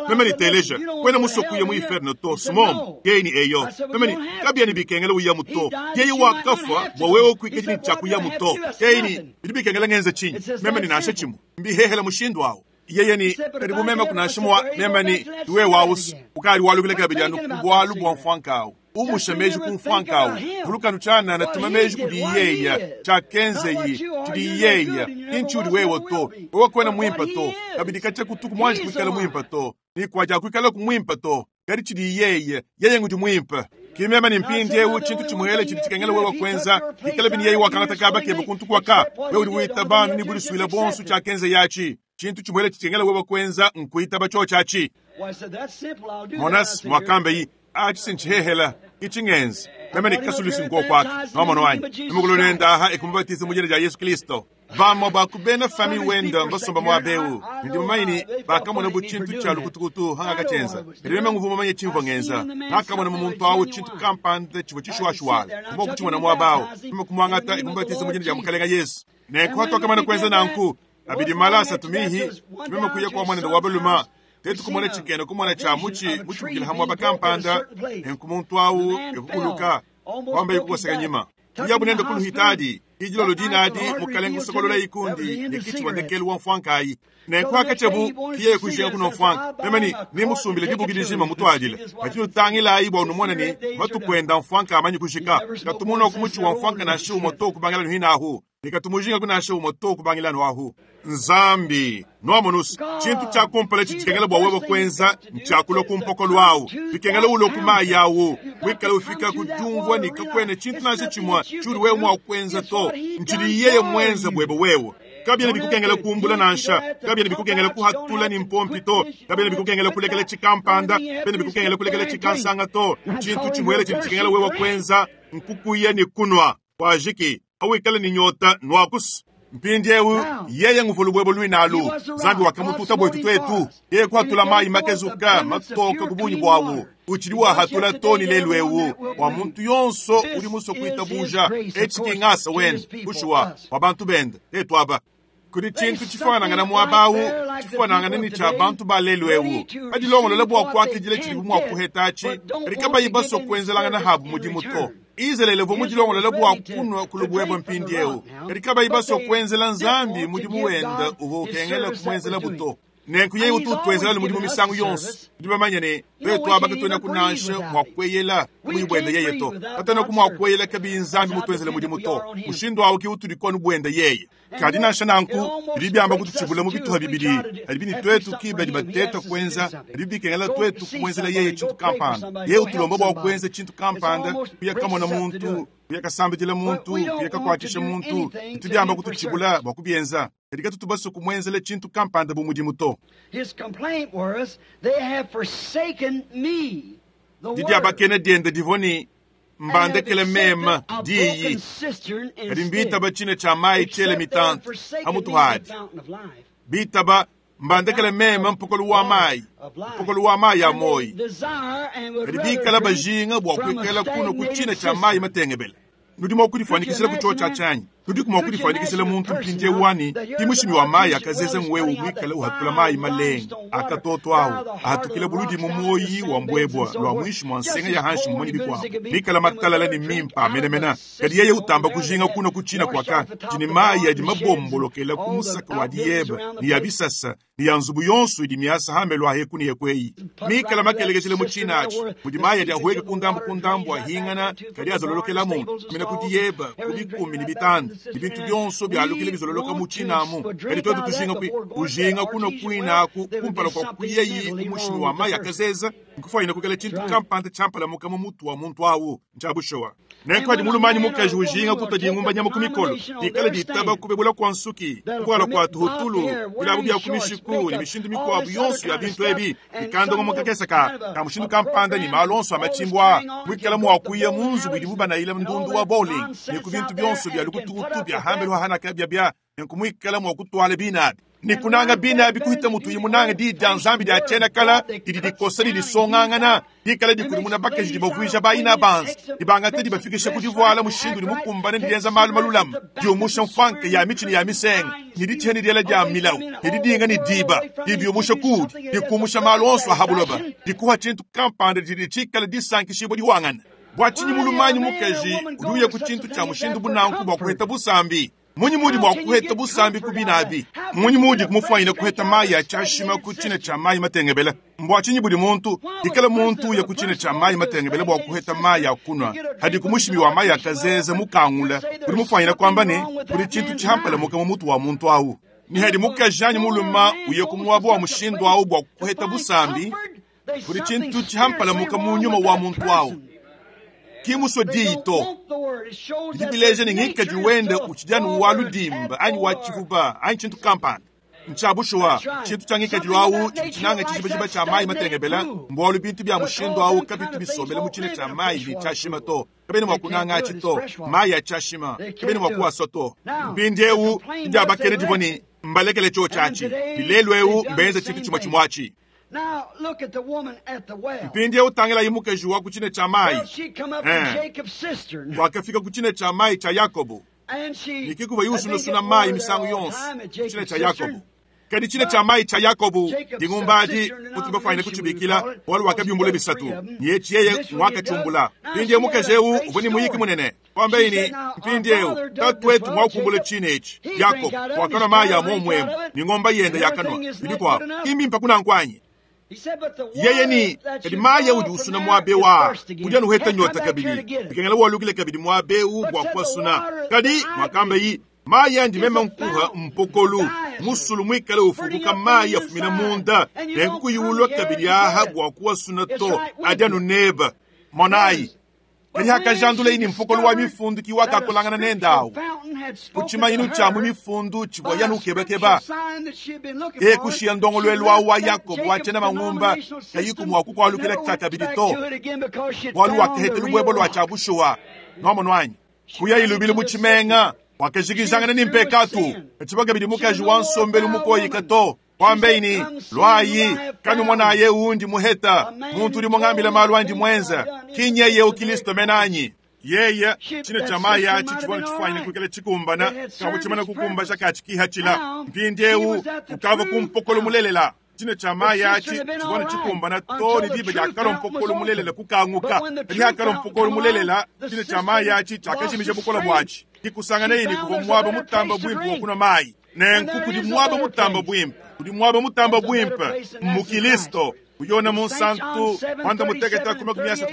meme ni teleja kwena musoko ya mu inferno to sumom. Yeye ni eyo meme ni kabia ni bikengela uya muto. Yeye wakafwa bua wewe kuikadi ni chakuya muto. Yeye ni bidi bikengela ngenza chinyi. Meme ni nasha chimu mbihehela mushindu awo. Yeye ni karibu meme kuna shimwa meme ni tuwe wausu ukali walukile kabidi anu kubwalu bwa mfwankawo. Umusha meji ku mfwanka awu. Vulukanu tshianana, tuma meji kudi yeya, tshiakenzeyi, tshidi yeya. Ki ntshiudi wewe to. Wewe kuena muimpe to. Kabidi katshia kutuku muanji kuikala muimpe to. Ne kuadiakuikalaku muimpe to. Kadi tshidi yeye, yeye ngudi muimpe. Ki meme ne mpindieu tshintu tshimuele tshidi tshikengela wewe kuenza, bikala bini yeye wakangata kaba kebe kuntu kuaka, wewe udi witaba anu ne budisuile buonso tshiakenzeyi atshi. Tshintu tshimuele tshikengela wewe kuenza nkuitaba tshiotshi atshi. Monas mwakambe atshi sintshihehela itshi ngenza meme ne kasulusi nkokwaka nwamona wanyi nimukulu nendaha ekumubatiza mu dina dia Yesu Kristo. Bamue ba ku bena fami wenda mbasomba muaba eu, ndi mumanye ne bakamona bu tshintu tshia lukutukutu hangakatshienza. Kadi meme nguvua mumanye tshimvua ngenza. Ngakamona mu muntu awu tshintu kampanda tshivua tshishuashuala. Mvua kutshimona muaba awu, meme kumuangata ekumubatiza mu dina dia Mukalenga Yesu. Nenku hatuakamana kuenza nanku, abidi mala asatu mihi, meme kuya kua muanende wa balume, tetu kumona tshikena kumona tshia mutshi mutshibukile ha muaba kampanda, nenku muntu awu ekukuluka, kwamba ikukoseka nyima. Kuyabu nende kuluhitadi, idilolo dinadi mukalenga kusokolola ikundi ne kitshi ndekelu wa mfwankayi. Nenku hakatshiabu kiye kujinga kuno mfwanka. Meme ni nimusumbile dibuki dijima mutuadile. Kadi nutangilayi bua numone ne matuku enda mfwanka amanyi kujika. Katumuna ku mutshi wa mfwanka nansha umue to kubangila nuhinahu. Ne katumujinga ku nansha umue to kubangila nuahu. Nzambi, nwamonusu, tshintu tshia kumpala tshikengela bua wewe kuenza ntshiakulua ku mpokolo awu. Bikengela ulue ku mayi awu. Wikala ufika ku diumvua ne kakuena tshintu nansha tshimue tshiudi wewe mua kuenza to. Ntshidi yeye muenze buebe wewe. Kabiena bikukengela kumbula nansha, kabiena bikukengela kuhatula ni mpompi to, kabiena bikukengela kulekela tshikampanda, kabiena bikukengela kulekela tshikansanga to. Tshintu tshimuele tshidi tshikengela wewe kuenza nkukuya ne kunwa. Wajiki, awikala ni nyota nwakusu. Mpindieu yeye nguvulu bwebo lwinalu. Nzambi wakamututa bwetu twetu. Yeye kuhatula mayi makezuka matoka ku bunyi bwawu. Utshidi wahatula toni lelu ewu. Wa muntu yonso udi musue kuitabuja. Etshi ki ngasa wende, bushuwa wa bantu bende tetu aba. Kudi tshintu tshifanangana muaba awu, tshifanangana ne tshia bantu ba lelu ewu. Badilongolola bua kuakidila tshidibu mua kuheta atshi, kadi kabayi basue kuenzelangana habu mudimu to. Izalele uvua mudilongolola bua kunwa ku lubwebwe mpindieu, kadi kabayi basue kuenzela Nzambi mudimu wenda uvua ukengela kumuenzela buto. Nenku yeye utu utuenzela mudimu misangu yonso. Tudi bamanye ne twetu aba katuena kunansha mua kueyela kabuyi buenda yeye to. Katuena ku mua kueyela kabiyi Nzambi mutuenzele mudimu to. Mushindu awu ke utudi kuanu buenda yeye. Kadi nansha nanku, bidi biamba kututshibula mu bituha bibidi. Kadi bini twetu ki badi bateta kuenza, kadi bikengela twetu kumuenzela yeye tshintu kampanda. Yeye utulomba bua kuenza tshintu kampanda, kuya kamona muntu, kuya kasambidila muntu, kuya kakuatshisha muntu. Bitu biamba kututshibula bua kubienza. Kadi katutu basue kumuenzela tshintu kampanda bu mudimu to. His complaint was, they have forsaken me, the word, Didiabakena diende divua ne and have mbandekele accepted meme a broken diyi. cistern Kadi instead. mbitaba tshine tshia mayi tshiele Except they have mitanta forsaken me, hamutu the hadi. fountain of life. Bitaba mbandekele meme mpokolo wa mayi, mpokolo wa mayi ya moyi. Kadi bikala bajinga bua kuikala kuno ku tshina tshia mayi matengebele. Nudi mua kudifuanyikisila ku tshiotshi tshianyi. Tudi mua kudifuanyikisila muntu mpindieu wani ki mushimi wa mayi akazeza ngwewu mwikale uhatula mayi malenga akatoto awu ahatukile buludi mu moyi wa mbwebwa lwa mwishi mwa nsenga ya hanshi mumonyi bikuabu bikala matalala ne mimpa menemena. Kadi yeye utamba kujinga kuno ku tshina kuaka tshini mayi adi mabombolokela ku musaka wa diyeba ne ya bisasa ne ya nzubu yonso idi miasa hambelu aheku ne yekweyi mikala makelekeshele mu tshina atshi mudi mayi adi ahueka ku ndambu ku ndambu ahingana kadi azololokela muntu mina ku diyeba ku bikumi ne bitanda ne bintu byonso byalukile bizololoka mu tshinamu. Kadi twetu tujinga kwi ujinga kuno kwinaku kumpala kwa kuyeyi ku mushimi wa mayi akazeza nkufwayina kukela tshintu kampanda tshiampalamuka mu mutu wa muntu awu ntshiabushowa. Nenku adi mulumanyi mukaji ujinga kutwa dingumba nyama ku mikolo dikala ditaba kubebula kwa nsuki kuala kwa tuhutulu bilabu bya ku mishiku ne mishindu mikuabu yonso ya bintu ebi ikandongo mu kakesa ka ka mushindu kampanda ne malu onso a matshimbwa mwikala mua kuya mu nzubu idibu banayila ndundu wa bowling ne ku bintu byonso bya lukutukutu bya hambelu hahanaka bya bya nenku mwikala mua kutwala binabi ni kunanga binabi kuhita mutu yimunanga di dia nzambi dia tshiena-kala didi dikosa didisongangana dikala dikudimuna bakaji dibavuija bayina banza dibangata dibafikisha ku divuala mushindu udi mukumbane ne dienza malu malulama diumusha mfanka ya mitshi ne ya misenga ne ditshia ne diela dia milawu ne didinga ne diba dibiumusha kudi dikumusha malu onso a habuloba dikuha tshintu kampanda didi tshikala disankishibua diwangana. Bua tshinyi mulumanyi mukaji udi uya ku tshintu tshia mushindu bunanku bua kuheta busambi? Mmunyi muudi mua kuheta busambi ku bina abi? Mmunyi muudi kumufwanyina kuheta mayi a tshiashima ku tshina tshia mayi matengebela? Mbua tshinyi budi muntu ikala muntu uya ku tshina tshia mayi matengebela bua kuheta mayi a kunua hadi ku mushimi wa mayi akazeza mukangula? Udi mufwanyina kuamba ne kudi tshintu tshihampalamuka mu mutu wa muntu awu. Ni hadi mukaji anyi muluma uye ku muaba wa mushindu awu bua kuheta busambi, kudi tshintu tshihampalamuka mu nyuma wa muntu awu. Ki musue diyi to. Bidi bileja ne ngikadi wende utshidi anu wa ludimba anyi wa tshivuba anyi tshintu kampanda. Ntshia bushuwa, tshintu tshia ngikadilu awu tshidi tshinanga tshijibajiba tshia mayi matengebela, mbualu bintu bia mushindu awu kabitu bisombela mu tshina tshia mayi ne tshiashima to. Kabena mua kunanga atshi to, mayi a tshiashima kabena mua kuasua to. Mpindieu didiabakena divua ne, mbalekele tshiotshi atshi, ne lelu eu mbenze tshintu tshimue tshimue atshi. Mpindieu tangilayi mukaji wa ku tshina tshia mayi. Wakafika ku tshina tshia mayi tshia Yakobo. Ne ke kuvuaye usunasuna mayi misangu yonso ku tshina tshia Yakobo. Kadi tshina tshia mayi tshia Yakobo dingumba adi mutudi bafuanyine kutshibikila, bualu wakabiumbula bisatu, ne etshi yeye nguakatshiumbula. Mpindieu mukaji eu uvua ne muyiki munene. Kuambaye ne, mpindieu tatuetu muakumbula tshina etshi. Yakobo wakanua mayi a muomu emu, ne ngomba yende yakanua, ne bikuabu. Ki mbimpe kunanku anyi? Yeye ni kadi mayi audi usuna muaba eu aa, udi anu uheta nyota kabidi, bikengela walukile kabidi muaba eu bua kuasuna. Kadi muakambayi, mayi andi meme nkuha mpokolu, musulu muikale ufukuka mayi afumina munda, nenku kuyiulua kabidi aha bua kuasuna to, adi anu neba. Monayi, kadi hakajandulayi ni mpokolo wa mifundu ki wakakolangana nende awu ku tshimanyinu tshia mu mifundu tshivua yanu ukebakeba. E kushiya ndongoluelu awu wa Yakobo wa tshiena mangumba kayiku mua kukualukila tshiakabidi to, bualu wakaheta lubuebo lua tshia bushuwa. Nuamonu anyi? Kuya ilubilu mu tshimenga wakajikijangana ni mpekatu, katshivua kabidi mukaji wa nsombelu mukoyika to. Kuambeyi ni, luayi, kanumonaye undi muheta, muntu udi mungambila malu andi muenza, ki nyeye Kristo menanyi. Yeye tshina tshia mayi atshi tshivua tshifuanyine kuikala tshikumbana, kavua tshimana kukumbaja katshikihachila. Mpindieu ukavua ku mpokolo mulelela. Tshina tshia mayi atshi tshivua tshikumbana to ne diba diakalua mpokolo mulelela kukanguka. Kadi hakalua mpokolo mulelela, tshina tshia mayi atshi tshiakajimija bukole buatshi. Kikusanganeye ni kuvua muaba mutamba buimpe wa kunua mayi. Nenku kudi muaba mutamba buimpe, kudi muaba mutamba buimpe mu Kristo. Kuyona munsantu mwanda mutekete ku 38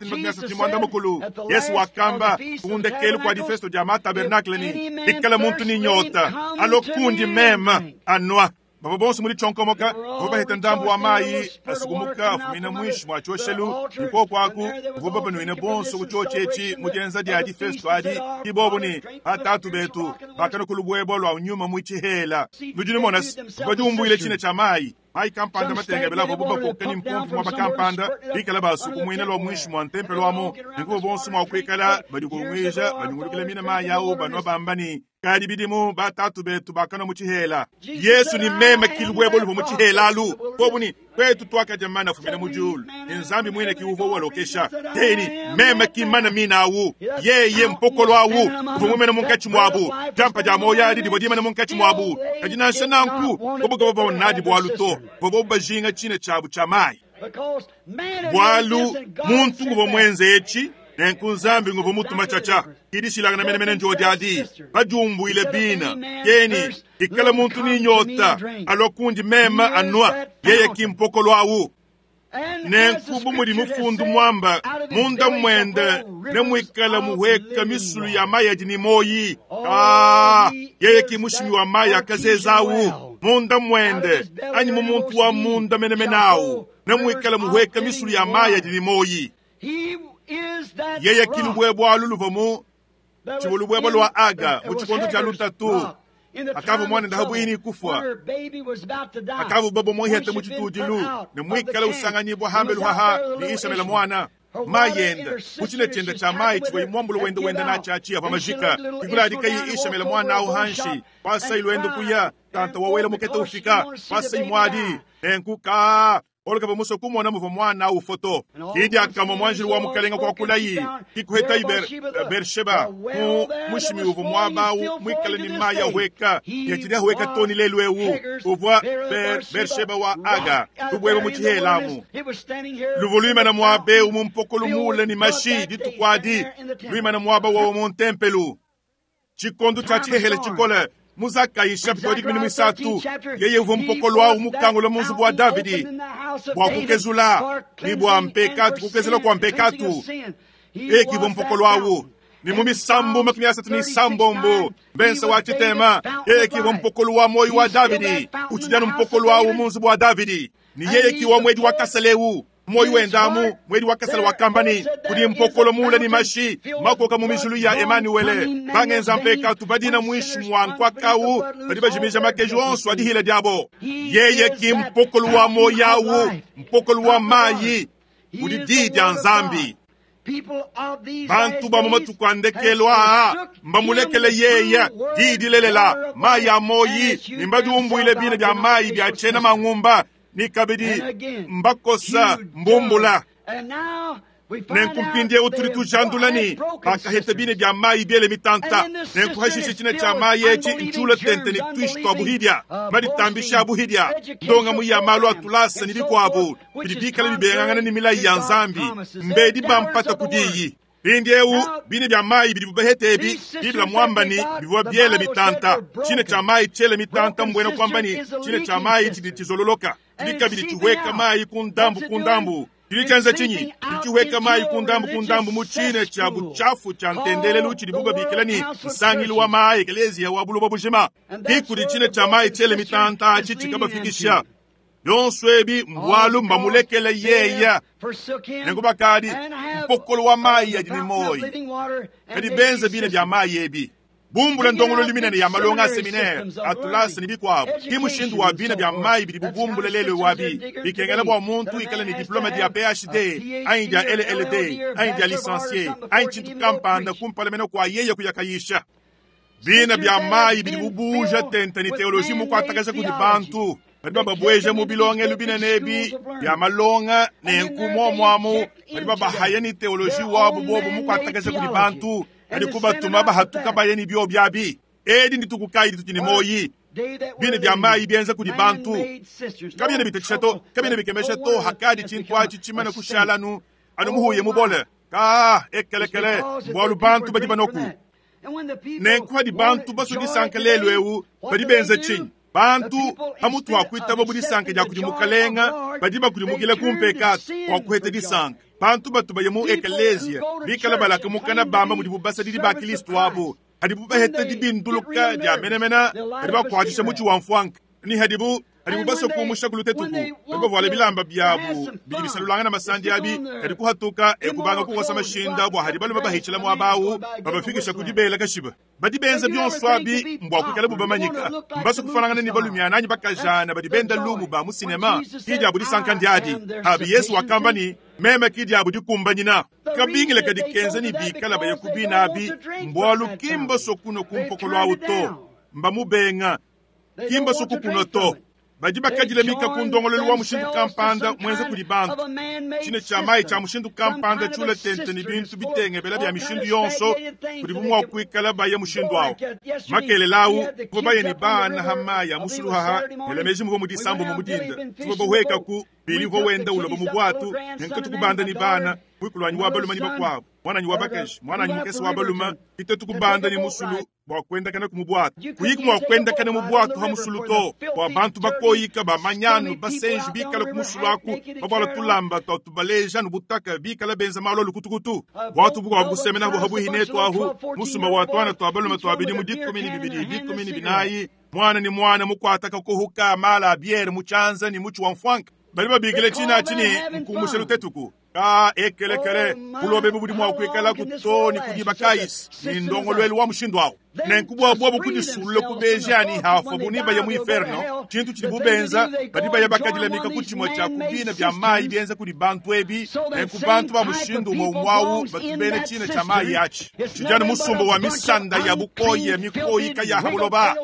30. Yesu wakamba kundekelu kwa difesto dia matabernakle ni ikala muntu ni nyota alo kundi mema anwa. Bava bonso muli tshonkomoka bavua baheta ndambu wa mayi asukumuka afumina muinshi mua tshioshelu nikoko aku bavua babanuina bonso ku tshiotshi etshi mu dienza dia difesto adi kibobo ni batatu betu bakanua ku lubuebo lua nyuma mu tshihela. Nudi numona se bavua diumbuile tshina tshia mayi. Mayi kampanda matengebela avua bakoka ni mpompi muaba kampanda bikala basukumuina lua muinshi mua ntempelo amu, nenku bonso mua kuikala badikunguija banyungulukila mina mayi awu banua bamba ni kadi bidimu batatu betu bakanua mu tshihela. Yesu ni meme ki lubuebo luvua mu tshihela alu bobu ni kwetu tuakadia mana afumina mu diulu, ni Nzambi muine ki uvua walokesha. Yeye ni meme ki mana mina awu, yeye mpokolo awu uvua mumena munkatshi muabu, diampa dia moyo adi divua dimena munkatshi muabu. Kadi nansha nanku bobu kabavua nadi bualu to, bobu bajinga tshina tshiabu tshia mayi, bualu muntu nguvua muenze etshi. Nenku Nzambi nguvua mutuma tshiatshia kidishilangana menemene njodi adi badiumbuile bina keni ikala muntu ni nyota alua kundi mema anua, yeye ki mpokolo awu. Nenku bu mudi mufundu muamba munda muende ne muikala muheka misulu ya mayi adi ni moyi. Yeye ki mushimi wa mayi akazeza awu munda muende anyi mu muntu wa munda menemene awu ne muikala muheka misulu ya mayi adi ni moyi. Yeye ki lubuebo alu luvua mu tshivua lubuebo lua Aga mu tshikondo tshia lutatu, akavua muana ndahabuini kufua, akavua babo muhete mu tshitudilu ne muikala usanganyibua hambelu haha ni Ishamela muana mayi enda mu tshina tshienda tshia mayi tshivua imuambulu wenda wenda natshiatshi avua majika kikuladika yi Ishamela muana awu hanshi pasai luendo kuya tanta wawela mukete ufika pasai muadi nenku ka oluka bamuso kumona muvua mwana awu foto kidi akamwa mwanjili wa mukalenga kwa kulayi kikuheta Bersheba mu mushimi uvua muaba awu muikale ni mayi ahweka yachidi ahweka toni lelu ewu uvua Bersheba wa Aga lubueba mu tshihelamu luvua luimana muaba ewu mu mpokolo mule ni mashi dituku adi luimana muaba wawo mu ntempelu. Tshikondo tshia tshihehele tshikole, mu Zakayi nshapita wa 13, yeye uvua mupokolo awu mukangula mu nzubu wa Davidi bua kukezula ne bua mpekatu, kukezula kua mpekatu. Eki ivua mpokolo awu. Ni mu misambu 36, mbense wa tshitema, eki ivua mpokolo wa moyo wa Davidi, utshidi anu mpokolo awu mu nzubu wa Davidi. Ni yeye ki wa mwedi wa kaselewu. Moyo wendamu mwedi wa kasele wa kambani kudi mpokolo mula ni mashi makoka mu mijulu ya Emanuele bangenza mpekatu badina mwishi mwa nkwakau badi bajimija makeji onso adihila diabo. Yeye ki mpokolo wa moyawu, mpokolo wa mayi udi di dia Nzambi. Bantu ba mu matuku a ndekelu aa mbamulekele yeye di dilelela mayi a moyi ni mbadiumbuile bina bia mayi bia tshiena mangumba ni kabidi mbakosa mbumbula. Nenku mpindieu tudi tujandula ni bakaheta bine bia mayi biele mitanta. Nenku hashishe tshina tshia mayi etshi ntshula tente ni tuishi tua buhidia maditambisha a buhidia ndonga mu ya malu a tulasa ni bikuabu bidi bikala bibengangana ni milayi ya Nzambi mbedi bampata kudiyi. Mpindieu bine bia mayi bidi bubahete ebi Biblia muamba ni bivua biele mitanta. Tshina tshia mayi tshiele mitanta mbwena kuamba ni tshina tshia mayi tshidi tshizololoka tshidi kabidi tshiweka mayi ku ndambu ku ndambu. Tshidi tshienza tshinyi? Tshidi tshiweka mayi ku ndambu ku ndambu mu tshina tshia butshafu tshia ntendelelu tshidi bubabikila ni nsangilu wa mayi ekelezia wa buloba bujima. Kikudi tshina tshia mayi tshiele mitanta atshi tshikabafikisha. Yonso ebi mbwalu mbamulekele yeye. Nenku bakadi mpokolo wa mayi adi ni moyi kadi benze bine bia mayi ebi bumbula ndongololo minene ya malonga a seminaire atulasa ni bikuabu ki mushindu wa bina bia mayi bidi bubumbula lelo wabi bikengela bua muntu ikala ni diplome dia PhD anyi dia LLD anyi dia licencié anyi tshintu kampanda kumpala mena kua yeye kuyakayisha. Bina bia mayi bidi bubuja tente ni teoloji mukuatakaja kudi bantu badi bababweja mu bilongelo binene ebi bia malonga nenku muomuamu badi babahaya ni teoloji wabu bobu mukuatakaja kudi bantu badi kubatuma bahatuka baye ni bio biabi. Edi ndituku kayi dituti ni moyi bine bia mayi bienza kudi bantu kabiena bitekesha to kabiena bikemesha to hakadi tshintu atshi tshimana kushalanu anu muhuye mubole ka ekelekele bwalu bantu badi banoku. Nenku hadi bantu baso disanka lelu eu badi benza tshinyi? Bantu pamutu wa kuitaba bu disanka dia kudi mukalenga badi bakudimukila ku mpekatu wa kuheta disanka. Bantu batu baye mu ekelezia bikala balaka mukana bamba mudibu basadidi ba Kristo abo hadibu baheta dibinduluka dia menemena badi bakuatshisha mutshi wa mfuanka ni hadibu baso kumusha kulutetuku badi bavuala bilamba biabu bidi bisalulangana masandi abi kadi kuhatuka ekubanga kukosa mashinda bua hadi balume bahitshila muaba awu babafikisha ku dibela kashiba. Badi benza bionso abi mbua kuikala bubamanyika mbaso kufanangana ni balumiana anyi bakajana badi benda lumu ba mu sinema ki diabu disanka ndiadi. Abi Yesu wakamba ni meme ki diabu dikumbanyina kabingile kadi kenza ni bikala baya kubina abi mbwalu kimba sokuno kumpokolo awu to mbamubenga kimba sokukuno to. Badi bakadila mika ku ndongololo wa mushindu kampanda mwenze kudi bantu tshine tshia mayi tshia mushindu kampanda tshula tente ni bintu bitengebela bia mishindu yonso kudi bumwa kuikala baye mushindu awo. Makelele awu kuva baye ni bana ha mayi a musuluhaha elameji muvo mudisambo mu mudinda tuva bahweka ku bilivo wenda uloba mu bwatu nenka tukubanda ni bana mwikulwanyi wa baluma ni bakwabo mwananyi wa bakaji mwananyi mukese wa baluma ite tukubanda ni musulu bua kuendakana ku mubwatu kuyiku mua kuendakana mu bwatu ha musulu to bua bantu bakoyika bamanyanu basenji bikala ku musulu aku bavuala tulamba tua tubaleja nu butaka bikala benza malu alukutukutu bwatu bukuabu kusemena bu habuhi netu ahu musumba wa tuana tua balume tua bidimu 12 14 mwana ni mwana mukuataka kuhuka mala a biere mutshianza ni mutshi wa mfuanka bali babikile tshina tshini nkumusha lutetuku ka ekelekele kulobe bubudi mua kuikala kutoni kudiba kayisi ni ndongolwelu wa mushindu awu. Nenku bua buobu kudisulula kubeja ani hafa buni baya mu inferno tshintu tshidi bubenza badi baya bakadilamika ku tshimue tshia kubina bia mayi bienza kudi bantu ebi nenku bantu ba mushindu umue umue batu bene tshina tshia mayi atshi tshidi anu musumba wa misanda ya bukoya mikoyika ya habuloba.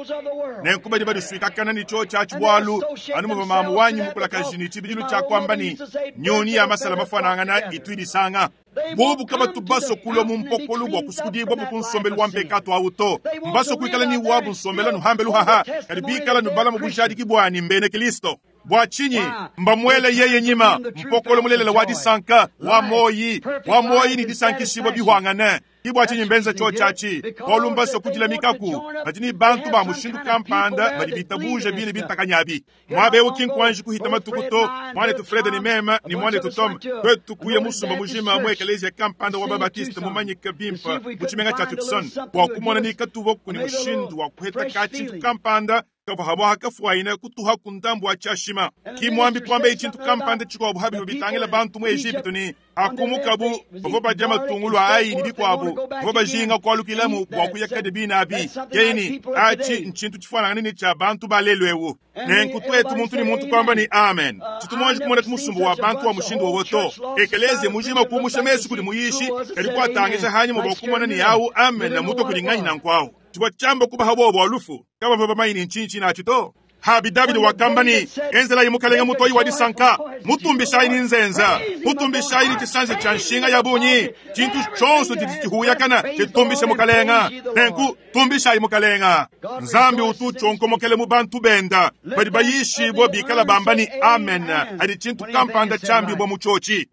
Nenku badi badisuikakana ni tsho tshia tshibwalu anu muva mamu wanyi mukulakaji ni tshibidilu tshia kuamba ni nyoni ya masala mafanangana itu idisanga. Bobu kabatu baso kulwa mu mpokolo bua kusukudibwa bu kunsombelu wa mpekatu awu to mbaso kuikala ni wabu nsombela nuhambe luhaha kadi bikala nubala mu bujadiki bwani mbene Kristo. Bua tshinyi mbamwele yeye nyima mpokolo mulelela wa disanka wa moyi ni disankishibwa bihwangane. Ke bua tshinyi mbenza tshiotshi atshi, bualu mbasue kudilamikaku. Badi ne bantu ba mushindu kampanda badi bitabuja bine bintakanyi abi. Muaba eu ki nkuanji kuhita matuku to, muanetu Fred ne meme ne muanetu Tom tuetu kuya musumba mujima mu ekeleziya kampanda wa ba-Baptiste mumanyike bimpe mu tshimenga tshia Tucson bua kumona ni katuvuaku ne mushindu wa kuheta ka-tshintu kampanda kavua habua kafuayine kutuhaku ndambu wa tshiashima. Ki muambi kuambaye tshintu kampanda tshikuabu ha bivua bitangila bantu mu Ejipitu ne, Hakumukabu bavua badia matungulu a ai ne bikuabu, bavua bajinga kualukilamu bua kuya kadi bine abi. Yeye ne, Atshi ntshintu tshifuanangane ne tshia bantu ba lelu eu. Nenku tuetu muntu ne muntu kuamba ne, Amen. Tshitu muanji kumona musumba wa bantu wa mushindu wowo to. Ekeleziya mujima kuumusha mesu kudi muyishi, kadi kuatangija hanyima bua kumona ne awu amen mutua kudi nganyi nanku awu. Tshivua tshiamba kubaha buowa bua lufu, kabavua bamanye ne ntshinyi tshinatshi to. Habi Davidi wakamba ne, Enzelayi Mukalenge mutoyi wa disanka, mutumbishayi ne nzenza, mutumbishayi ne tshisanji tshia nshinga ya bungi. Tshintu tshionso tshidi tshihuyakana tshitumbishe Mukalenge. Nenku tumbishayi Mukalenge. Nzambi utu utshionkomokela mu bantu benda badi bayishibua bikala bamba ne amen adi tshintu kampanda tshiambibua mu tshiotshi.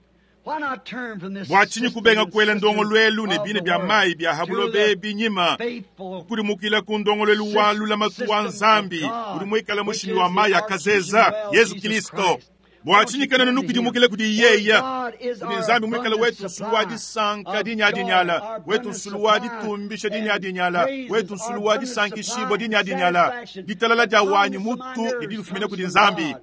Bua tshinyi kubenga kuela ndongoluelu ne bina bia mayi bia ha buloba ebi nyima, kukudimukila ku ndongoluelu wa lulamatu wa Nzambi udi muikale mushimi wa mayi a kazeza, Yezu Kilisto? Bua tshinyi kena nukudimukila kudi yeye, kudi Nzambi muikale wetu nsulu wa disanka dinyadinyala, wetu nsulu wa ditumbisha dinyadinyala, wetu nsulu wa disankishibua dinyadinyala? Ditalala dia wanyi mutu didi difumina kudi Nzambi.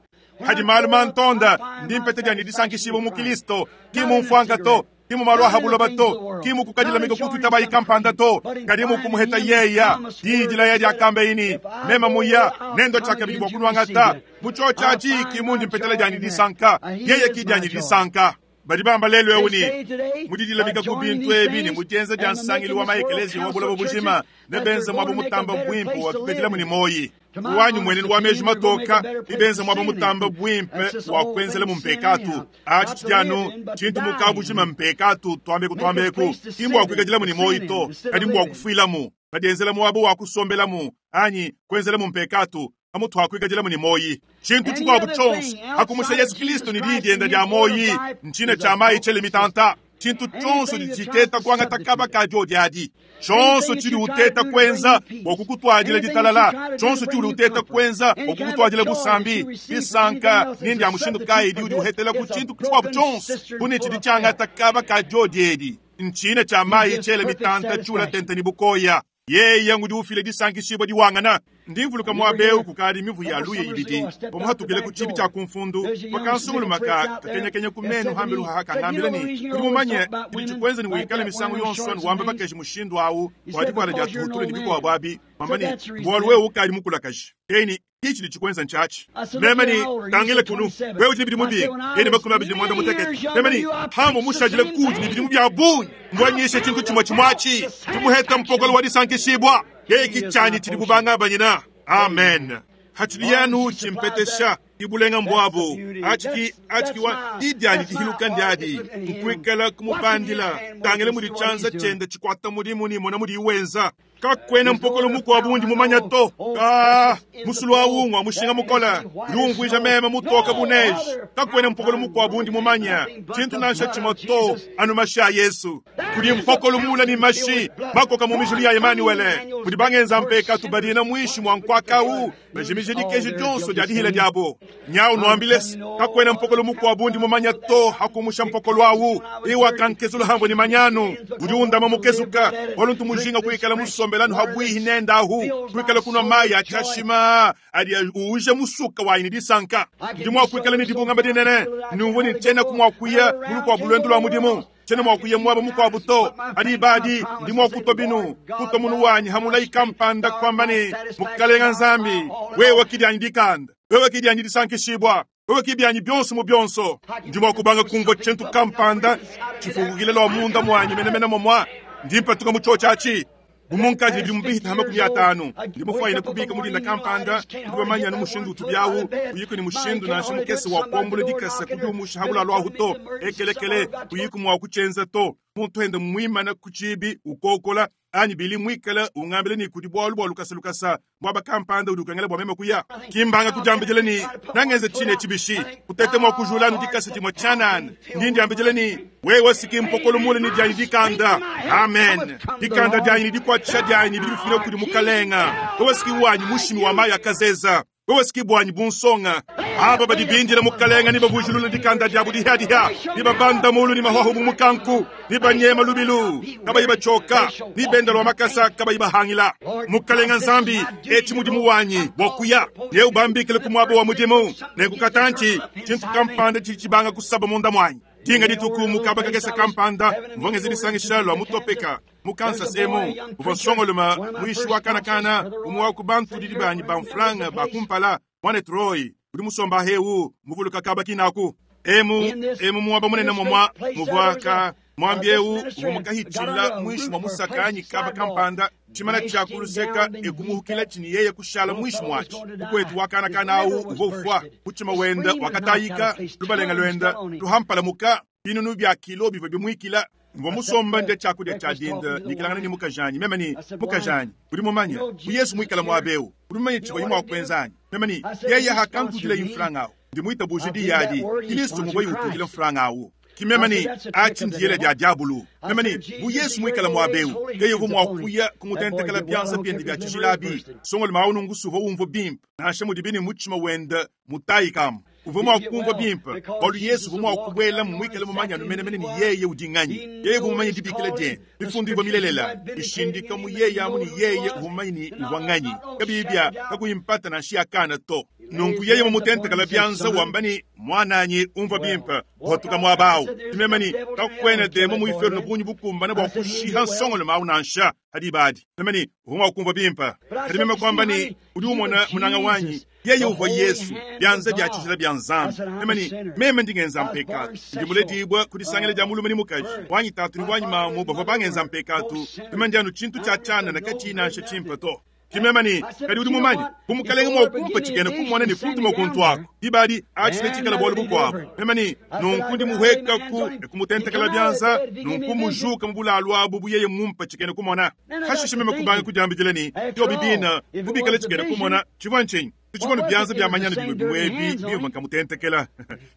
Hadi malu mantonda, ndi mpeta dianyi disankishibua mu Kilisto, ki mu mfuanka to, ki mu malu a ha buloba to, ki mu kukadilamika ku tuitabayi kampanda to, kadi mu kumuheta yeya. Diyi dilaya diakamba ne, Meme muya, nendua tshiakabidi bua kunuangata. Mu tshiotshi atshi ki mundi mpetela dianyi disanka, yeye ki dianyi disanka. Badi bamba lelu eu ne, mu didilamika ku bintu ebi ne mu dienza dia nsangilu wa maekeleziya wa buloba bujima, nebenze muaba mutamba buimpe wa kupetelamu ne muoyi. Wanyi muenenu wa meji matoka, nebenze muaba mutamba buimpe wa kuenzelamu mpekatu. Atshi tshidi anu tshintu mu kabujima mpekatu, tuambeku tuambeku, ki mbua kuikadilamu ne muoyi to, kadi mbua kufuilamu. Badienzela muaba wa kusombelamu anyi kuenzelamu mpekatu pamutu ha kuikadilamu ne muoyi. Tshintu tshikuabu tshionso hakumusha Yesu Kristo ne diyi dienda dia muoyi ntshina tshia mayi tshiele mitanta. Tshintu tshionso tshidi tshiteta kuangata kaba ka diodi adi. Tshionso tshidi uteta kuenza bua kukutuadila ditalala, tshionso tshiudi uteta kuenza bua kukutuadila busambi, disanka, ne ndia mushindu kayi diudi uhetela ku tshintu tshikuabu tshionso bu ne tshidi tshiangata kaba ka diodi edi. Ntshina tshia mayi tshiele mitanta tshiula tente ne bukoya. Yeye ngudi ufila disankishibua diwangana. Ndi mvuluka muaba eu kukadi mivu ya luya ibidi, pamuhatukile ku tshibi tshia kumfundu, pakansunguluma ka kakenyakenya ku menu hambelu haha kangambila ne, Udi mumanye tshidi tshikuenza ne wikale misangu yonso anu wamba bakaji mushindu au bua divuala dia tuhutulu ne bikuabu abi, wamba ne, bualu wewe ukadi mukulakaji. Eyi ki tshidi tshikuenza ntshiatshi. Meme ne, Tangila kunu, wewe udi ne bidimu binga? Yeye ne 25. Meme ne, Hamu mushadile kuudi ne bidimu bia bungi, mbuanyishe tshintu tshimue tshimue atshi, tshumuheta mpokolo wa disankishibua. Yeye ki tshianyi tshidi bubangabanyina. Amen. Hatshidi yanu tshimpetesha ibulenga mbuabu atshi ki atshi ki wa di dianyi dihiluka ndiadi nkuikala kumubandila. Tangila mudi tshianza tshienda tshikuata mudimu ne mona mudiyi wenza. Kakuena mpokolo mukuabu undi mumanya to. Ka musulu awu ngua mushinga mukole, udi umvuija meme mutoke bu neige. Kakuena mpokolo mukuabu undi mumanya, tshintu nansha tshimue to, anu mashi a Yesu. Kudi mpokolo muula ne mashi makoka mu mijilu ya Emanuele, mudi bangenza mpekatu badina muinshi mua nkuaka awu, bajimije dikeji dionso dia dihila diabo. Nyau nuambile se, kakuena mpokolo mukuabu undi mumanya to hakumusha mpokolo awu. Iwakankezula hambo ni manyanu, udi undama mukezuka, bualu ntu mujinga kuikala musombelanu habwihi nenda ahu, kuikala kunua mayi a tshiashima adi uuja musuka wanyi ne disanka. Ndi mua kuikala ne dibungama dinene, numvua ne tshienaku mua kuya mu lukuabu luendu lua mudimu, tshiena mua kuya muaba mukuabu to. Adi badi ndi mua kutua binu, kutua munu wanyi hamulayi kampanda, kuamba ne, Mukalenga Nzambi, wewe ki dianyi dikanda, wewe ki dianyi disankishibua, wewe ki bianyi bionso mu bionso. Ndi mua kubanga kumvua tshintu kampanda tshifukukile lua munda muanyi menemene momua ndi mpatuka mu tshiotshi atshi. Bu munkadi ne bidimu bihita ha 50, ndi mufuanyine kubika mu dinda kampanda, ndi bamanye anu mushindu utu biawu, kuyiku ne mushindu nansha mukese wa kuambula dikasa kudiumusha ha bulalu ahu to, ekelekele, kuyiku mua kutshienza to. Muntu ende muimana ku tshibi ukokola. Anyi Billy mwikale ungambila ne kudi bwalu bwa lukasalukasa mwaba kampanda udi ukengela bwa meme kuya. Ki mbanga kudyambidila ne, Nangenze cine eci bishi, kutete mwa kujula anu dikasa dimwe cyanana. Ndi ndyambidila ne, Wewe si ki mpokolo mule ne dyanyi dikanda. Amen. Dikanda dyanyi ne dikwacisha dyanyi bidi bifumina kudi Mukalenga. Wewe si ki wanyi mushimi wa mayi a kazeza. Wewe si ki bwanyi bunsonga. Aba badi bindila Mukalenga ne bavujulula dikanda diabu dihia-dihia, ne babanda mulu ne mahuahu bu mukanku, ne banyema lubilu kabayi batshioka, ne benda lua makasa kabayi bahangila. Mukalenga Nzambi, etshi mudimu wanyi bua kuya, neubambikile ku muaba wa mudimu, nenku katantshi tshintu kampanda tshidi tshibanga kusaba munda muanyi. Dinga dituku mu kaba kakese kampanda, mvua ngenza disangisha lua mu Topeka, mu Kansas emu, uvua nsongalume muyishi wa kana kana, umue wa ku bantudidi banyi ba mfranga ba kumpala, Muanetu Roy, udi musomba ahewu, muvuluka kaba kinaku. Emu, emu muaba munene momua muvua ka muambi eu uvua mukahitshila muinshi mua musaka anyi kaba kampanda, tshimana tshia ku luseka e kumuhukila tshi ne yeye kushala muinshi muatshi. Mukuetu wa kana kana au uvua ufua, mutshima wenda wakatayika, lubalenga luenda luhampalamuka, binunu bia kilo bivua bimuikila. Mvua musomba ndia tshiakudia tshia dinda nyikilangana ne mukajanyi. Meme ne, Mukajanyi, udi mumanye, bu Yesu muikale muaba eu, udi mumanye tshivuaye mua kuenza anyi? Meme ne, Yeye hakantudila mfranga au, ndi muitabuje diyi adi. Kilisto nguvuaye utudila mfranga au. Ki meme ne, Atshi ndiyela dia diabulu. Meme ne, Bu Yesu muikale muaba eu, yeye uvua mua kuya kumutentekela bianza biende bia tshijila abi. Nsongalume au nunku suvua umvua bimpe, nansha mudibi ne mutshima wende mutayikamu. Uvua mua kumvua bimpe, bualu Yesu uvua mua kubuelamu muikale mumanye anu menemene ne yeye udi nganyi. Yeye uvua mumanye dibikila diende. Mifundu ivua milelela, ishindika mu yeye amu ne yeye uvua mumanye ne uvua nganyi. Kabiyi bia kakuyi mpata nansha ya kana to. Nunku yeye mumutentekela bianza wamba ne, Muananyi, umvua bimpe, patuka muaba au. Meme ne, Kakuena demon mu iferno bungi bukumbane bua kushiha nsongolume au nansha. Pa diba adi, meme ne, uvua mua kumvua bimpe. Kadi meme kuamba ne, Udi umona, munanga wanyi, yeye uvua Yesu, bianza bia tshijila bia Nzambi. Meme ne, Meme ndi ngenza mpekatu. Ndi muledibue ku disangila dia mulume ne mukaji. Wanyi tatu ne wanyi mamu bavua bangenza mpekatu. Meme ndi anu tshintu tshia tshianana katshiyi nansha tshimpe to. Ke meme ne, Kadi udi mumanye, bu Mukalenge mua kumpa tshikena kumona ne kuntuma kuntu aku, diba adi atshi netshikale bualu bukuabu. Meme ne, Nunku ndi muhuekaku ne kumutentekela bianza, nunku mujuka mu bulalu abu bu yeye mumpe tshikena kumona. Hashishe meme kubanga kudiambidila ne, Biobi bine, bu bikale tshikena kumona, tshivua ntshinyi? Tutshivua ne bianza bia manyanu bimue bimue ebi bimvua nkamutentekela.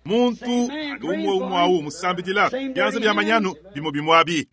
Muntu anu umue umue au musambidila bianza bia manyanu bimue bimue abi.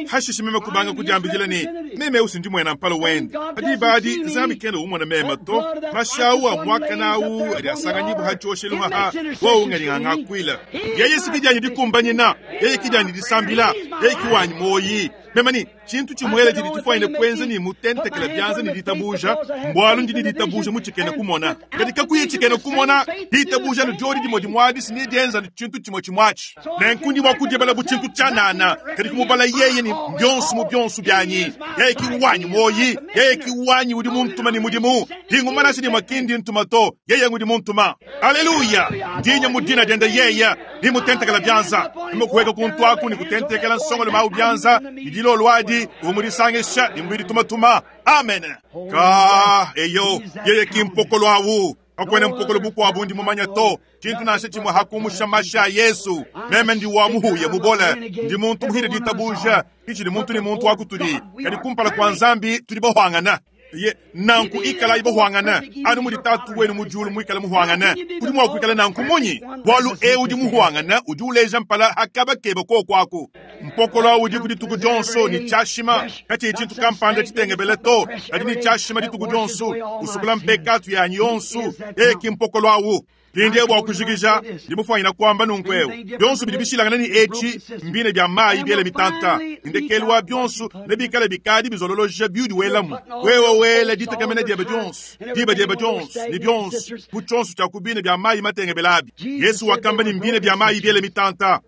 Hashishe meme kubanga kudiambidila ne, Meme eu si ndi muena mpala wende. Pa diba adi Nzambi kena umona meme to. Mashi au a muakane au adi asanganyibua ha tshioshelu haha, wowu ngadi ngangakuila. Yeye si ki dianyi dikumbanyina, yeye ki dianyi disambila, yeye ki wanyi muoyi. Meme ne, Tshintu tshimuele tshidi tshifuanyine kuenza ne mutentekela bianza ne ditabuja, mbualu ndi ne ditabuja mu tshikena kumona. Kadi kakuyi tshikena kumona, ditabuja anu diodi dimue dimue adi si nedienza anu tshintu tshimue tshimue atshi. Nenku ndi mua kudibala bu tshintu tshianana, kadi kumubala yeye ne bionso mu bionso bianyi. Yeye ki wanyi muoyi, yeye ki wanyi udi muntuma ne mudimu. Dinguma nansha dimue ki ndi ntuma to, yeye ngudi muntuma. Aleluya! Ndi nya mu dina diende yeye, ndi mutentekela bianza. Meme kuheka kuntu aku ne kutentekela nsongalume au bianza, ne dilolo adi uvua mudisangisha ne mubidi tumatuma. Amen. Ka, eyo, yeye ki mpokolo au. Kakuena mpokolo bukuabu ndi mumanye to, tshintu nansha tshimue hakumusha mashi a Yesu. Meme ndi wa muhuya mubole, ndi muntu muhile ditabuja, ki tshidi muntu ne muntu wa kutudi, kadi kumpala kua Nzambi tudi bahuangana. Ye, nanku ikalayi bahuangane, anu mudi Tatu wenu mu diulu muikale muhuangane. Udi mua kuikala nanku munyi? Bualu eu udi muhuangane udi uleja mpala ha kaba kebe kuoku aku. Mpokolo au udiku dituku dionso ne tshiashima, katshiyi tshintu kampanda tshitengebele to, kadi ne tshiashima dituku dionso, usukula mpekatu yanyi yonso. Yeye ki mpokolo au. Mpindieu bua kujikija, ndi mufuanyina kuamba nunku'eu, bionso bidi bishilangane ne etshi mbine bia mayi biele mitanta, ne ndekelu wa bionso nebikale bikadi bizololoja biudi welamu. Wewe wela ditekemena diebe dionso, diba diebe dionso, ne bionso mu tshionso tshia ku bine bia mayi matengebela abi. Yesu wakamba ne, mbine bia mayi biele mitanta.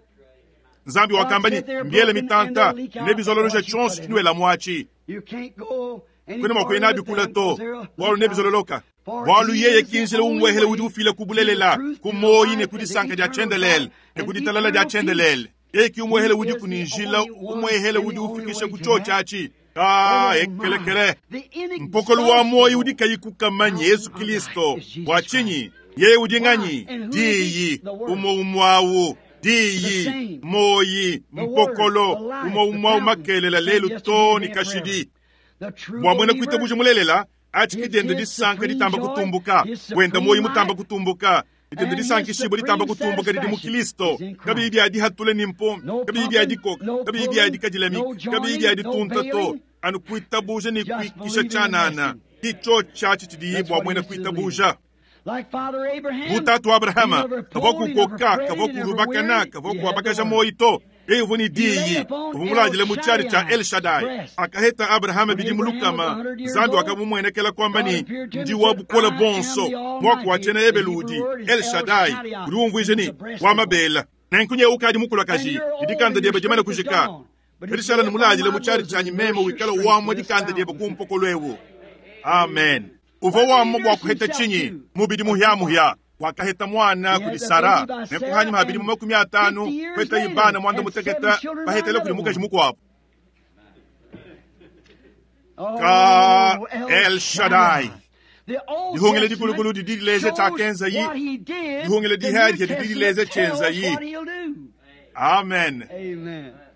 Nzambi wakamba ne, mbiele mitanta, nebizololoja tshionso tshinuelamu atshi. Kuena mua kuya nabi kule to, bualu nebizololoka. Bualu yeye ki njila umuehele udi ufila ku bulelela, ku muoyi ne ku disanka dia tshiendelele ne ku ditalala dia tshiendelele. Yeye ki umuehele udiku ne njila umuehele udi ufikisha ku tshiotshi atshi. Ka ekelekele mpokolo wa muoyi udi kayi kukamanya Yesu Kristo. Bua tshinyi? Yeye udi nganyi? Diyi umue umue awu. Diyi, muoyi, mpokolo, umue umue makelela lelu too ne kashidi. Bua muena kuitabuja mulelela, atshi ke diende disanka ditamba kutumbuka, wenda muoyi mutamba kutumbuka, diende disankishibua ditamba kutumbuka didi mu Kristo, kabiyi bia dihatula ni mpombe, kabiyi bia dikoka, kabiyi bia dikadilamika, kabiyi bia ditunta to, anu kuitabuja ne kuikisha tshianana. Ke tshiotshi atshi tshidiyi bua muena kuitabuja. Bu tatu Abrahama, kavua kukoka, kavua kulubakana, kavua kuabakaja muoyi to. Yeye uvua ne diyi, uvua muladile mu tshiadi tshia El Shaddai. Akaheta Abrahama bidimu lukama, Nzambi wakamumuenekela kuamba ne, Ndi wa bukole buonso. Muaku wa tshiena Ebelu udi El Shaddai, udi umvuija ne, wa mabela. Nenku nyewe ukadi mukulakaji, ne dikanda diebe dimane kujika. Kadi shala ne muladile mu tshiadi tshianyi meme wikala wamua dikanda diebe ku mpokolo eu. Amen. Uvua wamua bua kuheta tshinyi? Mubidi muhiamuhia. Wakaheta muana kudi Sara, nenku hanyima ha bidimu 50 kuhetaye bana 16 bahetele kudi mukaji mukuabu. Ka El Shaddai. Dihungila dikulukulu didi dileja tshiakenzayi, dihungila dihiadihia didi dileja tshienzayi. Amen.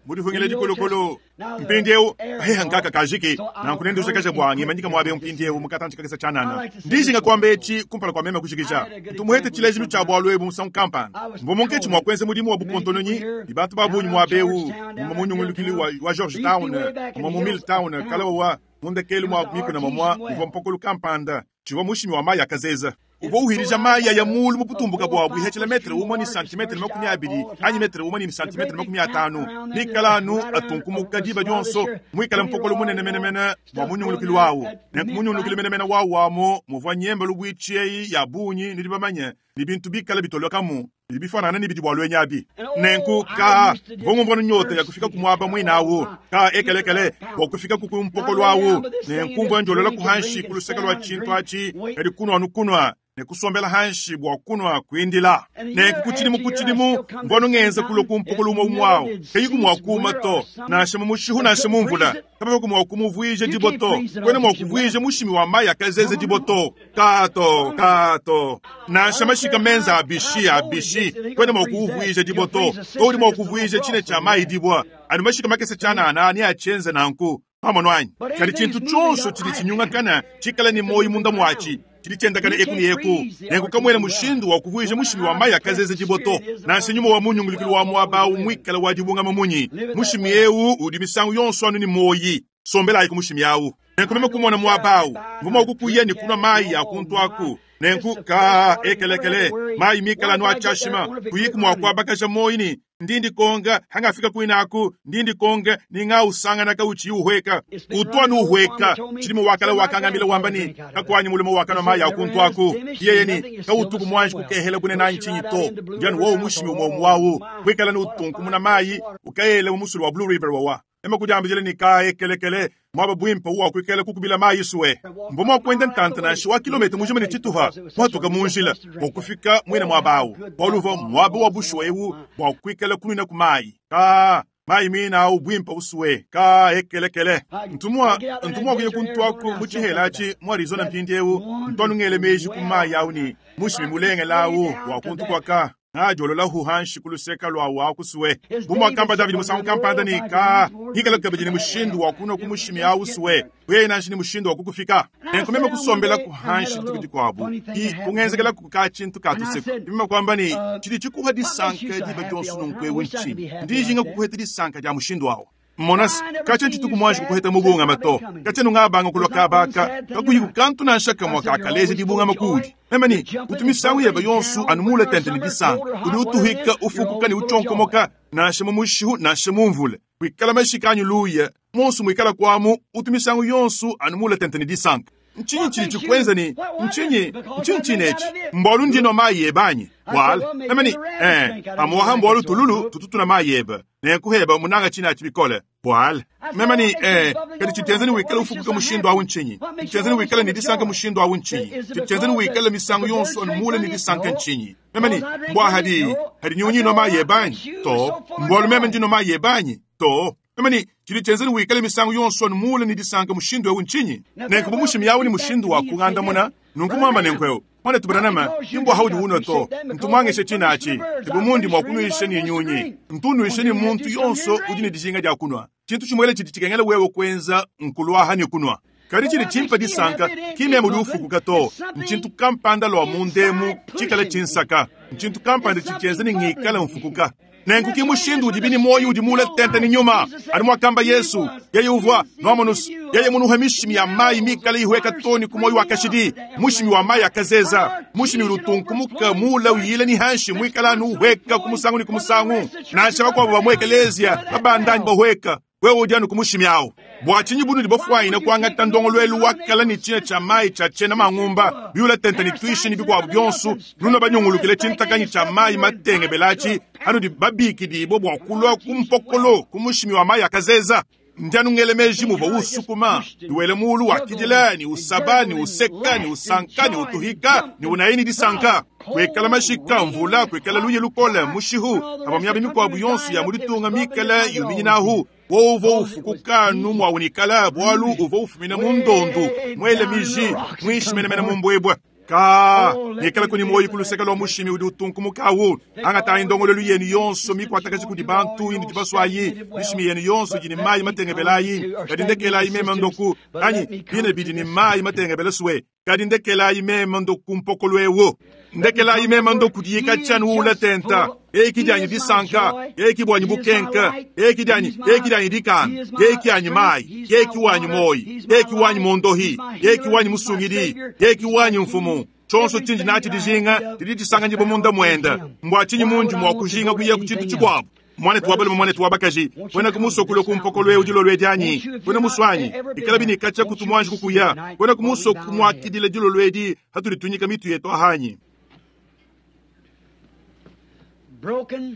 Mu dihungila dikulukulu. Mpindieu paheha nkaka kajiki, nanku nendujakaja bua ngimanyika muaba eu mpindieu mu katantshi kakese tshianana. Ndijinga kuamba etshi kumpala kua meme kujikija. Ntu muhete tshilejilu tshia bualu ebu musangu kampanda. Mvua munkatshi mua kuenza mudimu wa bukontononyi ne bantu ba bungi muaba eu, mumue mu nyungulukilu wa Georgetown, mumue mu Milltown, kalawa wa mu ndekelu mua mikuna mamua muvua mpokolo kampanda tshivua mushimi wa mayi akazeza. Uvua uhilija mayi aya mulu mu butumbuka buabu ihetshila metre umue ne santimetre 20 anyi metre umue ne santimetre 50, mikala anu atunkumuka diba dionso, muikale mpokolo munene menemene bua munyungulukilu wawu. Nenku munyungulukilu menemene wawu amu muvua nyemba lubuitshi eyi ya bungi, nudi bamanye, ne bintu bikale bitolokamu bidi bifanana ne bidi bua luenyi abi. Nenku ka mvua ngumvua nyota ya kufika ku muaba muine awu, ka ekelekele bua kufika ku mpokolo awu, nenku mvua ndiolola ku hanshi ku luseke lua tshintu atshi, kadi kunua anu kunua ne kusombela hanshi bua kunua kuindila. Nenku ku tshidimu ku tshidimu mvua anu ngenza kulua ku mpokolo umue umue awu, kayiku mua kuuma to, nansha mu mushihu nansha mu mvula. Kabavua mua kumuvuija dibue to, kuena mua kuvuija mushimi wa mayi akazeze dibue to, ka to, ka to. Nansha mashika menza abishi, abishi, kuena mua kuuvuija dibue to. To udi mua kuvuija tshine tshia mayi dibue, anu mashika makese tshianana neatshienze nanku. Pamonu anyi? Kadi tshintu tshionso tshidi tshinyungakana tshikale ne muoyo munda muatshi, tshidi tshiendakana eku ne eku. Nenku kamuena mushindu wa kuvuija mushimi wa mayi akazeze dibue to, nansha nyuma wa munyungulukilu wa muaba au muikale wa dibungama munyi. Mushimi eu udi misangu yonso anu ne muoyi. Sombelayi ku mushimi au. Nenku meme kumona muaba au, mvua mua kukuya ne kunua mayi a kuntu aku. Nenku ka ekelekele, mayi mikale anu a tshiashima, kuyiku mua kuabakaja muoyi ne ndi ndikonga hangafika kuinaku, ndi ndikonga ni ngausangana kautshiyi uhueka. Utu anu uhueka. Tshilimo wakala wakangambila wamba ne, kakuanyi mulume wakanua mayi a kuntu aku. Yeye ne, kautuku muanji kukehela bunene anyi tshinyi to. Ndi anu wowu mushimi umue umue awu, kuikala ne utunkumuna mayi, ukayela mu musulu wa Blue River wawa. Ema kudiambijila ne ka ekelekele, muaba buimpe uwa kuikala kukubila mayi sue. Mvua mua kuenda ntanta nansha wa kilometa mujima ne tshituha, kuhatuka mu njila bua kufika muine muaba awu, bualu uvua muaba wa bushuwa ewu bua kuikala kunuina ku mayi. Ka mayi muine awu buimpe usue, ka ekelekele. Ntu mua, ntu mua kuya kuntuaku mu tshihela atshi mu Arizona mpindiewu, ntu anu ngela meji ku mayi awu ne mushimi mulengele awu wa kuntu kua ka ngadiololahu hanshi ku luseka luawu akusue. Bu muakamba Davidi musangu kampanda ne, ka ngikala kabidi ne mushindu wa kunua ku mushimi awu sue, wewe nansha ne mushindu wa kukufika. Nenku meme kusombela ku hanshi dituku dikuabu, ki kungenzekela ku ka tshintu ka tuseku. Meme kuamba ne, tshidi tshikuha disanka diba dionso nunku ewu ntshinyi? Ndi njinga kukuheta disanka dia mushindu awu. Mona se, katshia ntshituku muanji kukuheta mubungama to. Katshia nungabanga kulua kaba aka, kakuyiku kantu nansha kamue kakaleja dibungama kuudi. Meme ne, utu misangu yebe yonso anu muule tente ne disanka. Udi utuhika, ufukuka ne utshionkomoka, nansha mu mushihu nansha mu mvula. Kuikala mashika anyi luya, muonso muikala kuamu, utu misangu yonso anu muule tente ne disanka. Ntshinyi tshidi tshikuenza ne ntshinyi? Ntshinyi tshine etshi? Mbualu ndi nua mayi ebe anyi? Bualu meme ne, eh, pamu'apa mbualu tululu tutu tunua mayi ebe, nenku heba munanga tshine atshi bikole. Bualu meme ne, eh, kadi tshitenza ne wikale ufukuka mushindu awu ntshinyi? Tshitenza ne wikale ne disanka mushindu awu ntshinyi? Tshitenza ne wikale misangu yonso anu muule ne disanka ntshinyi? Meme ne, mbua hadi hadi nyunyi inua mayi ebe anyi? To. Mbualu meme ndi nua mayi ebe anyi? To. Meme ne, tshidi tshienza ne wikale misangu yonso anu muule ne disanka mushindu eu ntshinyi? Nenku bu mushimi awu ne mushindu wa kungandamuna, Nunku mwamba nenku mwanetu Branham, ki mbwa haudi unwa to. Ntumwangeshe tshina atshi. Ke mundi mwa kunwisha ni nyunyi. Ntunwishe ni muntu yonso udi ne dijinga dia kunwa. Tshintu tshimwele tshidi tshikengela wewe kwenza nkulwaha ni kunwa. Kadi tshidi tshimpa disanka kimya mudi ufukuka to. Ntshintu kampanda lwa mundemu tshikala tshinsaka. Ntshintu kampanda tshitshienza ni ngikala mfukuka. Nenku ki mushindu udi bini moyo udi mule tente ni nyuma. Anu mwakamba Yesu, yeye uvwa nwamonus, yeye munuhe mishimi ya mayi mikale ihweka toni ku moyo wa kashidi, mushimi wa mayi akazeza, mushimi ulutunkumuka mula uyile ni hanshi mwikala anu uhweka ku musangu ni ku musangu. Nansha bakwabo ba mu ekelezia babandanyi bahweka. Wewe udi anu ku mushimi awo. Bwa tshinyi bunu di bafwayina kwangata ndongolwelu wakala ni tshina tsha mayi tsha tshena mangumba, biula tente ni twishi ni bikwabo byonso, nuna banyungulukile tshintakanyi tsha mayi matenge belachi, anu di babiki bwa kulwa ku mpokolo ku mushimi wa mayi akazeza. Ndianu ngele meji muva usukuma, duwele mulu wa kidila ni usaba ni useka ni usanka ni utuhika ni unaini disanka. Kwekala mashika mvula kwekala luye lukole mushihu aba myabi mikwabu yonso ya mulitunga mikala yuminyinahu. Wo ufukuka numwa unikala bwalu uvo ufumina mundondu mwele miji mwishimenemene mumbwebwe. Ka nikala kuni moyi kuluseka lwa mushimi udi utunkumukawu angata indongolelu yenu yonso mikwatakaji kudi bantu indi dibaswayi mishimi yenu yonso jini mayi matengebelayi kadi ndekelayi mema ndoku anyi bine bidi ni mayi matengebele swe kadi ndekelayi mema ndoku mpokolo ndekelayi mema ndoku diyika tshanu ula tenta eki dyanyi disanka eki bwanyi bukenka eki dyanyi eki dyanyi dikana eki anyi mayi eki wanyi moyi eki wanyi mondohi eki wanyi musungidi eki wanyi mfumu. Chonso chinji nachi dijinga didi disanga njibo munda mwenda mbwa chinyi munji mwa kujinga kuya kuchintu chikwabu. Mwana tuwabale mwana tuwabakaji wena kumuso kulo kumpokolo ujilo lwedianyi wena muswanyi ikala bini kacha kutumwanji kukuya wena kumuso kumwakidile jilo lwedi hatulitunyika mitu yetu ahanyi.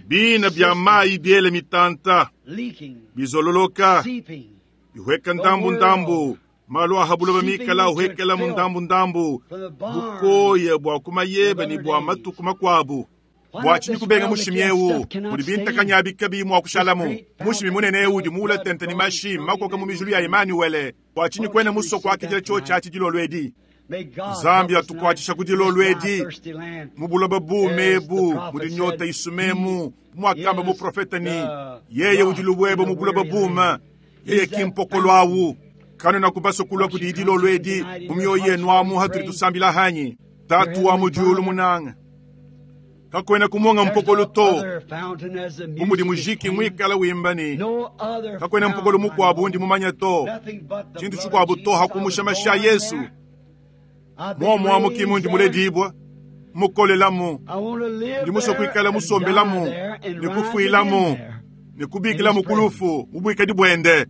Bina bya mayi biele mitanta bizololoka bihweka ndambu ndambu malu ahabuloba mikala uhekela mu ndambu ndambu bukoya bwa kumayeba ni bwa matuku makwabu. Bwa tshinyi kubenga mushimi ewu mudi bintakanya bikabi mwa kushalamu mushimi munene ewu di mula tente ni mashi makoka mu mijulu ya Emmanuel. Bwa tshinyi kwena musoko akijila cho cha tshidilolwedi. Nzambi atukwatisha kudilolwedi mubuloba bumebu mudi nyota isumemu mwakamba muprofeta ni yeye udilubweba mubuloba buma yeye kimpokolo awu kano na kubaso kulwa kudidilolwedi mumyoyo yenu amu hatuli tusambila hanyi. Tatu wa mudiulu munanga kakwena kumonga mpokolo to umudi mujiki mwikala wimbani kakwena mpokolo mukwabu undi mumanya to tshintu tshikwabu to hakumusha masha Yesu. Mwomo amu kimundi muledibwa mukolelamu ndi musokwikala musombelamu nikufuilamu nikubikilamu kulufu mubwikadi bwende.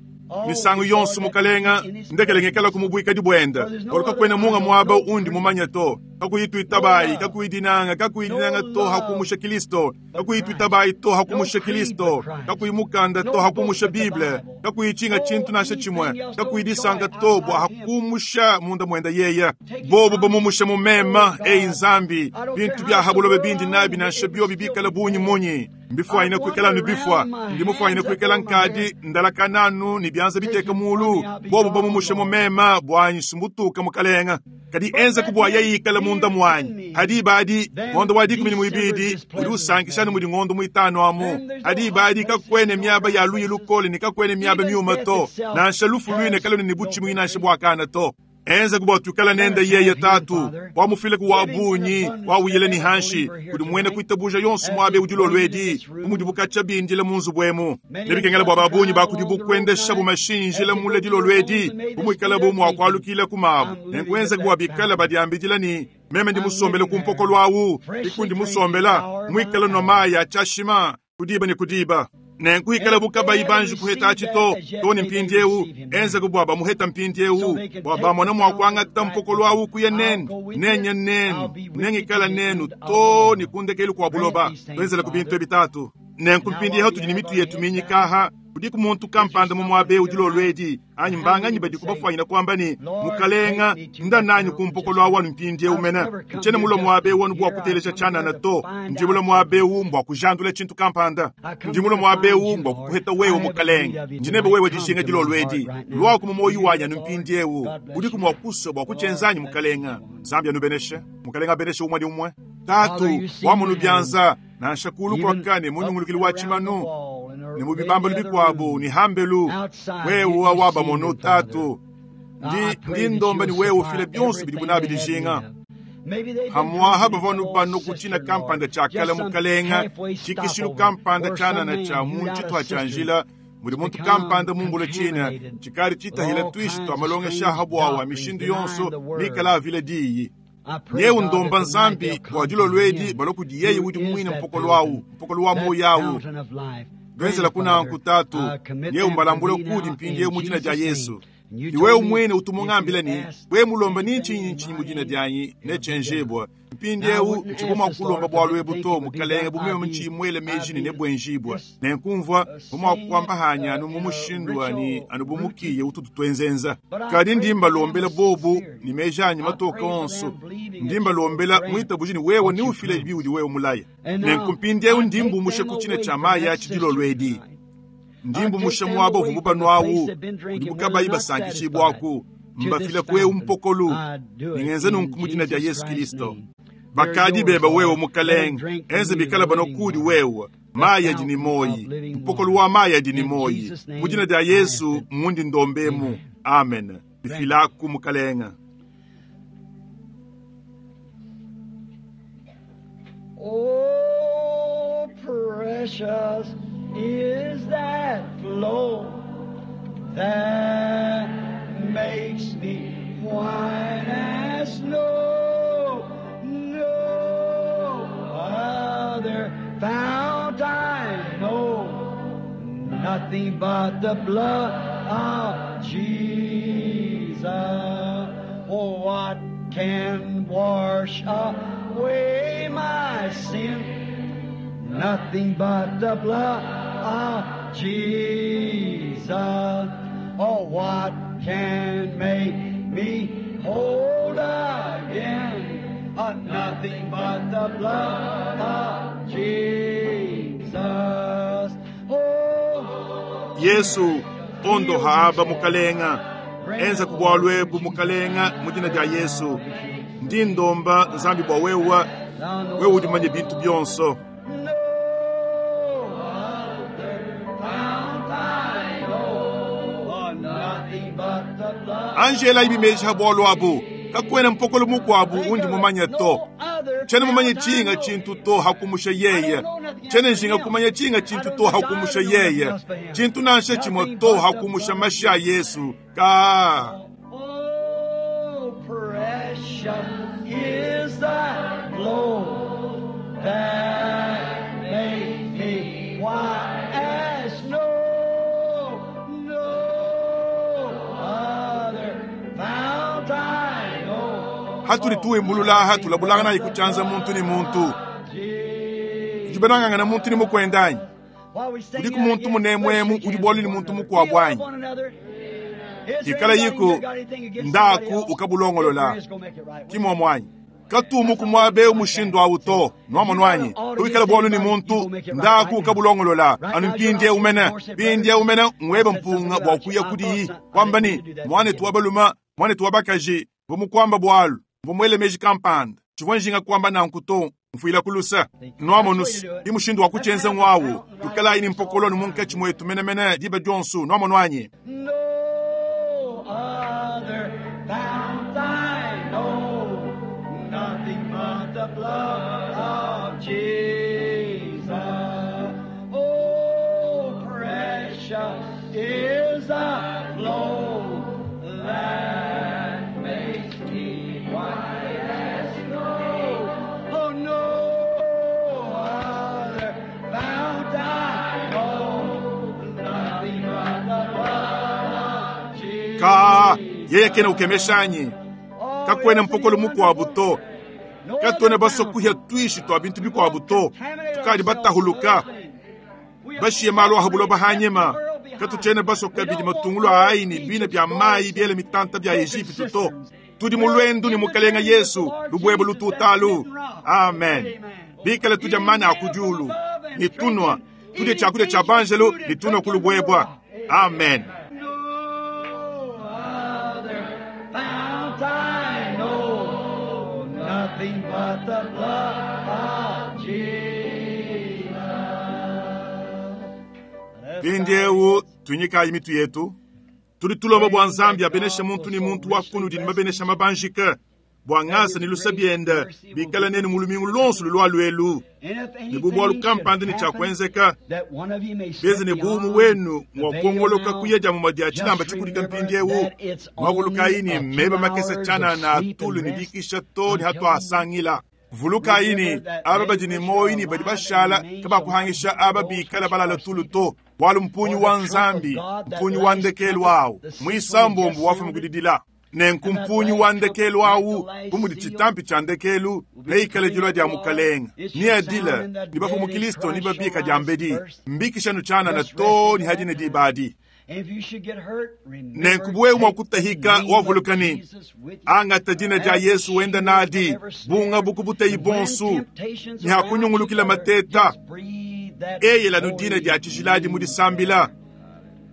Misangu yonso mukalenga ndekelengekala kumubwikadi bwende oluka kwena munga mwaba undi mumanya to kakuyitwitabayi kakuyidinanga kakuyidinanga to hakumusha Kristo kakuyitwitabayi to hakumusha Kristo kakuyimukanda to hakumusha Bible kakuyichinga chintu nasha chimwe kakuyidisanka to bwa hakumusha munda mwenda yeya bobo bamumusha mumema eyi nzambi bintu bya habulobe bindi nabi nasha byobi bikala bunyi munyi mbifwanyina kwikala nu bifwa ndimufwanyina kwikala nkadi ndalakananu ni byanza biteka mulu bobo bamumusha mumema bwanyi sumbutuka mukalenga kadi enza kubwa yayikala munda mwanyi hadi badi ngondo wa 12 udi usankishana mudi ngondo muitano amu hadi badi kakwene myaba ya luyi lukole ni kakwene myaba myuma to nansha lufu lwine kaloni ni buchimu inansha bwakana to enza kubwa tukala nenda yeye tatu wamufile ku wabunyi wawuyele ni hanshi kudi mwene kuitabuja yonso mwabe udilolwedi umudi bukacha bindile munzu bwemu nebikengela bwa babunyi bakudi bukwendesha bumashinjila mule dilolwedi bumwikala bumu akwalukile kumabu nenkuenza kubwa bikala badiambidila ni meme ndi musombele kumpokolo awu ikundi musombela mwikala no mayi achashima kudiba ni kudiba nenkuikala bukabayi banji kuheta tshito toni mpindi ewu enza kubwa bamuheta mpindi ewu bwa bamona mwakwangata mpokolo awu kuya nenu nenya nenu nengikala nenu to nikundekeli kwa buloba twenzela ku bintu ebitatu. Nenku mpindieu tudi ne mitu yetu minyikaha. Kudiku muntu kampanda mu muaba eu dilolo edi, anyi mbanganyi badiku bafuanyina kuamba ne, Mukalenga, nda nanyi ku mpokolo awu anu mpindieu mene. Ntshiena mulue muaba eu anu bua kuteleja tshianana to. Ndi mulue muaba eu mbua kujandula tshintu kampanda. Ndi mulue muaba eu mbua kukuheta wewe, Mukalenga. Ndi nebe wewe dijinga dilolo edi. Luaku mu muoyo wanyi anu mpindieu. Udiku mua kusua bua kutshienza anyi, Mukalenga? Nzambi anubeneshe. Mukalenga abeneshe umue ne umue. Tatu, wamonu bianza, nansha kulu kuaka ne mu nyungulukilu wa tshimanu, ne mu bibambalu bikuabu ne hambelu, wewe wabamono Tatu. Ndi ndi ndomba ne wewe ufile bionso bidi nabi dijinga. Hamwaha bavua nubano ku tshina kampanda tshia kale mukalenga, tshikishilu kampanda tshianana tshia mu tshituha tshia njila, mudi muntu kampanda mumbule tshina, tshikadi tshitahila tuishi tua malongesha ha buawa mishindu yonso mikala avila diyi. Nyeu ndomba Nzambi bua dilolo edi balua kudi yeye udi muine mpokolo awu, mpokolo wa moyo awu. Ngenzela kunanku Tatu, nyeu mbalambule kudi mpindieu mu dina dia Yesu. Ni wewe mwene utumungambila ni we mulomba ni nchinyi nchinyi mu dina dianyi netshenjibwa. Mpindieu ntshibu mua kulomba bualu ebu to, mukalenge, bu meme ntshimwele meji ne nebwenjibwa. Nenkumvua bu mua kuamba hanya anu mu mushindu wani anu bu mukiye ututu tuenzenza. Kadi ndi mbalombela bobu ni meji anyi matoka onso. Ndi mbalombela mwitabuji ni wewe ni ufile biudi wewe mulaya. Nenku mpindieu ndi mbumushe ku tshina tshia mayi atshi dilolo edi. Ndi mbumushe muaba uvua mubanu awu, udibu kabayi basankishibwaku, mbafila ku mpokolu. Ningenza nunku mu dina dia Yesu Kristo. Bakadi beba wewe mukalenge, enze bikala bano kudi wewe, mayi adi ni moyi, mpokolu wa mayi adi ni moyi. Mu dina dia Yesu mundi ndombemu. Amen. Bifilaku mukalenge. Oh, precious is that flow that makes me white as snow. No other fount I know, nothing but the blood of Jesus. Oh, what can wash away my sin? Nothing but the blood of Jesus. Oh, what can make me whole again? Nothing but the blood of Jesus. Oh, Yesu ondo haaba mukalenga, enza ku bualu ebu mukalenga mu dina dia Yesu. Ndi ndomba Nzambi bua wewe, wewe udi manye bintu bionso. No other fount I know, oh, nothing but the blood. Angela ibi meji ha bualu abu, kakwena mpokolo mukuabu undi mumanye to. Tshena mumanye tshinga tshintu to hakumusha yeye. Tshena njinga kumanya tshinga tshintu to hakumusha yeye. Tshintu nansha tshimwe to hakumusha mashi a Yesu. Ka. Oh, precious is the flow that makes me white as snow. No other fount I know. Hatuli tuimbulula tulabulangana nayi kutshianza muntu ni muntu. Tudibenangangana muntu ni mukwendanyi. Udiku muntu munemwemu udi bualu ni muntu mukuabu anyi. Ikala yiko ndaku ukabulongolola. Kimwa mwanyi. Katumu kumwabe umushindu awu to nwamonu anyi uikala bualu ni muntu ndaku ukabulongolola anu mpindie umene mpindie umene ngwebe mpunga bua kuya kudiyi kwamba ni mwanetu wa baluma mwanetu wa bakaji vumukwamba bualu vumuele meji kampanda tshivua njinga kwamba nanku to mfuila kulusa nwamonusi imushindu wa kutshenza ngwawu tukalayi ni mpokolo munkatshi mwetu menemene diba dionso nwamonu anyi. No other fount I know, nothing but the blood of Jesus. Oh, precious is the flow that makes me white as snow. Oh, no other fount I know, nothing but the blood of Jesus. Ka yeye kena ukemeshanyi kakwena mpokolo mukuabu to katwena basokuhya tuishi twa bintu bikuabu to tukadi batahuluka. Bashiye malu aha buloba hanyima. Katutshiena basue kabidi matungulu a ayi ne bina bia mayi biele mitanta bia Ejipitu to. Tudi mu luendu ne Mukalenga Yesu, lubuebue lututalu. Amen. Bikale tudia mana a ku diulu ne tunua, tudie tshiakudia tshia banjelu ne tunua ku lubuebua. Amen. No other fount I know, nothing but the blood of Jesus. Mpindieu tunyikayi mitu yetu. Tudi tulomba bua Nzambi abeneshe muntu ne muntu wa kunudi ne mabenesha mabanjike, bua ngasa ne lusa biende bikale nenu mu lumingu luonso lulua luelu. And if Ne bu bualu anything kampanda ne should tshia happen, kuenzeka, that one of you may beze step ne buumu beyond wenu the mua veil kuongoloka now, kuya dia muma dia just tshilamba tshikudika remember mpindieu. that it's Mwavulukayi only ne a few meba makese hours of tshianana sleep atulu and ne rest dikisha to ne until hatuasangila. Vulukayi ne aba badi ne moyo ne badi bashala kabakuhangisha aba bikala balala tulu to, bualu mpunyu wa Nzambi, mpunyu wa ndekelu wawu, muisambombo wafuma kudidila. Nenku mpunyu wa ndekelu awu, bu mudi tshitampi tshia ndekelu, neikale dilua dia Mukalenga. Niadila ne bafu mu Kristo ne babika dia mbedi, mbikishanu tshianana to ne hadi ne dibadi. And if you should get hurt, remember, Nenku buwewe mua take the kutahika name of wavuluka ne Jesus with you. angata dina dia Yesu wenda nadi, bunga bukubuteyi And when bonsu, temptations ne hakunyungulukila around you, mateta, just breathe that eyela no holy dina dia tshijiladi mu disambila.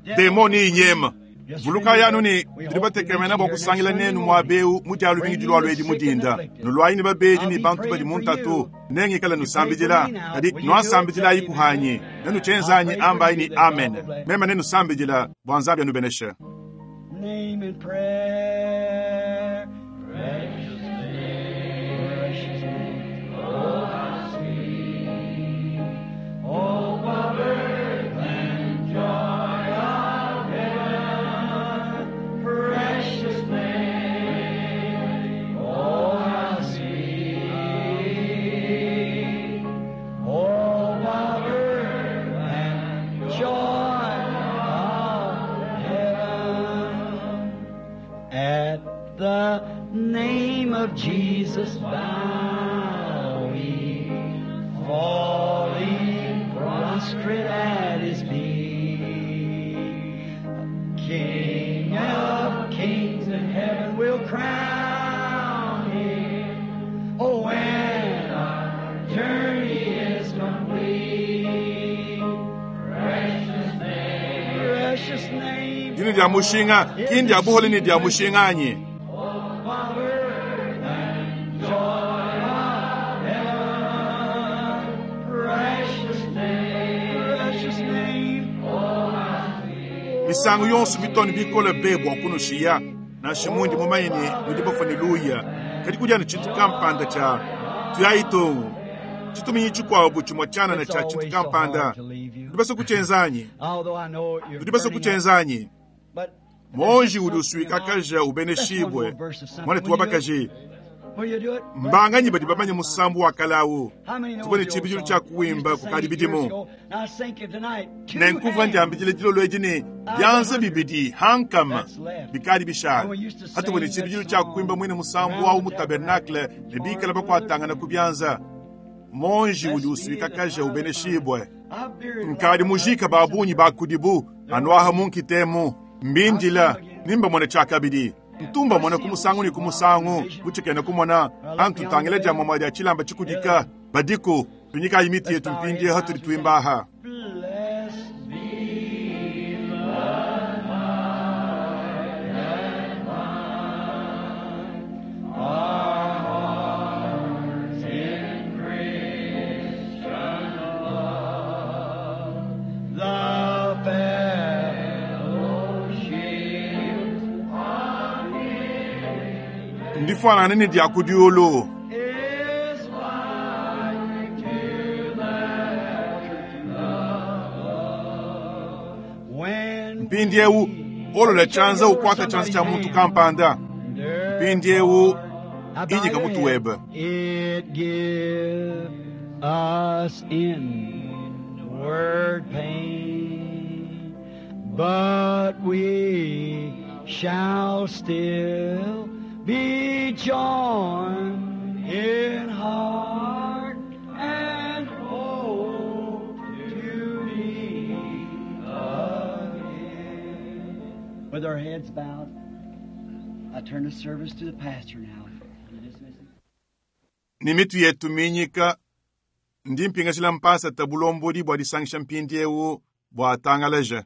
name. Demoni inyema. Just Vuluka yanu ne remember, we tudi hope to batekemena meet bua you here kusangila next nenu Sunday muaba eu morning. mu dia lumingu Bring dilua the luedi sick mu and dinda. afflicted. Nuluayi ne babedi I'll ne be bantu badi praying mu for ntatu, you. nengikala You pray for nusambidila. me now. Kadi Will you do it? nuasambidilayi Say kuhanyi. amen. Nenu I'll tshenzanyi pray for ambayi you ni that God amen. will bless. Mema nenusambidila bua Nzambi anubeneshe. Name in prayer. Precious name, precious name. Oh, how sweet. Oh, what earth and joy of heaven. Precious name. Oh, how sweet. Oh, what earth and joy of heaven. At the name of Jesus bow we, falling prostrate at his feet. King of kings in heaven will crown him. Oh, when our journey is complete. Precious name, precious name. Dina dia mushinga, ki ndia buhole ne dia mushinga anyi? Misangu yonso bitone bikole be bua kunushiya, nansha mundi mumanye ne nudi bafua ne luya, kadi kudia ne tshintu kampanda tshia tuyayi tongo. Tshituminyi tshikuabu tshimue tshianana tshia tshintu kampanda. Tudi basue kutshienza anyi? Tudi basue kutshienza anyi? Monji udi usuikakaja ubeneshibwe. Mwanetu wa bakaji, mbanganyi badi bamanye musambu wa kalawu. Tuvua ne tshibidilu tshia kuwimba kukadi bidimu. Nenkuva ndiambidile dilolo edi ne bianza bibidi hankama bikadi bishala. Hatuvua ne tshibidilu tshia kuimba mwine musambu wawu mu tabernakle ne bikala bakuatangana ku bianza. Monji udi usuikakaja ubeneshibwe. Nkadi mujika ba bungi ba kudibu anuaha munkitemu mbindila nimbamone tshiakabidi. Ntumba mona ku musangu ne ku musangu mutshikene kumona antu tangila dia mama dia tshilamba tshikudika badiku tunyikayi miti yetu mpindie hatudi tuimbaha. Blessed be the our hearts in Christian love, the fellowship of Ndifanana ne dia kudiulu. is like to that love. When Mpindiewu olola tshianza ukwata tshianza tshia muntu kampanda. Mpindiewu inyika mutu webe. It give us inward pain, but we shall still be joined in heart and hope to be. With our heads bowed, I turn the service to the pastor now. You dismiss him? Ne mitu yetu minyika, ndi mpingajila mpasata bulombodi bua disangisha mpindiewu bua atangalaje.